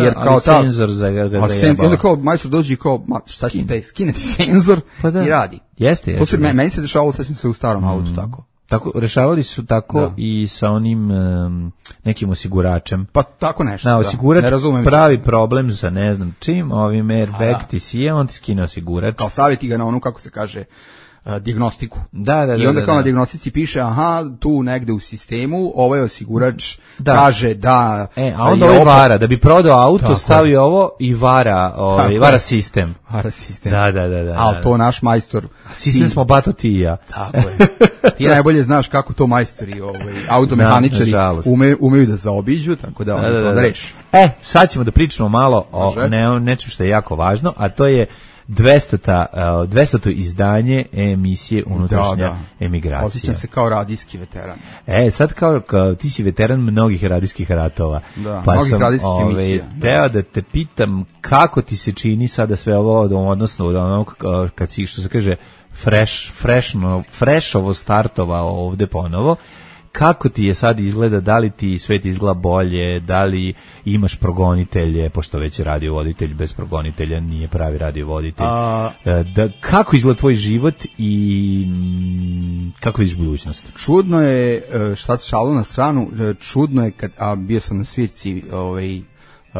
Jer kao senzor za zajebava. Onda kao majstor dođe i kao, šta će taj skineti senzor i radi. Jeste. Meni se dešavalo, sećam se u starom autu tako. Tako, rešavali su tako i sa onim nekim osiguračem. Pa tako nešto, da. Osigurač ne razumem pravi problem sa ne znam čim, ovim airbag ti sije, on ti skine osigurač. Kao staviti ga na onu, kako se kaže, dijagnostiku. Da. I onda kao na dijagnostici piše, aha, tu negde u sistemu ovaj osigurač kaže da... a onda ovaj vara, da bi prodao auto, stavi ovo i vara sistem. Vara sistem. Da. Ali to naš majstor... Sistem smo bato ti i ja. Tako je. Ti najbolje znaš kako to majstori, automehaničari umeju da zaobiđu, tako da to reši. Sad ćemo da pričamo malo o nečem što je jako važno, a to je 200. izdanje emisije Unutrašnja emigracija. Osjećam se kao radijski veteran. Sad kao ti si veteran mnogih radijskih ratova. Pa mnogih radijskih emisija. Teo da te pitam kako ti se čini sada sve ovo, odnosno od onog kad si, što se kaže, freshovo startovao ovde ponovo. Kako ti je sad izgleda, da li ti svet izgleda bolje, da li imaš progonitelje, pošto već radiovoditelj bez progonitelja nije pravi radiovoditelj. Kako izgleda tvoj život i kako vidiš budućnost? Čudno je, šta se šalo na stranu, čudno je kad, bio sam na svirci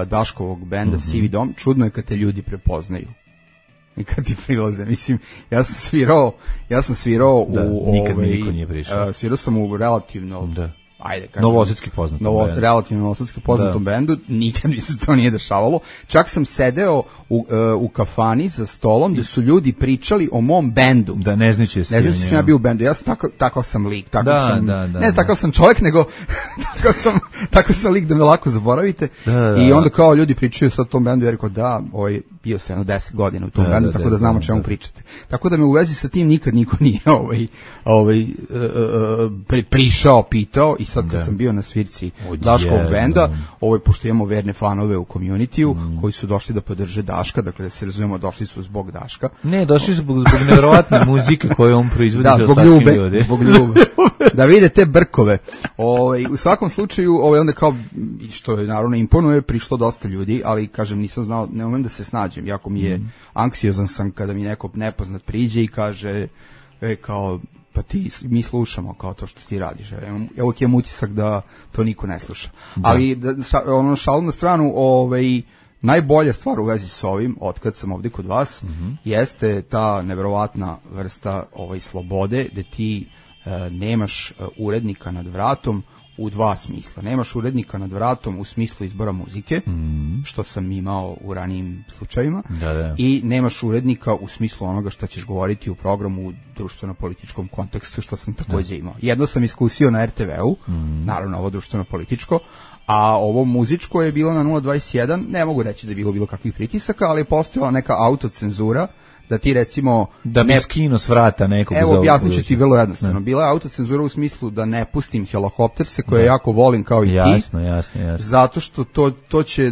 Daškovog benda Sivi dom, čudno je kad te ljudi prepoznaju. I kad ti prilaze, mislim, ja sam svirao u nikad mi niko nije prišao. Svirao sam u relativno novosadski poznatom relativno novosadski poznatom bendu, nikad mi se to nije dešavalo. Čak sam sedeo u kafani za stolom gde su ljudi pričali o mom bendu. Da, ne znajući sam ja bio u bendu. Ja sam takav sam lik, takav sam čovjek, nego takav sam lik da me lako zaboravite. I onda kao ljudi pričaju sad o tom bendu, ja rekao bio sam 10 godina u tom bendu, tako da znamo o čemu pričate. Tako da me u vezi sa tim nikad niko nije prišao, pitao. I sad kad sam bio na svirci Daškovog benda, pošto imamo verne fanove u community-u koji su došli da podrže Daška, dakle da se razumemo, došli su zbog Daška. Ne, došli su zbog nevjerovatne muzike koju on proizvodi za zbog ljube. Da vide te brkove. U svakom slučaju, onda kao, što je naravno imponuje, prišlo dosta ljudi, ali kažem, nisam znao, ne umem da se snađem, jako mi je anksiozan sam kada mi neko nepoznat priđe i kaže, kao, pa mi slušamo kao to što ti radiš. Evo imam utisak da to niko ne sluša. Ali, šalu na stranu, najbolja stvar u vezi s ovim, otkad sam ovdje kod vas, jeste ta neverovatna vrsta slobode, gde ti nemaš urednika nad vratom u dva smisla. Nemaš urednika nad vratom u smislu izbora muzike, što sam imao u ranijim slučajima, i nemaš urednika u smislu onoga što ćeš govoriti u programu u društveno-političkom kontekstu, što sam također imao. Jedno sam iskusio na RTV-u, naravno ovo društveno-političko, a ovo muzičko je bilo na 021, ne mogu reći da je bilo kakvih pritisaka, ali je postojala neka autocenzura, da ti recimo... Da bi skino s vrata nekog... Evo, objasnit ću ti vrlo jednostavno. Bila je autocenzura u smislu da ne pustim Helikopterse, koje jako volim kao i ti. Jasno. Zato što to će,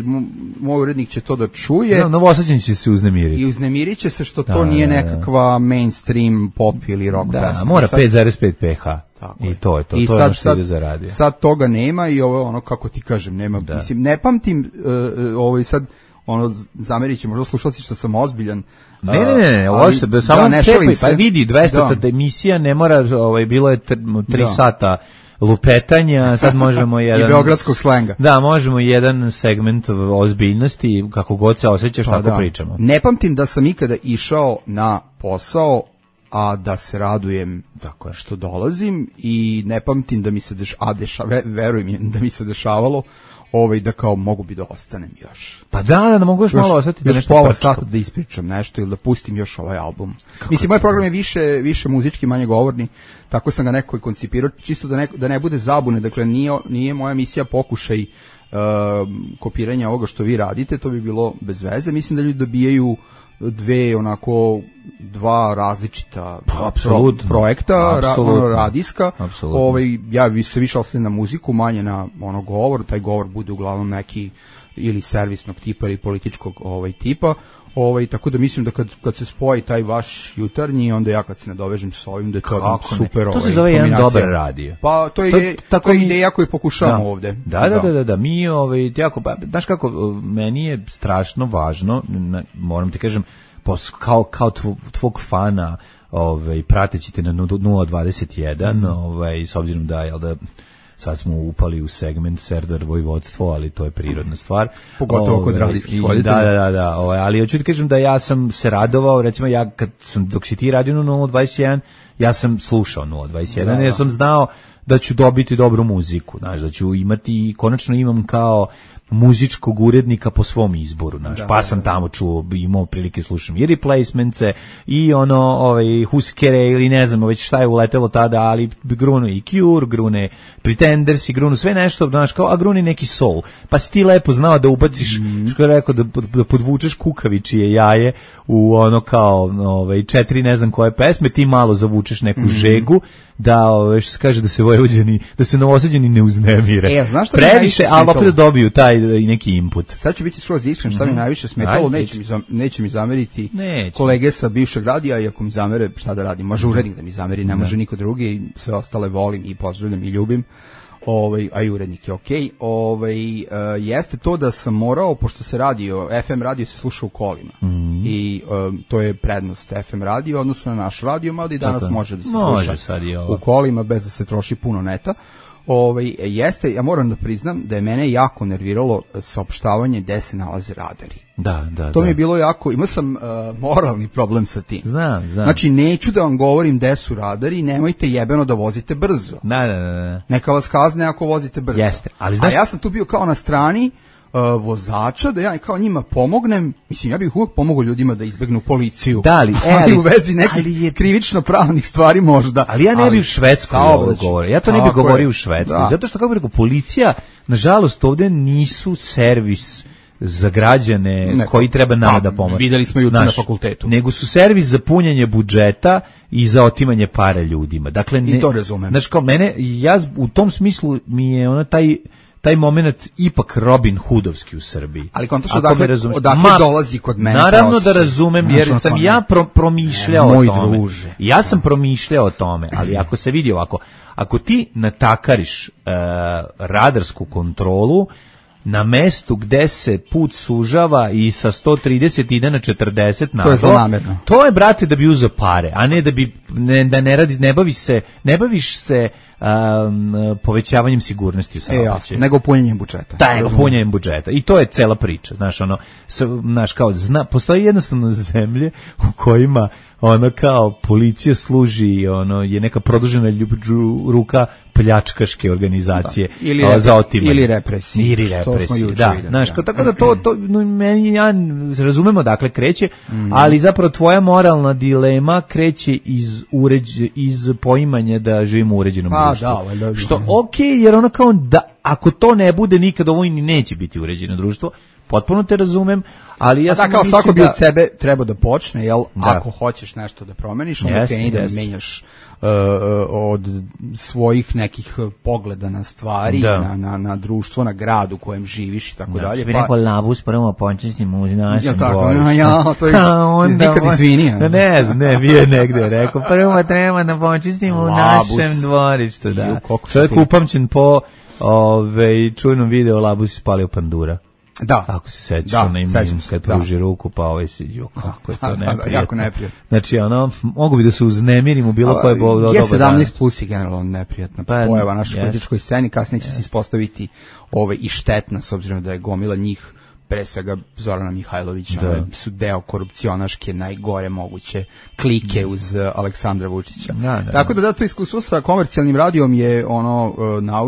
moj urednik će to da čuje. Novosađeni će se uznemiriti. I uznemirit će se što to nije nekakva mainstream pop ili rock pesma. Mora 5,5 pH. I to je to. I to je ono što ide za radio. Sad toga nema i ovo je ono, kako ti kažem, nema. Mislim, ne pamtim, sad, zamerit će možda slušalci što sam ozbiljan. Ne, ovo što samo pa vidi 200 emisija, ne mora, bilo je 3 sata lupetanja, sad možemo jedan... I beogradskog slenga. Da, možemo jedan segment ozbiljnosti, kako god se osjećaš, tako pričamo. Ne pamtim da sam ikada išao na posao, a da se radujem što dolazim, i ne pamtim da mi se verujem da mi se dešavalo da kao mogu bi da ostanem još. Pa da mogu još malo ostati da nešto pola sata da ispričam nešto ili da pustim još ovaj album. Mislim, moj program je više muzički, manje govorni, tako sam ga neko i koncipirao, čisto da ne bude zabune, dakle nije moja misija pokušaj kopiranja ovoga što vi radite, to bi bilo bez veze. Mislim da ljudi dobijaju dva različita projekta, radijska. Ja se više oslanjam na muziku, manje na govor, taj govor bude uglavnom neki ili servisnog tipa ili političkog tipa. Tako da mislim da kad se spoji taj vaš jutarnji, onda ja kad se nadovežem s ovim, da je to super. To se zove jedan dobar radio. Pa to je ideja koju pokušavamo ovde. Da. Mi jako, znaš kako, meni je strašno važno, moram ti kažem, kao tvog fana prateći te na 021, s obzirom da, jel da, sad smo upali u segment Serdar Vojvodstvo, ali to je prirodna stvar. Pogotovo kod radijskih voditelja. Da, ali hoću ti kažem da ja sam se radovao, recimo dok si ti radio na 021, ja sam slušao 021, jer sam znao da ću dobiti dobru muziku, znaš, da ću imati, i konačno imam kao muzičkog urednika po svom izboru, znaš, pa sam tamo čuo, imao prilike slušam i Replacements-e, i Huskere, ili ne znam već šta je uletelo tada, ali grunu i Cure, grune Pretenders, i grunu sve nešto, znaš, kao, a gruni neki soul, pa si ti lepo znao da ubaciš, što je rekao, da podvučeš kukavičije jaje u ono kao 4 ne znam koje pesme, ti malo zavučeš neku žegu, da, što se kaže, da se Novosađani ne uznemire. Znaš šta previše, ali opet da dobiju taj neki input. Sad ću biti skroz iskren, šta mi najviše smetalo, neće mi zameriti kolege sa bivšeg radija, i ako mi zamere, šta da radim, može urednik da mi zameri, ne može niko drugi, i sve ostale volim i pozdravljam i ljubim. A i urednik je okej. Jeste to da sam morao, pošto se FM radio se sluša u kolima, i to je prednost FM radio odnosno na naš radio, mada i danas može da se sluša u kolima bez da se troši puno neta. Jeste, ja moram da priznam da je mene jako nerviralo saopštavanje gde se nalaze radari. To mi je bilo jako, imao sam moralni problem sa tim. Znam. Znači, neću da vam govorim gde su radari, nemojte jebeno da vozite brzo. Neka vas kazne ako vozite brzo. Jeste, ali znaš... A ja sam tu bio kao na strani vozača, da ja kao njima pomognem, mislim, ja bih uvijek pomogao ljudima da izbegnu policiju. Ali u vezi nekih krivično pravnih stvari možda. Ali ja ne bih u Švedskoj govorio. Ja to ne bih govorio u Švedskoj. Zato što, kako bih rekao, policija, nažalost, ovde nisu servis za građane koji treba nama da pomoći. Videli smo juče na fakultetu. Nego su servis za punjenje budžeta i za otimanje para ljudima. Dakle, i to razumem. Znači, kao mene, ja u tom smislu mi je taj moment ipak Robin Hoodovski u Srbiji. Ali kontačno odakle dolazi kod mene. Naravno da razumem, jer sam ja promišljao o tome. Druže. Ja sam promišljao o tome, ali ako se vidi ovako, ako ti natakariš radarsku kontrolu na mestu gde se put sužava i sa 130 ide na 40 naglo, to je, brate, da bi uzeo pare, a ne da bi ne baviš se povećavanjem sigurnosti u saobraćaju. Nego punjenjem budžeta. Nego punjenjem budžeta. I to je cela priča. Znaš, postoji jednostavno zemlje u kojima kao policija služi, je neka produžena ruka pljačkaške organizacije za otimanje. Ili represije. Da, znaš, tako da to meni, ja razumemo dakle kreće, ali zapravo tvoja moralna dilema kreće iz poimanja da živimo u uređenom društvu. Što okej, jer kao da ako to ne bude nikad, ovo i neće biti uređeno društvo. Potpuno te razumem, ali ja sam kao svako bi od sebe trebao da počne, jel? Ako hoćeš nešto da promeniš, onda kreni da menjaš od svojih nekih pogleda na stvari, na društvo, na grad u kojem živiš i tako dalje. Pa neko labus prvo počistimo u našem dvorištu. To je nikad izvinio. Ne znam, bio negde rekao, prvo treba da počistimo u našem dvorištu. Čovjek upamćen po čujnom video labus ispalio pandura. Da. Ako se sećaš, kad pruži ruku, pa kako je to neprijatno. Jako neprijatno. Znači, mogu bi da se uznemirim u bilo koje doba dana. G17 plus je generalno neprijatna pojava našoj političkoj sceni, kasnije će se ispostaviti i štetna, s obzirom da je gomila njih, pre svega Zorana Mihajlovića, su deo korupcionaške najgore moguće klike uz Aleksandra Vučića. Tako da to iskustvo sa komercijalnim radijom je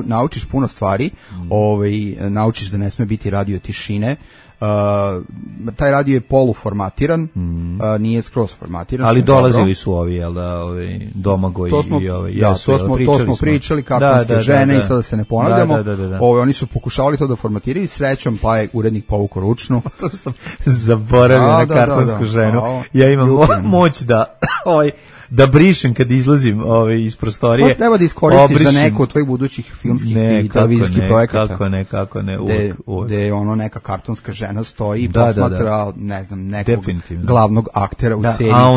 naučiš puno stvari, naučiš da ne sme biti radio tišine. Taj radio je poluformatiran, nije skroz formatiran. Ali dolazili su ovi, jel da, Domagoj i ovi. To smo pričali, kartonske žene, i sada se ne ponavljamo. Oni su pokušavali to da formatiraju, srećom, pa je urednik povukao ručnu. To sam zaboravio na kartonsku ženu. Ja imam moć da brišem kad izlazim iz prostorije. To treba da iskoristiš za neko od tvojih budućih filmskih i televizijskih projekata. Kako ne. Gde neka kartonska žena stoji i posmatra, ne znam, nekog glavnog aktera u seriji. A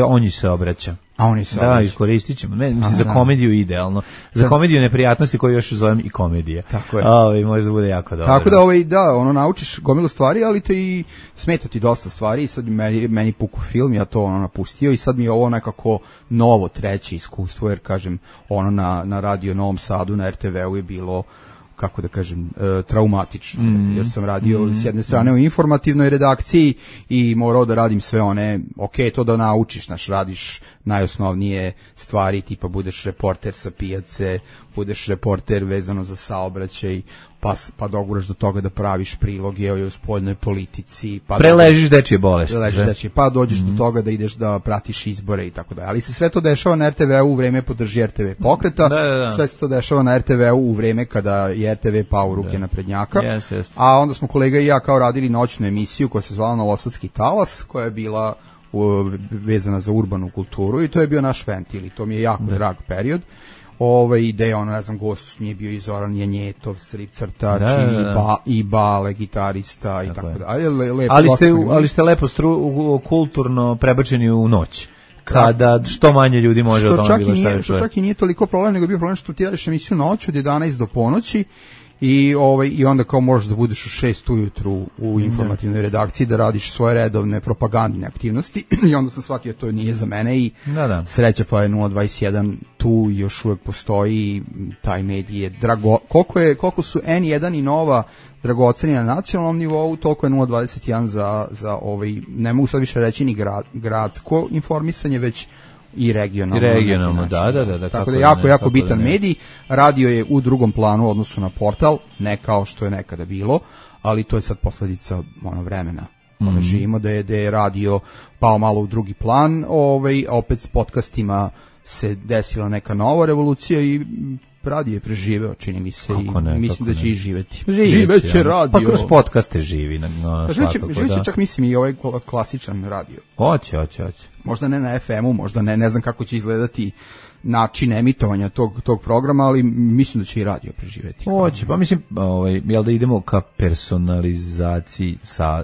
on ji se obraća. A oni su da, iskoristit ćemo. Mislim, za komediju idealno. Za komediju neprijatnosti koju još zovem i komedije. Tako je. Možda bude jako dobro. Tako da, naučiš gomilu stvari, ali te i smeta ti dosta stvari i sad meni puku film, ja to napustio i sad mi je ovo nekako novo treće iskustvo, jer kažem, na Radio Novom Sadu, na RTV-u je bilo, kako da kažem, traumatično, jer sam radio s jedne strane u informativnoj redakciji i morao da radim sve one, to da naučiš, radiš najosnovnije stvari, tipa budeš reporter sa pijace, budeš reporter vezano za saobraćaj, pa doguraš do toga da praviš priloge o spoljnoj politici, preležiš dečije bolesti, pa dođeš do toga da ideš da pratiš izbore i tako dalje. Ali se sve to dešava na RTV-u u vreme podrži RTV pokreta, sve se to dešava na RTV-u u vreme kada je RTV pao u ruke naprednjaka, a onda smo kolega i ja kao radili noćnu emisiju koja se zvala Novosadski talas, koja je bila vezana za urbanu kulturu i to je bio naš ventil i to mi je jako drag period. Ideja, gost nije bio i Zoran Janjetov, strip crtač i bale, gitarista i tako dalje. Ali ste lepo kulturno prebačeni u noć, kada što manje ljudi može o tome bilo šta je. Što čak i nije toliko problem, nego je bio problem što ti radiš emisiju noć od 11 do ponoći i onda kao možeš da budeš u 6 ujutru u informativnoj redakciji da radiš svoje redovne propagandne aktivnosti i onda sam shvatio to nije za mene i sreća pa je 021 tu još uvek postoji, taj medij je koliko su N1 i Nova dragoceni na nacionalnom nivou, toliko je 021 za ne mogu sad više reći ni gradsko informisanje, već i regionalno. Da. Tako da jako bitan medij. Radio je u drugom planu u odnosu na portal, ne kao što je nekada bilo, ali to je sad posledica vremena. Živimo da je radio pao malo u drugi plan, opet s podcastima se desila neka nova revolucija i radio je preživeo, čini mi se, i mislim da će i živeti. Živeće radio. Pa kroz podcaste živi. Živeće čak mislim i ovaj klasičan radio. Hoće. Možda ne na FM-u, možda ne znam kako će izgledati način emitovanja tog programa, ali mislim da će i radio preživeti. Hoće, pa mislim, jel da idemo ka personalizaciji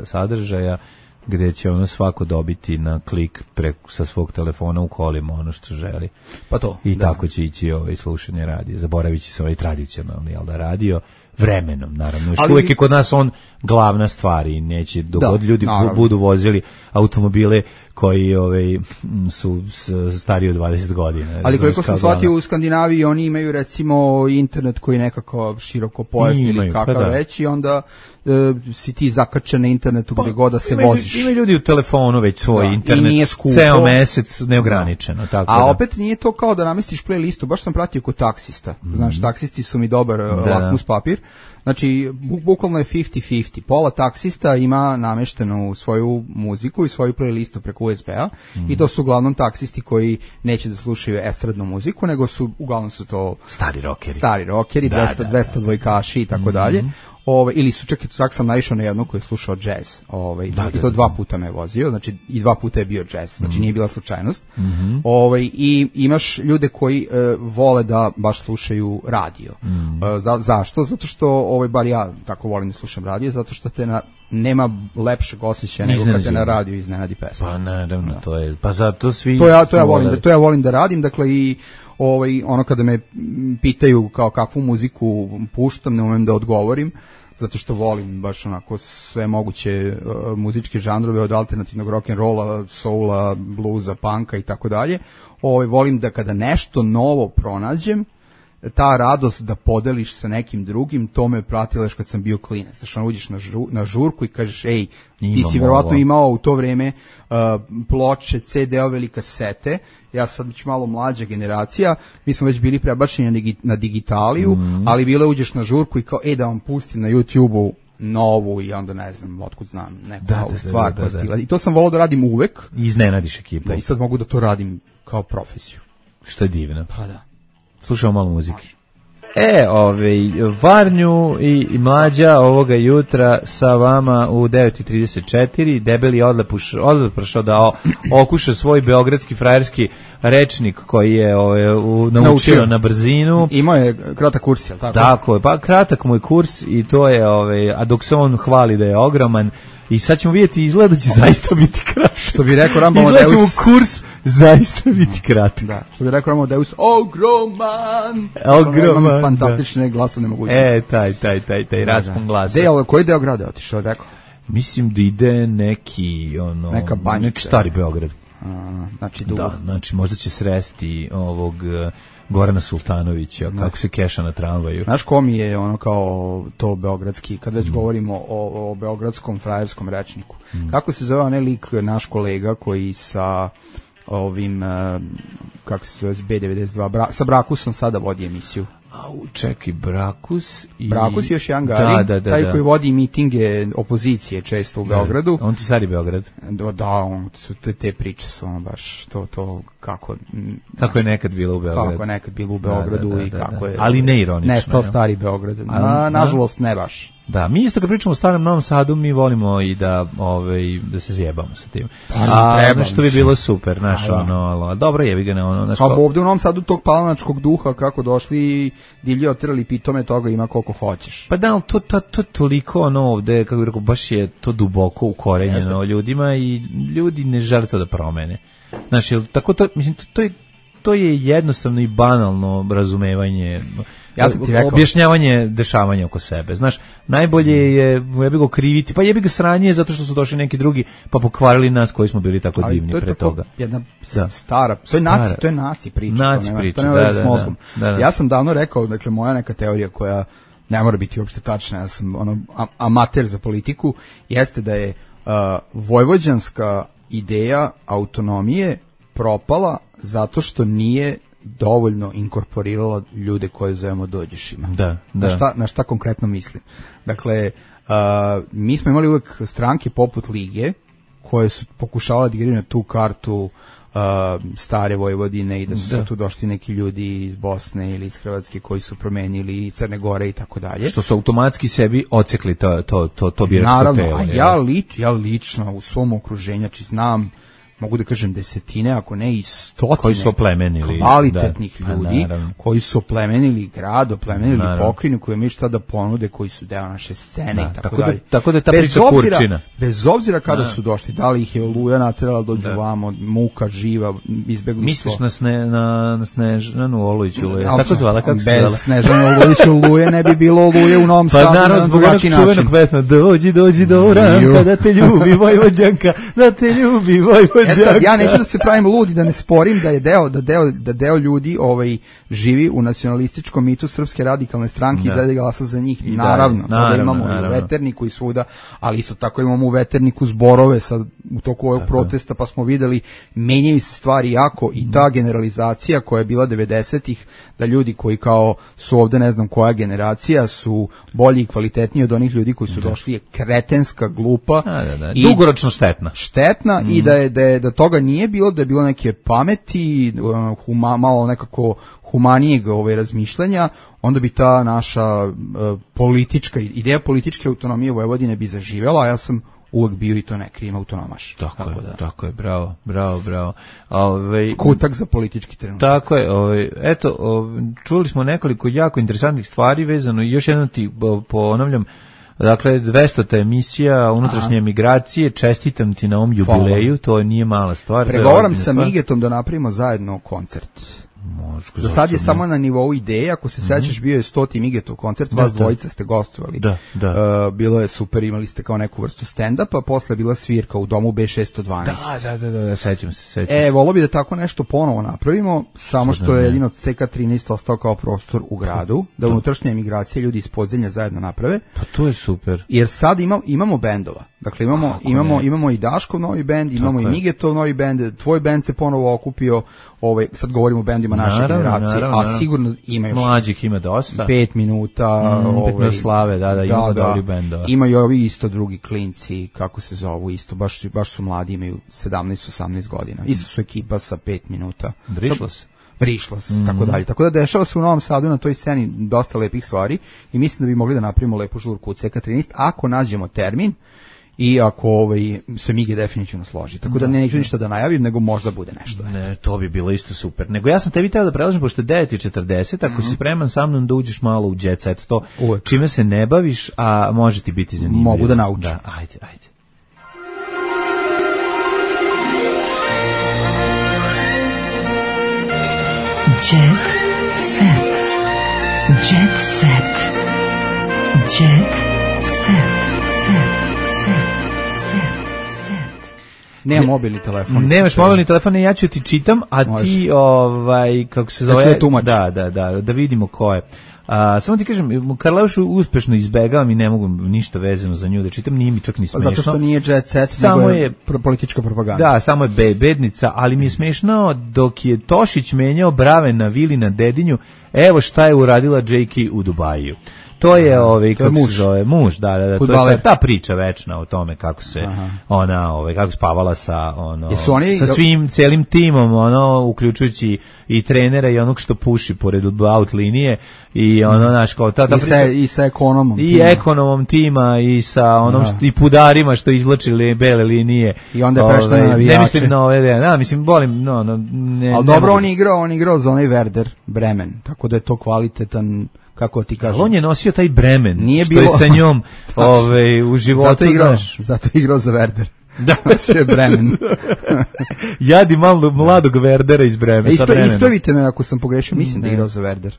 sadržaja, gde će svako dobiti na klik sa svog telefona u kolima ono što želi. Pa to. I tako će ići slušanje radija. Zaboravit će se tradicionalni radio vremenom, naravno. Još uvijek je kod nas on glavna stvar i neće dogod ljudi budu vozili automobile koji su stariji od 20 godina. Ali koliko sam shvatio u Skandinaviji, oni imaju recimo internet koji nekako široko pojasni ili kakav već i onda si ti zakačen na internetu gdje god da se voziš. Ima ljudi u telefonu već svoj internet, ceo mesec neograničeno. A opet nije to kao da namestiš playlistu, baš sam pratio kod taksista. Znaš, taksisti su mi dobar lakmus papir. Znači, bukvalno je 50-50. Pola taksista ima nameštenu svoju muziku i svoju playlistu preko USB-a i to su uglavnom taksisti koji neće da slušaju estradnu muziku, nego uglavnom su to stari rockeri, 200 dvojkaši i tako dalje. Ili su čak sam naišao na jednog koji je slušao jazz. I to 2 puta me je vozio, znači i 2 puta je bio jazz, znači nije bila slučajnost. I imaš ljude koji vole da baš slušaju radio. Zašto? Zato što, bar ja tako volim da slušam radio, zato što nema lepšeg osjećaja nego kad te na radiju iznenadi pesma. Pa naravno, to je, pa zato svi... To ja volim da radim, dakle i kada me pitaju kao kakvu muziku puštam, ne umem da odgovorim, zato što volim baš sve moguće muzičke žanrove od alternativnog rock'n'rolla, soula, bluza, punka i tako dalje. Volim da kada nešto novo pronađem, ta radost da podeliš sa nekim drugim, to me pratila još kad sam bio klinac. Znači, uđeš na žurku i kažeš, ej, ti si verovatno imao u to vreme ploče, CD-ove ili kasete, ja sad već malo mlađa generacija, mi smo već bili prebačeni na digitaliju, ali bilo uđeš na žurku i kao, da vam pustim na YouTube-u novu i onda ne znam, otkud znam neku novu stvar koja stigla. I to sam volao da radim uvek. I iznenadiš ekipu. I sad mogu da to radim kao profesiju. Što je divno. Pa da. Slušamo malo muzike. Varnju i Mlađa ovoga jutra sa vama u 9:34. Debeli je odlepršao da okuša svoj beogradski frajerski rečnik koji je naučio na brzinu. Imao je kratak kurs, je li tako? Tako je, pa kratak mu je kurs i to je, a dok se on hvali da je ogroman, i sad ćemo vidjeti, izgleda da će zaista biti kratak. Što bi rekao Rambo Izgleda ćemo kurs zaista biti kratak. Da, što bi rekao Amadeus, ogroman! Ogroman, fantastične glasovne mogućnosti. Taj raspon glasa. Koji deo grada otišao, rekao? Mislim da ide neka banjica. Neki stari Beograd. Znači dugo. Da, znači možda će sresti ovog Gorana Sultanovića, kako se keša na tramvaju. Znaš ko mi je kao to beogradski, kad već govorimo o beogradskom frajerskom rečniku. Kako se zove onaj lik, naš kolega koji sa ovim, kako se zove, B92, sa Brakusom sada vodi emisiju. Čekaj, Brakus i... Brakus je još jedan Garin, taj koji vodi mitinge opozicije često u Beogradu. On ti stari Beograd? Da, te priče su baš to kako... Kako je nekad bilo u Beogradu. Kako je nekad bilo u Beogradu i kako je... Ali ne ironično. Nestao stari Beograd. Nažalost ne baš. Da, mi isto kad pričamo o starom Novom Sadu, mi volimo i da se zjebamo sa tim. Što bi bilo super, znaš, dobro jebi ga, znaš. Pa ovde u Novom Sadu tog palanačkog duha, kako došli divlje otrali pitome, toga ima koliko hoćeš. Pa da, ali to toliko ovde, kako bih rekao, baš je to duboko ukorenjeno ljudima i ljudi ne žele to da promene. Znaš, tako to, mislim, to je jednostavno i banalno razumevanje, objašnjavanje dešavanja oko sebe. Znaš, najbolje je jebi ga kriviti, pa jebi ga sranje zato što su došli neki drugi pa pokvarili nas koji smo bili tako divni pre toga. Jedna stara, to je naci priča. To nema veze s mozgom. Ja sam davno rekao, dakle, moja neka teorija koja ne mora biti uopšte tačna, ja sam amater za politiku, jeste da je vojvođanska ideja autonomije propala zato što nije dovoljno inkorporirala ljude koje zovemo dođešima. Na šta konkretno mislim? Dakle, mi smo imali uvek stranke poput Lige koje su pokušavale da igraju na tu kartu stare Vojvodine i da su tu došli neki ljudi iz Bosne ili iz Hrvatske koji su promenili Crne Gore i tako dalje. Što su automatski sebi ocekli to biračko naravno, telo. Ja lično u svom okruženju, znači znam, mogu da kažem desetine, ako ne i stotine koji su oplemenili kvalitetnih ljudi, koji su oplemenili grad, oplemenili pokrajinu, koji imaju šta da ponude, koji su deo naše scene i tako dalje. Tako da ta priča kurčina. Bez obzira kada su došli, da li ih je Oluja naterala dođu vamo, muka živa, izbegli. Misliš na Snežanu Olujiću, tako zvala, kako se zvala? Bez Snežanu Olujiću Oluje ne bi bilo Oluje u Novom Sadu. Pa naravno, zbog onog čuvenog pesma, dođi do Uranka, da te ljubi Vojvođanka, da te ljubi Vojvođanka. Sad, ja neću da se pravim ludi, da ne sporim da je deo ljudi živi u nacionalističkom mitu Srpske radikalne stranke i da glasa za njih. Naravno, da imamo i u Veterniku i svuda, ali isto tako imamo u Veterniku zborove sad u toku ovog protesta, pa smo videli, menjaju se stvari jako i ta generalizacija koja je bila 90-ih, da ljudi koji kao su ovde ne znam koja generacija su bolji i kvalitetniji od onih ljudi koji su došli je kretenska, glupa i dugoročno štetna i da toga nije bilo, da je bilo neke pameti, malo nekako humanijeg razmišljanja, onda bi ta naša ideja političke autonomije Vojvodine bi zaživjela, a ja sam uvek bio i to ne krijem autonomaš. Tako je, bravo. Kutak za politički trenutak. Tako je, eto, čuli smo nekoliko jako interesantnih stvari vezano i još jednom ti ponavljam. Dakle, 200. emisija unutrašnje migracije, čestitam ti na ovom jubileju, to nije mala stvar. Pregovaram sa Migetom da napravimo zajedno koncert. Za sad je samo na nivou ideje, ako se sećaš, bio je 100. Migetov koncert, vas dvojica ste gostovali. Bilo je super, imali ste kao neku vrstu stand-upa, posle je bila svirka u domu B612. Da, sećam se. Volio bi da tako nešto ponovo napravimo, samo što je jedino CK13 ostao kao prostor u gradu, da unutrašnje emigracije ljudi iz podzemlja zajedno naprave. Pa to je super. Jer sad imamo bendova. Dakle, imamo i Daškov novi bend, imamo i Migetov novi bend, tvoj bend se ponovo okupio, sad govorimo o bendima naše generacije, a sigurno ima još mlađih ima dosta. 5 minuta, 5 minuta slave, ima dobri bendova. Imaju ovi isto drugi klinci, kako se zovu isto, baš su mladi, imaju 17-18 godina. Isto su ekipa sa 5 minuta. Vrišlas, tako dalje. Tako da dešava se u Novom Sadu na toj sceni dosta lepih stvari i mislim da bi mogli da napravimo lepu žurku u CK13 ako nađemo termin i ako se Mige definitivno složi. Tako da neću ništa da najavim, nego možda bude nešto. Ne, to bi bilo isto super. Nego ja sam tebi teo da predlažem, pošto je 9:40, ako si spreman sa mnom da uđeš malo u jet set, to čime se ne baviš, a može ti biti zanimljivo. Mogu da naučim. Da, ajde. Jet set. Jet set. Jet set. Nema mobilni telefon. Nemaš mobilni telefon, ja ću ti čitam, a može. Ti, kako se zove... Ja ću da da vidimo ko je. Samo ti kažem, Karleušu uspešno izbegavam i ne mogu ništa vezano za nju da čitam, nije mi čak ni smešno. Zato što nije jet set, samo nego je politička propaganda. Da, samo je bednica, ali mi je smešno dok je Tošić menjao brave na vili na Dedinju, evo šta je uradila JK u Dubaju. To je kako se zove, muž, da, to je ta priča večna o tome kako se ona, kako spavala sa sa svim celim timom, uključujući i trenera i onog što puši pored out linije i naš kao ta priča i sa ekonomom i tima. Ekonomom tima i sa onom i pudarima što izvlačili bele linije i onda je prešao na navijače. Ne mislim na ove, mislim volim ali dobro on igrao za onaj Werder Bremen, tako da je to kvalitetan. Kako ti kažem? On je nosio taj bremen, nije što je sa njom u životu. Zato igrao za Werder. Da, sve je bremen. Jadi malo mladog Werdera iz Bremena. Ispravite me ako sam pogrešio, mislim da je igrao za Werder.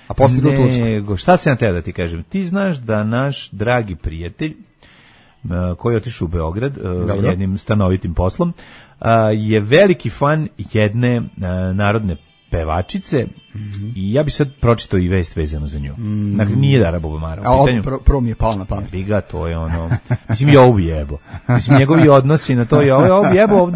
A poslije nego, šta se na te da ti kažem? Ti znaš da naš dragi prijatelj, koji je otišao u Beograd jednim stanovitim poslom, je veliki fan jedne narodne pevačice i ja bi sad pročitao i vest vezano za nju. Dakle, nije Dara Bubamara u pitanju. Prvo mi je palo na pamet. Biga, to je mislim, i ovo bi jebo. Mislim, njegovi odnosi na to i ovo bi jebo,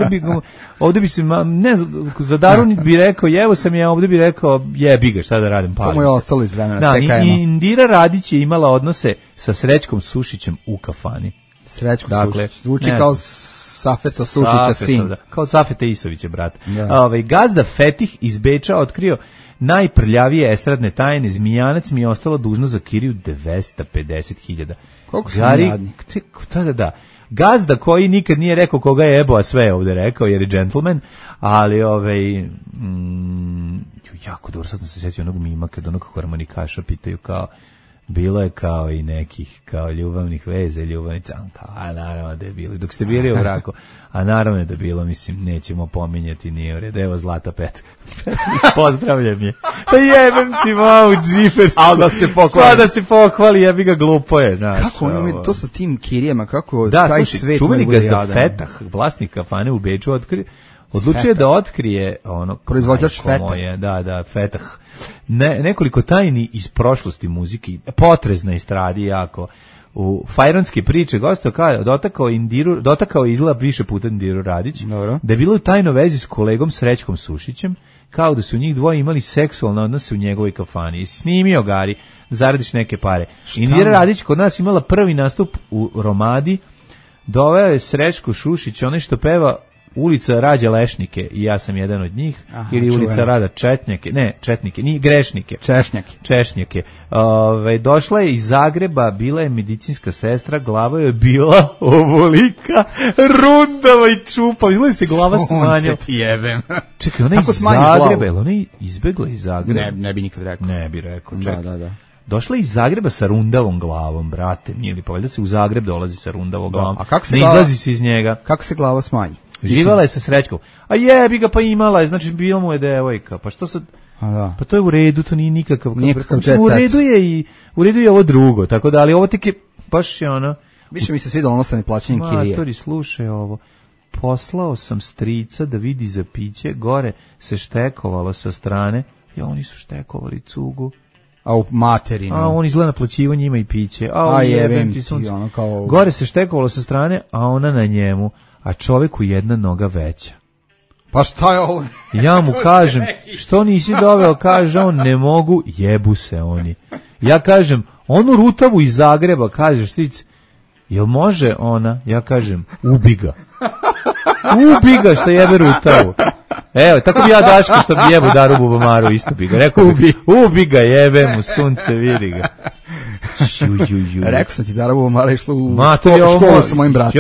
ovdje bi se, ne, za Daru bi rekao, jevo sam ja, ovdje bi rekao, jebi ga, šta da radim, palim se. To mu je ostalo iz vremena, CKM. Indira Radić je imala odnose sa Srećkom Sušićem u kafani. Srećko Sušić, zvuči kao Safeta Sušića sin. Da. Kao Safeta Isovića, brat. Gazda Fetih iz Beča otkrio najprljavije estradne tajne. Zmijanac mi je ostalo dužno za kiriju 250.000. Koliko su jadnik? Da. Gazda koji nikad nije rekao koga je jebo, a sve je ovde rekao, jer je džentlmen, ali jako dobro, sad sam se sjetio onog mima kad onog harmonikaša pitaju kao, bilo je kao i nekih kao ljubavnih veza i ljubavnica, a naravno da je bilo. Dok ste bili u braku, a naravno da je bilo, mislim, nećemo pominjati, nije u redu. Evo Zlata Petrić, pozdravljam je. Pa jebem ti mamu džifersu. A da se pohvali. Pa da se pohvali, jebi ga, glupo je. Znaš, kako on ima to sa tim kirijama, kako da, taj svet čuveni Gazda Fetah, vlasnik kafane u Beču, odlučio da otkrije proizvođač Fetah. Da, Fetah. Nekoliko tajni iz prošlosti muziki, potrezna estradi jako. U fajronske priče dotakao izgleda više puta Indiru Radić, da je bilo u tajnoj vezi s kolegom Srećkom Sušićem, kao da su njih dvoje imali seksualne odnose u njegovoj kafani. I snimio Gari, zaradiš neke pare. Indira Radić kod nas imala prvi nastup u Romadi, doveo je Srećko Sušić, onaj što peva Ulica Rađa Lešnike i ja sam jedan od njih. Ili Ulica Rada Četnike, nije Grešnike. Češnjake. Došla je iz Zagreba, bila je medicinska sestra, glava je bila ovolika, rundava i čupa, izgleda se glava smanjila. Čekaj, ona iz Zagreba, ili ona je izbegla iz Zagreba? Ne bi nikad rekao. Ne bi rekao, čekaj. Da. Došla iz Zagreba sa rundavom glavom, brate, mili, pa valjda se u Zagreb dolazi sa rundavom glavom. Ne izlazi se iz njega. Kako se glava smanji? Živala je sa Srećkom. A jebi ga, pa imala je, znači bila mu je devojka. Pa što sad? Pa to je u redu, to nije nikakav u redu je ovo drugo, tako da, ali ovo tek je baš je ono. Više mi se svidalo ono sa neplaćanjem kirije. Matori, slušaj ovo. Poslao sam strica da vidi za piće, gore se štekovalo sa strane. Ja, oni su štekovali cugu. A u materinu. A on izgleda naplaćivo njima i piće. A jebem ti ono kao... Gore se štekovalo sa strane, a ona na njemu. A čovjeku jedna noga veća. Pa šta je ovo? Ja mu kažem, što nisi doveo, kaže on, ne mogu, jebu se oni. Ja kažem, onu rutavu iz Zagreba, kažeš stric, jel može ona? Ja kažem, ubi ga. Ubi ga što jebe rutavu. Evo, tako bi ja Daško što bi jebu Daru Bubamaru, isto bi ga. Rekao, ubi ga, jebe mu, sunce, vidi ga. Rekao sam ti Dara Bubamara išla u školu sa mojim bratom.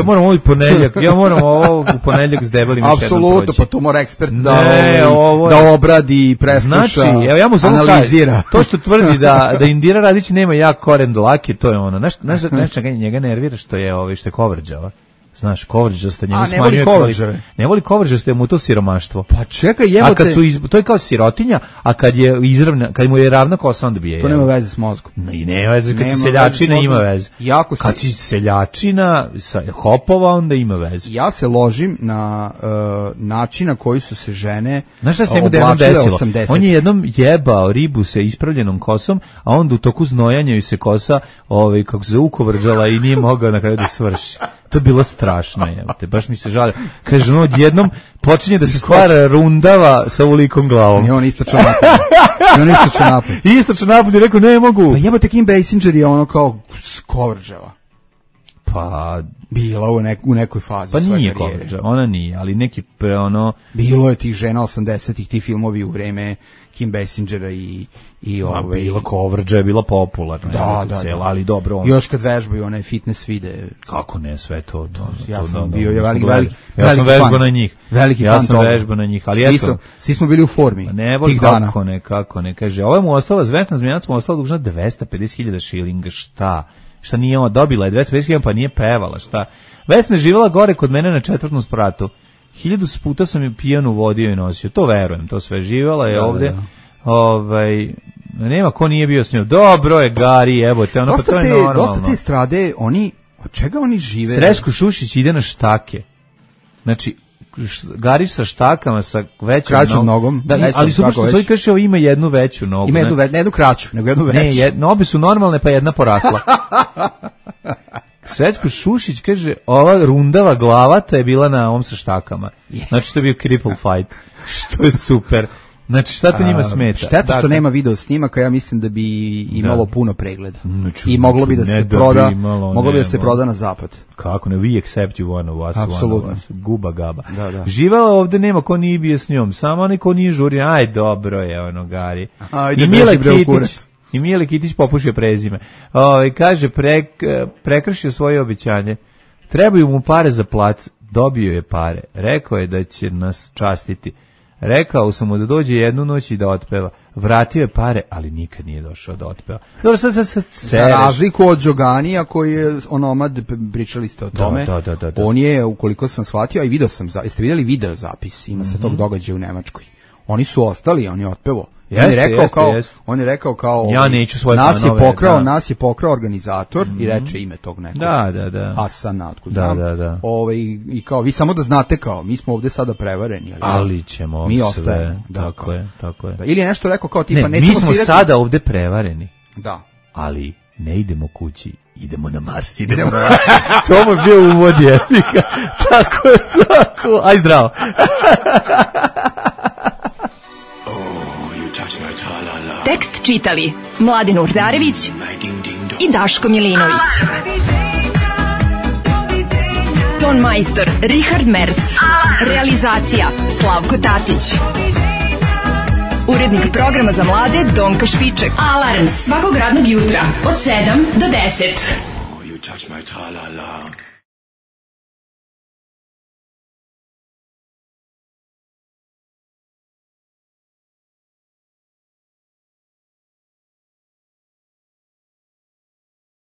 Ja moram ovo u ponedjeljak s debelim još jednom proći. Apsolutno, pa to mora ekspert da obradi, presluša, znači, evo ja mu samo analizira. To što tvrdi da Indira Radić nema jak koren dlake, to je ono. Znaš njega nervira što je kovrđava. Znaš, kovrđaste njemu smanjuje kvalitet. Ne voli kovrđaste, mu to siromaštvo. Pa čekaj, jebote. A kad to je kao sirotinja, a kad je izravna, kad mu je ravna kosa, onda bije. To nema veze s mozgom. Nema veze, kad si seljačina ima veze. Kad si seljačina sa hopova, onda ima veze. Ja se ložim na način na koji su se žene znaš šta se njemu jednom desilo? 80. On je jednom jebao ribu sa ispravljenom kosom, a onda u toku znojanja ju se kosa kako se ukovrđala i nije mogao na kraju da svrši. To je bilo strašno, jebote, baš mi se žalio. Kaže, ono odjednom počinje da se stvara rundava sa ulikom glavom. I on istočno napad. Istočno napad i rekao, ne mogu. Pa jebote, Kim Basinger je ono kao kovrđava. Pa bila u nekoj fazi pa svoje nije karijere. Kovrđa, ona nije, ali neki bilo je tih žena 80-ih, ti filmovi u vreme Kim Basingera i bila Kovrđa je bila popularna. Da. Ali dobro. Još kad vežbaju one fitness vide. Kako ne, sve to. Ja sam bio veliki ja sam vežbao na njih. Ja sam vežbao na njih, ali svi smo bili u formi. Ne voli kako ne, kaže. Ovo mu ostala Vesna Zmijanac mu ostala dužna 250.000 šilinga, šta nije ona dobila je 250.000, pa nije pevala, šta. Vesna je živjela gore kod mene na 4. spratu. 1000 puta sam je pijanu vodio i nosio. To verujem, to sve živjela je ovde. Nema ko nije bio s njom. Dobro je, Gari, evo te, ono pa to je normalno. Dosta te strade, od čega oni žive? Srećko Šušić ide na štake. Znači, Gari sa štakama, sa većom nogom. Da, ali super što svoj kaže, ima jednu veću nogu. Ima ne jednu kraću, nego jednu veću. Ne, obe su normalne, pa jedna porasla. Srećko Šušić kaže, ova rundava glavata je bila na ovom sa štakama. Znači, to je bio cripple fight. Što je super. Znači, šta to njima smeta? Šteta što nema video snimaka, ja mislim da bi imalo puno pregleda. I moglo bi da se proda, da se proda na zapad. Kako ne, we accept you one of us. Apsolutno. Guba gaba. Živela ovde, nema ko nije bio s njom, samo onaj ko nije žurio, aj dobro je, ono, Gari. I Mile Kitić popušio prezime. Kaže, prekršio svoje obećanje. Trebaju mu pare za plac, dobio je pare. Rekao je da će nas častiti. Rekao sam mu da dođe jednu noć i da otpeva. Vratio je pare, ali nikad nije došao da otpeva. Dobro, sad za razliku od Đoganija koji je onomad, pričali ste o tome. Da. On je, ukoliko sam shvatio, a i video sam, jeste vidjeli video zapis, ima sa tog događaja u Nemačkoj. Oni su ostali, on je otpevo. On je rekao kao ja neću svoje nas je pokrao organizator i reče ime tog nekog. Da. Hasana, otkud znam. Da. I kao vi samo da znate kao mi smo ovde sada prevareni, ali ćemo mi sve. Ostajemo. Tako je. Da, ili je nešto rekao kao tipa mi smo sada ovde prevareni. Da. Ali ne idemo kući, idemo na Mars, To mu je bio uvod jefika. Tako. Aj zdravo. Tekst čitali Mladen Urdarević i Daško Milinović. Ton majstor Richard Merc. Realizacija Slavko Tatić. Urednik programa za mlade Donka Špiček. Alarms svakog radnog jutra od 7 do 10.